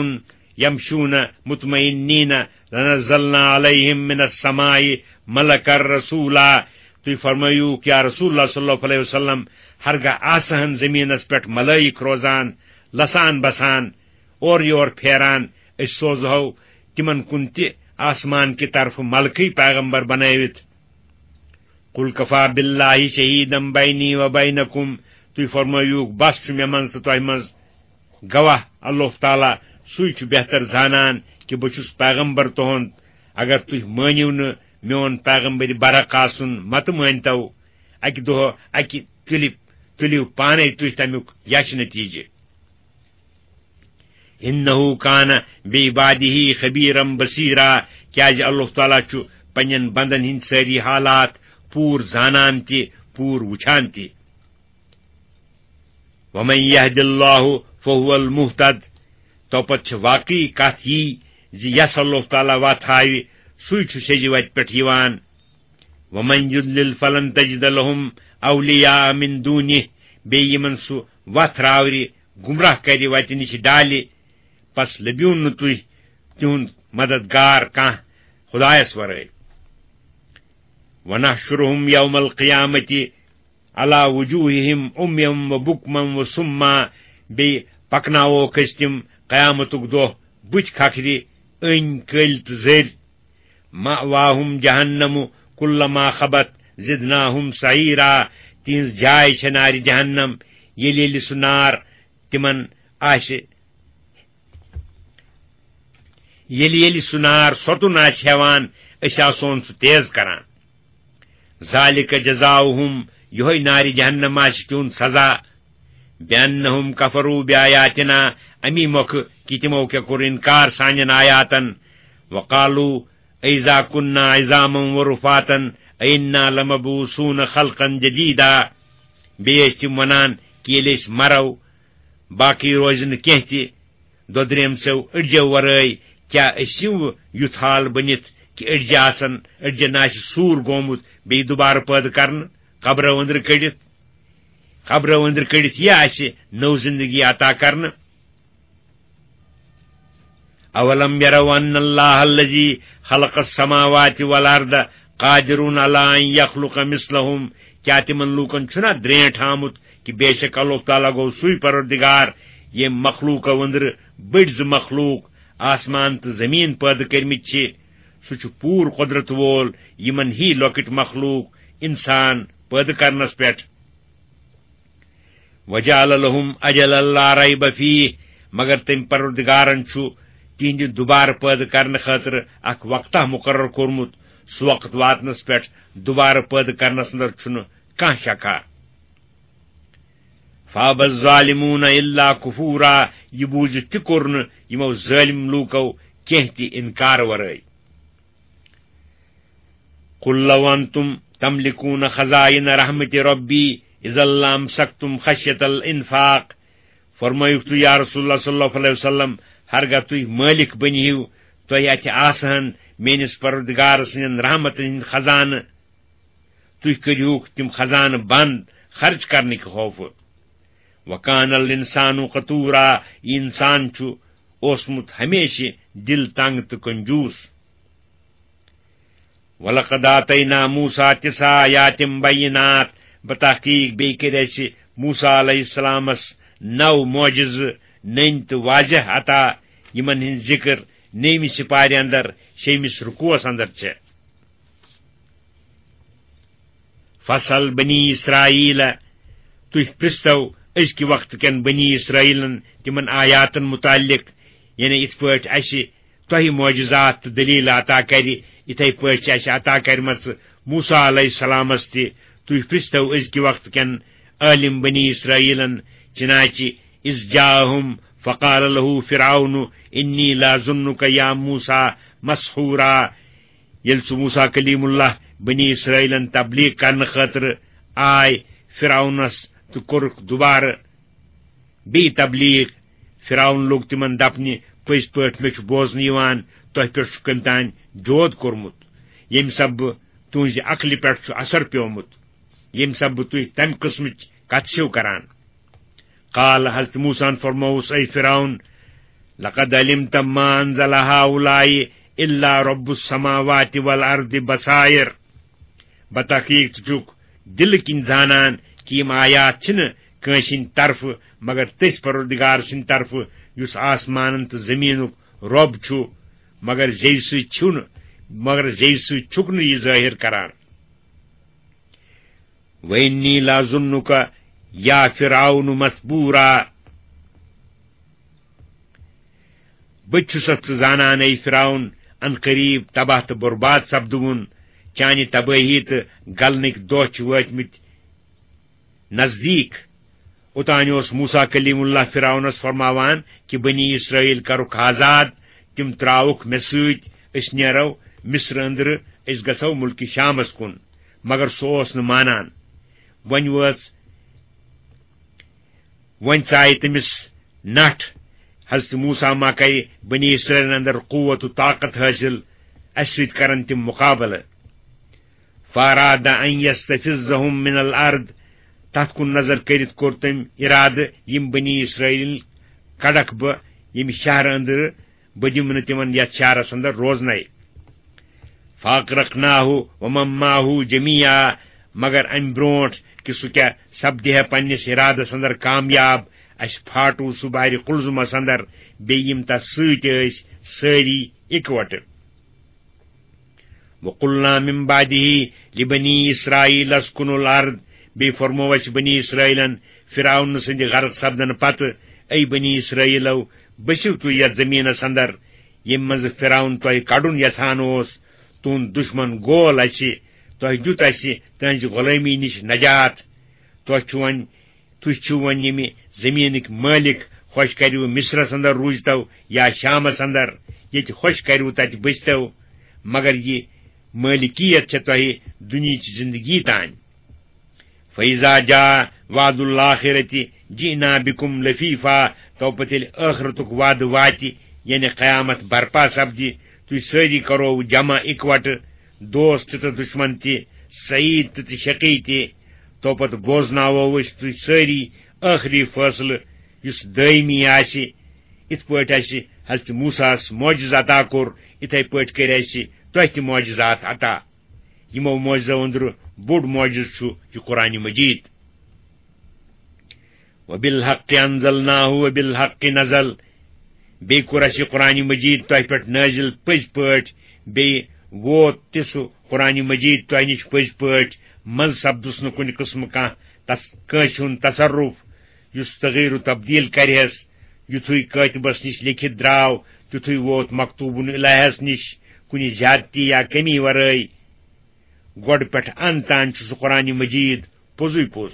يمشون مطمئنين لنزلنا عليهم من السماء ملكا رسولا۔ تُہۍ فرمٲیِو، یا رسول اللہ صلی اللہ علیہ وسلم، ہرگاہ آسہٕ ہن زمینس پٮ۪ٹھ ملائک روزان، لسان بسان، اورٕ یور پھیران، أسۍ سوزہو تِمن کُن تہِ آسمان کہِ طرفہٕ ملکٕے پیغمبر بنٲوِتھ۔ قل كفى بالله شهيدا بيني وبينكم، تُہۍ فرمٲیِو، بس چھُ مےٚ منٛز تہٕ تۄہہِ منٛز گواہ اللہ تعالیٰ، سُے چھُ بہتر زانان کہِ بہٕ چھُس پیغمبر تُہُنٛد۔ اگر تُہۍ مٲنِو نہٕ میون پیغمبر برحق آسُن، متہٕ مٲنۍتو، اکہِ دۄہ اکہِ تُلہِ، تُلِو پانے تُہۍ تمیُک یچھ نتیجہ۔ انه كان بعباده خبيرا بصيرا، کیازِ اللہ تعالیٰ چھُ پننٮ۪ن بندن ہٕنٛدۍ سٲری حالات پوٗرٕ زانان تہِ، پوٗرٕ وٕچھان تہِ۔ ومن يهد الله فهو المهتد، تو پتہٕ چھِ واقعی کتھ یی زِ یس اللہ تعالیٰ وتھ ہاوِ، سُے چھُ سیٚزِ وتہِ پٮ۪ٹھ یِوان۔ ومن يضلل فلن تجد لهم أولياء من دونه، بیٚیہِ یِمن سُہ وتھ راورِ، گمراہ کرِ، وتہِ نِش ڈالہِ، پس لٔبِو نہٕ تُہۍ تِہُنٛد مددگار کانٛہہ خدایس ورٲے۔ ونحشرهم يوم القيامة على وجوههم عميا وبكما وصما، بیٚیہِ پکناووکھ أسۍ تِم قیامتُک دۄہ بُتھِ کھکھرِ، أنۍ، کٔلۍ تہٕ زٔرۍ۔ مأواهم جهنم كلما خبت زدناهم سعيرا، تِہنٛز جاے چھےٚ نارِ جہنم، ییٚلہِ ییٚلہِ سُہ نار تِمن آسہِ، ییٚلہِ ییٚلہِ سُہ نار سۄتُن آسہِ ہٮ۪وان، أسۍ آسون سُہ تیز کران۔ ذلك جزاؤهم، یِہوٚے نارِ جہنم آسہِ تِہُنٛد سزا۔ بأنهم كفروا بآياتنا، امی مۄکھٕ کہِ تِمو کیٛاہ کوٚر انکار سانٮ۪ن آیاتن۔ وقالوا أئذا كنا عظاما ورفاتا أئنا لمبعوثون خلقا جديدا۔ بیٚیہِ ٲسۍ تِم ونان کہِ ییٚلہِ أسۍ مرو، باقٕے روزِ نہٕ کینٛہہ تہِ، دۄدریمژو أڈجو ورٲے۔ کیٛاہ أسۍ یِمو یُتھ حال بٔنِتھ کہِ أڈجہِ آسن، أڈجن آسہِ سوٗر گوٚمُت، بیٚیہِ دُبارٕ پٲدٕ کرنہٕ، قبرو أنٛدرٕ کٔڑِتھ، قبرو أنٛدرٕ کٔڑِتھ یہِ آسہِ نٔو زندگی عطا کرنہٕ؟ أولم يروا أن الله الذي خلق السماوات والأرض قادر على أن يخلق مثلهم، کیٛاہ تِمن لوٗکن چھُنا درینٹھ آمُت کہِ بے شک اللہ تعالیٰ گوٚو سُے پروردگار، ییٚمۍ مخلوٗقو أنٛدرٕ بٔڑۍ زٕ مخلوٗق، آسمان تہٕ زٔمیٖن پٲدٕ کٔرمٕتۍ چھِ؟ سُہ چھُ پوٗرٕ قۄدرت وول یِمن ہی لۄکٕٹۍ مخلوٗق، انسان، پٲدٕ کرنس پٮ۪ٹھ۔ وجعل لهم أجلا لا ريب فيه، مگر تٔمۍ پروردگارن چھُ تِہنٛدِ دُبارٕ پٲدٕ کرنہٕ خٲطرٕ اکھ وقتہ مُقرر کوٚرمُت، سُہ وقت واتنس پٮ۪ٹھ دوبارٕ پٲدٕ کرنس اندر چھُنہٕ کانٛہہ شکھا۔ فابى الظالمون الا كفورا، یہِ بوٗزِتھ تہِ کوٚر نہٕ یِمو ظٲلِم لوٗکو کینٛہہ تہِ انکار ورٲے۔ قل لو انتم تملكون خزائن رحمة ربي اذا لامسكتم خشية الانفاق۔ فرمٲیِو تُہۍ یا رسول اللہ صلی اللہ علیہ وسلم، ہرگاہ تُہۍ مٲلِک بٔنۍ ہِو، تۄہہِ اَتھِ آسہٕ ہن میٲنِس پروردگار سٕنٛدٮ۪ن رحمتن ہٕنٛدۍ خزانہٕ، تُہۍ کٔرِہُکھ تِم خزانہٕ بنٛد خرٕچ کرنہٕ کہِ خوفہٕ۔ وكان الانسان قتورا، یہِ انسان چھُ اوسمُت ہمیشہِ دِل تنگ تہٕ کنجوٗس۔ ولقد آتينا موسى تسع آيات بينات، بتحقیق بیٚیہِ کٔرۍ اَسہِ موسیٰ علیہ السلامس نو معجزٕ نٔنۍ تہٕ واضح عطا، یِمن ہٕنٛز ذکر نٔیمہِ سپارِ اندر شیٚیمِس رکوعس اندر چھےٚ۔ فاسأل بني إسرائيل، تُہۍ پرٛژھتو أزکہِ وقتہٕ کٮ۪ن بنی اسرائیلن تِمن آیاتن متعلق، یعنی یِتھ پٲٹھۍ اَسہِ تۄہہِ معجزات تہٕ دلیل عطا کرِ، یِتھے پٲٹھۍ چھِ اَسہِ عطا کرِمژٕ موسیٰ علیہ السلامس تہِ۔ تُہۍ پرٛژھتو أزکہِ وقتہٕ کٮ۪ن عٲلم بنی اسرائیلن، چنانچہ إذ جاءهم فقال له فرعون إني لأظنك يا موسى مسحورا، ییٚلہِ سُہ موسیٰ کلیم اللہ بنی اسرائیلن تبلیغ کرنہٕ خٲطرٕ آے فرعونس تہٕ کوٚرُکھ دوبارٕ بیٚیہِ تبلیغ۔ فرعون لوٚگ تِمن دپنہِ، پٔزۍ پٲٹھۍ مےٚ چھُ بوزنہٕ یِوان تۄہہِ پٮ۪ٹھ چھُ کٔمۍ تام جود کوٚرمُت، ییٚمہِ سببہٕ تُہنزِ عقلہِ پٮ۪ٹھ چھُ اثر پیومُت، ییٚمہِ سببہٕ تُہۍ تمہِ قٕسمٕچ کتھٕ چھِو کران۔ قال، حضرت موسیٰ ہن فرمووُس، اے فرعون، لقد علمت ما انزل هؤلاء الا رب السماوات والارض بصائر۔ بتحقیق ژٕ چھُکھ دِلہٕ کِنۍ زانان کہِ یِم آیات چھِنہٕ کٲنٛسہِ ہٕنٛدِ طرفہٕ مگر تٔسۍ پروردگار سٕنٛدِ طرفہٕ، یُس آسمانن تہٕ زٔمیٖنُک رۄب چھُ، مگر زیٚوِ سۭتۍ چھُنہٕ، مگر زیٚوِ سۭتۍ چھُکھ نہٕ یہِ ظٲہِر کران۔ وإني لأظنك يا فرعون مثبورا۔ بہٕ تہِ چھُسَتھ ژٕ زانان، اے فرعون، ان قریب تباہ تہٕ برباد سپدوُن، چانہِ تبٲہی تہٕ گلنٕکۍ دۄہ چھِ وٲتمٕتۍ نزدیٖک۔ اوتانۍ اوس موسیٰ کلیم اللہ فرعونس فرماوان کہِ بنی اسرائیل کرُکھ آزاد، تِم تراوُکھ مےٚ سۭتۍ، أسۍ نیرو مصر أنٛدرٕ، أسۍ گژھو ملکہِ شامس کُن، مگر سُہ اوس نہٕ مانان۔ وۄنۍ وٲژ، وۄنۍ ژایہِ تٔمِس نٹھ، حضرت موسیٰ ما کرِ بنی اسرائیلن اندر قوت و طاقت حٲصِل، اسہِ سۭتۍ کرن تِم مقابلہٕ۔ فأراد أن يستفزهم من الأرض، تتھ کُن نظر کٔرِتھ کوٚر تٔمۍ ارادٕ یِم بنی اسرائیل کڑکھ بہٕ ییٚمہِ شہرٕ أنٛدرٕ، بہٕ دِمہٕ نہٕ تِمن یتھ شہرس اندر روزنے۔ فأغرقناه ومن معه جميعا، مگر امہِ برونٹھ کہِ سُہ کیاہ سپدِ ہے پننِس ارادس اندر کامیاب، اسہِ پھاٹو سُہ بحرِ قلزمس اندر، بیٚیہِ یِم تس سۭتۍ ٲسۍ سٲری اِکوٹہٕ۔ وقلنا من بعده لبني إسرائيل اسكنوا الأرض، بیٚیہِ فرموو اسہِ بنی اسرائیلن فرعون سٕنٛدِ غرق سپدنہٕ پتہٕ، اے بنی اسرائیلو، بٔسِو تُہۍ یتھ زمینس اندر، ییٚمہِ منٛزٕ فرعون تۄہہِ کڑُن یژھان اوس، تُہُنٛد دشمن گول اسہِ، تۄہہِ دیُت اسہِ تہنٛزِ غلٲمی نِش نجات۔ تۄہہِ چھُ وۄنۍ، تُہۍ چھِو وۄنۍ ییٚمہِ زمینٕکۍ مٲلِک، خۄش کریو مصرس اندر روٗزتو یا شامس اندر، ییٚتہِ خۄش کریو تتہِ بٔسۍتو، مگر یہِ مٲلِکیت چھےٚ تۄہہِ دُنیہٕچ زندگی تام۔ فإذا جاء وعد الآخرة جئنا بكم لفيفا، تو پتہٕ ییٚلہِ ٲخرتُک وعدٕ واتہِ، یعنی قیامت برپا سپدِ، تُہۍ سٲری کرو جمع اِکوٹہٕ، دوست تہٕ دشمن تہِ، سعید تہٕ تہٕ شقی تہِ۔ تو پتہٕ بوزناوو أسۍ تُہۍ سٲری ٲخری فٲصلہٕ، یُس دٲیمی آسہِ۔ یِتھ پٲٹھۍ اَسہِ حضرت موسیٰ ہَس معجزٕ عطا کوٚر، یِتھے پٲٹھۍ کٔرۍ اَسہِ تۄہہِ تہِ معجزات عطا۔ یِمو معجزو أنٛدرٕ بوٚڑ معجزٕ چھُ یہِ قرآن مجید۔ وبالحق أنزلناه وبالحق نزل۔ بیٚیہِ کوٚر اَسہِ یہِ قرآن مجید تۄہہِ پٮ۪ٹھ نٲزِل پٔزۍ پٲٹھۍ، بیٚیہِ ووت تہِ سُہ قرآن مجید تۄہہِ نِش پٔزۍ پٲٹھۍ، منٛزٕ سپدُس نہٕ کُنہِ قٕسمہٕ کانٛہہ تس، کٲنٛسہِ ہُنٛد تصرف یُس تغیٖر و تبدیل کرِہس۔ یُتھُے کٲتِبس نِش لیکھِتھ درٛاو، تیُتھُے ووت مکتوبُن الہس نِش کُنہِ زیادتی یا کمی ورٲے۔ گۄڈٕ پٮ۪ٹھ ان تام چھُ سُہ قرآنِ مجیٖد پوٚزُے پوٚز۔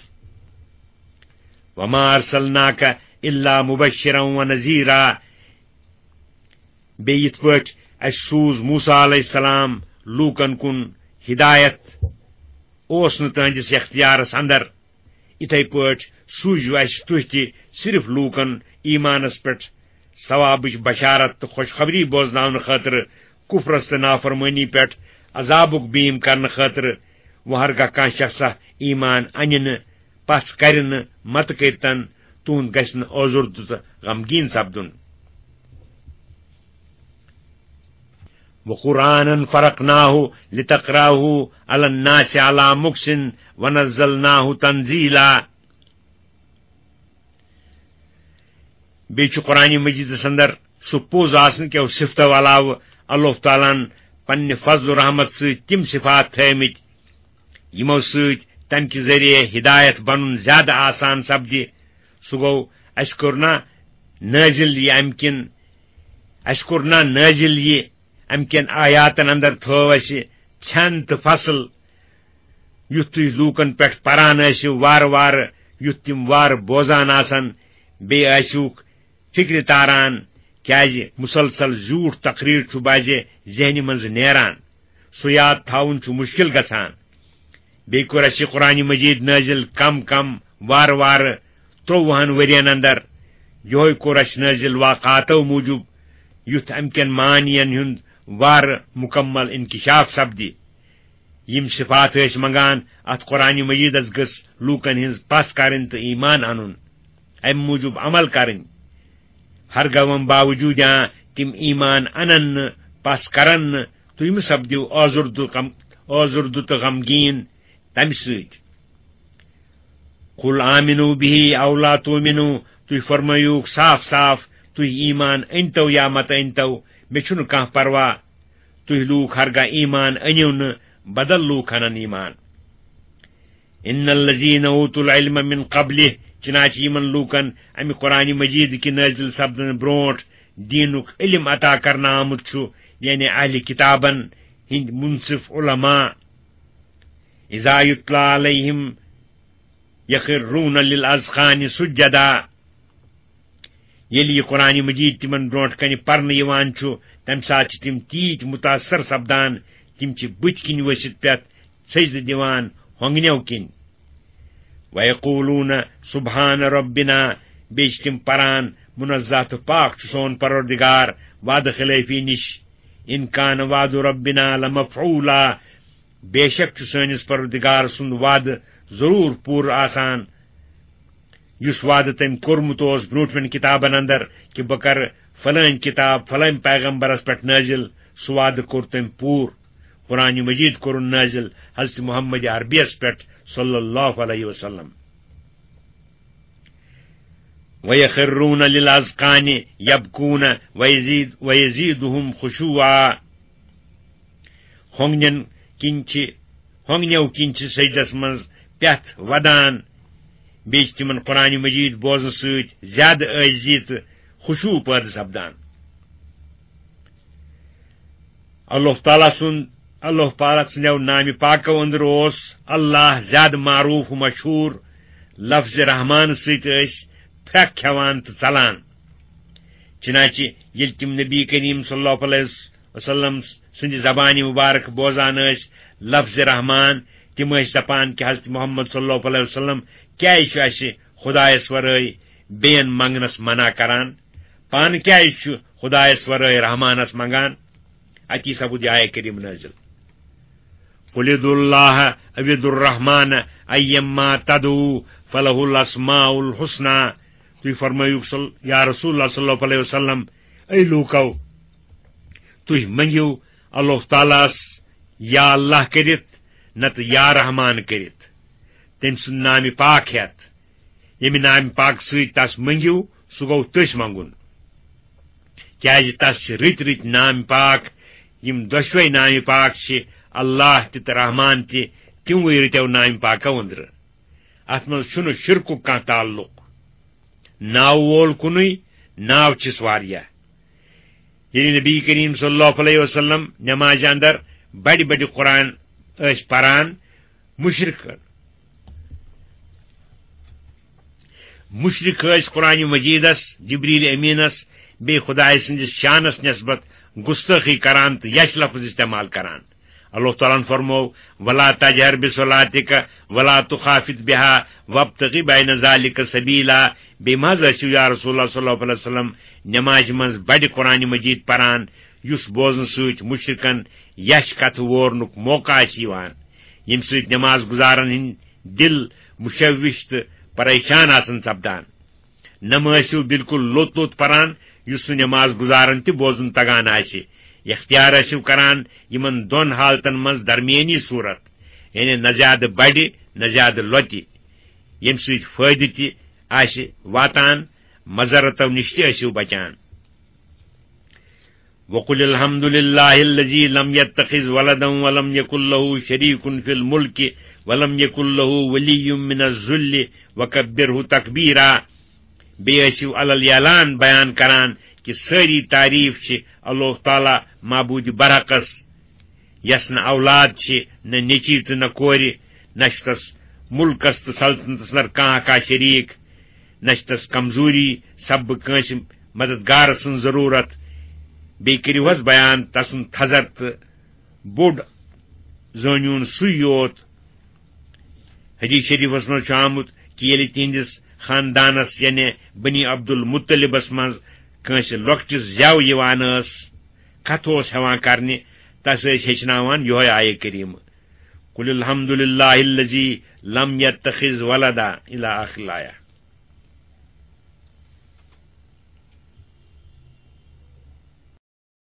وما ارسلناک الا مبشرا و نذیرا۔ بیٚیہِ یِتھ پٲٹھۍ اَسہِ سوٗز موسیٰ علیہ السلام لوٗکن کُن ہدایت، اوس نہٕ تہنٛدِس اختیارس اندر، یِتھے پٲٹھۍ سوٗزِو اَسہِ تُہۍ تہِ صرف لوٗکن ایمانس پٮ۪ٹھ ثوابٕچ بشارت تہٕ خوشخبری بوزناونہٕ خٲطرٕ، کفرس تہٕ نافرمٲنی پٮ۪ٹھ عذابُک بیٖم کرنہٕ خٲطرٕ۔ وۄنۍ ہرگاہ کانٛہہ شخصا ایمان انہِ نہٕ، پژھ کرِ نہٕ، متہٕ کٔرتن، تُہُنٛد گژھِ نہٕ ٲزُردٕ تہٕ غمگیٖن سپدُن۔ وقرآنا فرقناه لتقرأه على الناس على مكث ونزلناه تنزيلا۔ بیٚیہِ چھُ قرآنِ مجیٖدس اندر سُہ پوٚز آسنہٕ کیو صفتو علاوٕ اللہ تعالیٰ ہن پننہِ فضل و رحمت سۭتۍ تِم صفات تھٲومٕتۍ، یِمو سۭتۍ تمہِ کہِ ذٔریعہٕ ہدایت بنُن زیادٕ آسان سپدِ۔ سُہ گوٚو، اسہِ کوٚر نا نٲزِل یہِ امہِ کِن، اسہِ کوٚر نا نٲزِل یہِ امہِ کٮ۪ن آیاتن اندر تھٲو اسہِ کھٮ۪ن تہٕ فصل، یُتھ تُہۍ لوٗکن پٮ۪ٹھ پران ٲسِو وارٕ وارٕ، یُتھ تِم وارٕ بوزان آسن، بیٚیہِ ٲسِوکھ فکرِ تاران، کیازِ مسلسل زیوٗٹھ تقریر چھُ بعضِ ذہنہِ منٛز نیران، سُہ یاد تھاوُن چھُ مشکل گژھان۔ بیٚیہِ کوٚر اَسہِ یہِ قرآنِ مجیٖد نٲزِل کم کم، وارٕ وارٕ، ترٛۆوُہن ؤرین اندر۔ یِہوٚے کوٚر اَسہِ نٲزِل واقعاتو موٗجوٗب، یُتھ اَمہِ کٮ۪ن معنین ہُنٛد وارٕ مکمل انکشاف سپدِ۔ یِم صفات ٲسۍ منگان، اتھ قرآنِ مجیٖدس گٔژھ لوٗکن ہٕنٛز پژھ کرٕنۍ تہٕ ایمان انُن، امہِ موٗجوٗب عمل کرٕنۍ۔ ہرگاہ وۄنۍ باوجوٗد یا تِم ایمان انن نہٕ، پژھ کرن نہٕ، تُہۍ مہٕ سپدِو آزُردٕ کم-، آزُردٕ تہٕ غمگیٖن تمہِ سۭتۍ۔ قل آمنوا به او لا تؤمنوا، تُہۍ فرمٲیِو صاف صاف، تُہۍ ایمان أنۍتو یا مت أنۍتو، مےٚ چھُنہٕ کانٛہہ پرواہ۔ تُہۍ لوٗکھ ہرگاہ ایمان أنِو نہٕ، بدل لوٗکھ انن ایمان۔ ان الذین اوتوا العلم من قبله، چنانچہ یِمن لوٗکن امہِ قرآنِ مجیٖد کہِ نٲزِل سپدنہٕ برونٛٹھ دیٖنُک علم عطا کرنہٕ آمُت چھُ، یعنی اہلِ کتابن ہٕنٛدۍ منصف علماء، اذا یتلی علیہم یخرون للاذقان سجدا۔ ییٚلہِ یہِ قرآنِ مجیٖد تِمن برونٛٹھ کنہِ پرنہٕ یِوان چھُ، تمہِ ساتہٕ چھِ تِم تیٖتۍ متاثر سپدان، تِم چھِ بٕتھۍ کِنۍ ؤسِتھ پٮ۪تھ سجدٕ دِوان ہۄنٛگنیو کِنۍ۔ ویقولون سبحان ربنا، بیٚیہِ چھِ تِم پران، منزہ تہٕ پاک چھُ سون پروردگار وعدٕ خلٲفی نِش۔ ان کان وعد ربنا لمفعولا، بے شک چھُ سٲنِس پروردگار سُنٛد وعدٕ ضروٗر پوٗرٕ آسان، یُس وعدٕ تٔمۍ کوٚرمُت اوس برٛونٛٹھمٮ۪ن کِتابن اندر کہِ بہٕ کرٕ فلٲنۍ کِتاب فلٲنۍ پیغمبرس پٮ۪ٹھ نٲزِل، سُہ وعدٕ کوٚر تٔمۍ پوٗرٕ۔ قرآنِ مجیٖد کوٚرُن نٲزِل حضرت محمد عربیس پٮ۪ٹھ صلی اللہ علیہ وسلم۔ وَيَخِرُّونَ لِلْأَذْقَانِ يَبْكُونَ وَيَزِيدُ-، وَيَزِيدُهُمْ خُشُوعًا۔ ہۄنٛگنٮ۪ن کِنۍ چھِ، ہۄنٛگنٮ۪و کِنۍ چھِ سجدس منٛز پٮ۪تھ ودان، بیٚیہِ چھِ تِمن قرآنِ مجیٖد بوزنہٕ سۭتۍ زیادٕ عٲجزی تہٕ خشوع پٲدٕ سپدان۔ اللہ تعالیٰ سُنٛد، اللہ پاک سٕنٛدیو نامہِ پاکو أنٛدرٕ اوس اللہ زیادٕ معروٗف و مشہوٗر لفظِ رحمان سۭتۍ ٲسۍ پھرٛکھ کھٮ۪وان تہٕ ژلان۔ چنانچہ ییٚلہِ تِم نبی کریم صلی اللہ علیہ وسلم سٕنٛدِ زبانہِ مبارک بوزان ٲسۍ لفظِ رحمان، تِم ٲسۍ دپان کہِ حضرت محمد صلی اللہ علیہ وسلم کیازِ چھُ اَسہِ خدایس ورٲے بیٚین منٛگنس منع کران؟ پانہٕ کیازِ چھُ خدایس ورٲے رحمانس منٛگان؟ اتی سپُد یہِ آیہ کریم نٲزِل۔ قل ادعوا اللہ او ادعوا الرحمن ایما تدعوا فلہ الاسماء الحسنی۔ تُہۍ فرمٲیِو صل-، یا رسول اللہ صلی اللہ علیہ وسلم، اے لوٗکو، تُہۍ منٛگِو اللہ تعالیٰ ہس یا اللہ کٔرِتھ، نتہٕ یا رحمان کٔرِتھ، تٔمۍ سُنٛد نامہِ پاک ہٮ۪تھ۔ ییٚمہِ نامہِ پاک سۭتۍ تس منٛگِو، سُہ گوٚو تٔسۍ منٛگُن۔ کیازِ تس چھِ رٕتۍ رٕتۍ نامہِ پاک، یِم دۄشوے نامہِ پاک چھِ اللہ تہِ تہٕ رحمان تہِ، تِموٕے رٕتیو نامہِ پاکو أنٛدرٕ۔ اتھ منٛز چھُنہٕ شرکُک کانٛہہ تعلق۔ ناو وول کُنُے، ناو چھِس واریاہ۔ ییٚلہِ نبی کریم صلی اللہ علیہ وسلم نمازِ اندر بڑِ بڑِ قرآن ٲسۍ پران مُشرِک۔ مُشرِک ٲسۍ قرآنِ مجیٖدس، جبریل امیٖنس، بیٚیہِ خۄداے سٕنٛدِس شانس نٮ۪سبت گُستٲخی کران تہٕ یچھ لفظ استعمال کران۔ اللہ تعالیٰ ہن فرموو، "ولا تجہر بصلاتک ولا تخافت بها وابتغ بین ذلک سبیلا"۔ بیٚیہِ مہ حظ ٲسِو یا رسول اللہ صلی اللہ علیہ وسلم نمازِ منٛز بڑِ قرآنِ مجیٖد پران، یُس بوزنہٕ سۭتۍ مُشرِکن یچھ کتھٕ وورنُک موقع آسہِ یِوان، ییٚمہِ سۭتۍ نماز گُزارن ہٕنٛدۍ دِل مُشوِش تہٕ پریشان آسن سپدان۔ نہ مہ ٲسِو بالکل لوٚت لوٚت پران، یُس نہٕ نماز گُزارن تہِ بوزُن تگان آسہِ۔ اختیار ٲسِو کران یِمن دۄن حالتن منٛز درمیٲنی صورت، یعنی نہ زیادٕ بڑِ، نہ زیادٕ لۄتہِ، ییٚمہِ سۭتۍ فٲیدٕ تہِ آسہِ واتان، مضرتو نِش تہِ ٲسِو بچان۔ وقل الحمد لله الذي لم يتخذ ولدا ولم يكن له شريك في الملك ولم يكن له ولي من الذل وكبره تكبيرا۔ بیٚیہِ ٲسِو علل اعلان بیان کران کہِ سٲری تعریف چھِ اللہ تعالیٰ معبوٗدِ برحقس، یس نہٕ اولاد چھِ، نہٕ نیٚچی تہٕ نہٕ کورِ، نہ چھُ تس مُلکس تہٕ سلطنتس اندر کانٛہہ کانٛہہ شریٖک، نہ چھِ تس کمزوری سببہٕ کٲنٛسہِ مددگار سٕنٛز ضروٗرت۔ بیٚیہِ کٔرِو حظ بیان تسُنٛد تھزر تہٕ بوٚڑ زٲنیُن سُے یوت۔ حدیث شریفس منٛز چھُ آمُت کہِ ییٚلہِ تِہنٛدِس خاندانس، یعنی بنی عبد المطلبس منٛز کٲنٛسہِ لۄکٹِس زٮ۪و یِوان ٲس، کتھ اوس ہٮ۪وان کرنہِ، تس ٲسۍ ہیٚچھناوان یِہوٚے آیہِ کریٖمہٕ، "قل الحمد لله الذي لم يتخذ ولدا" الی آخر الآیہ۔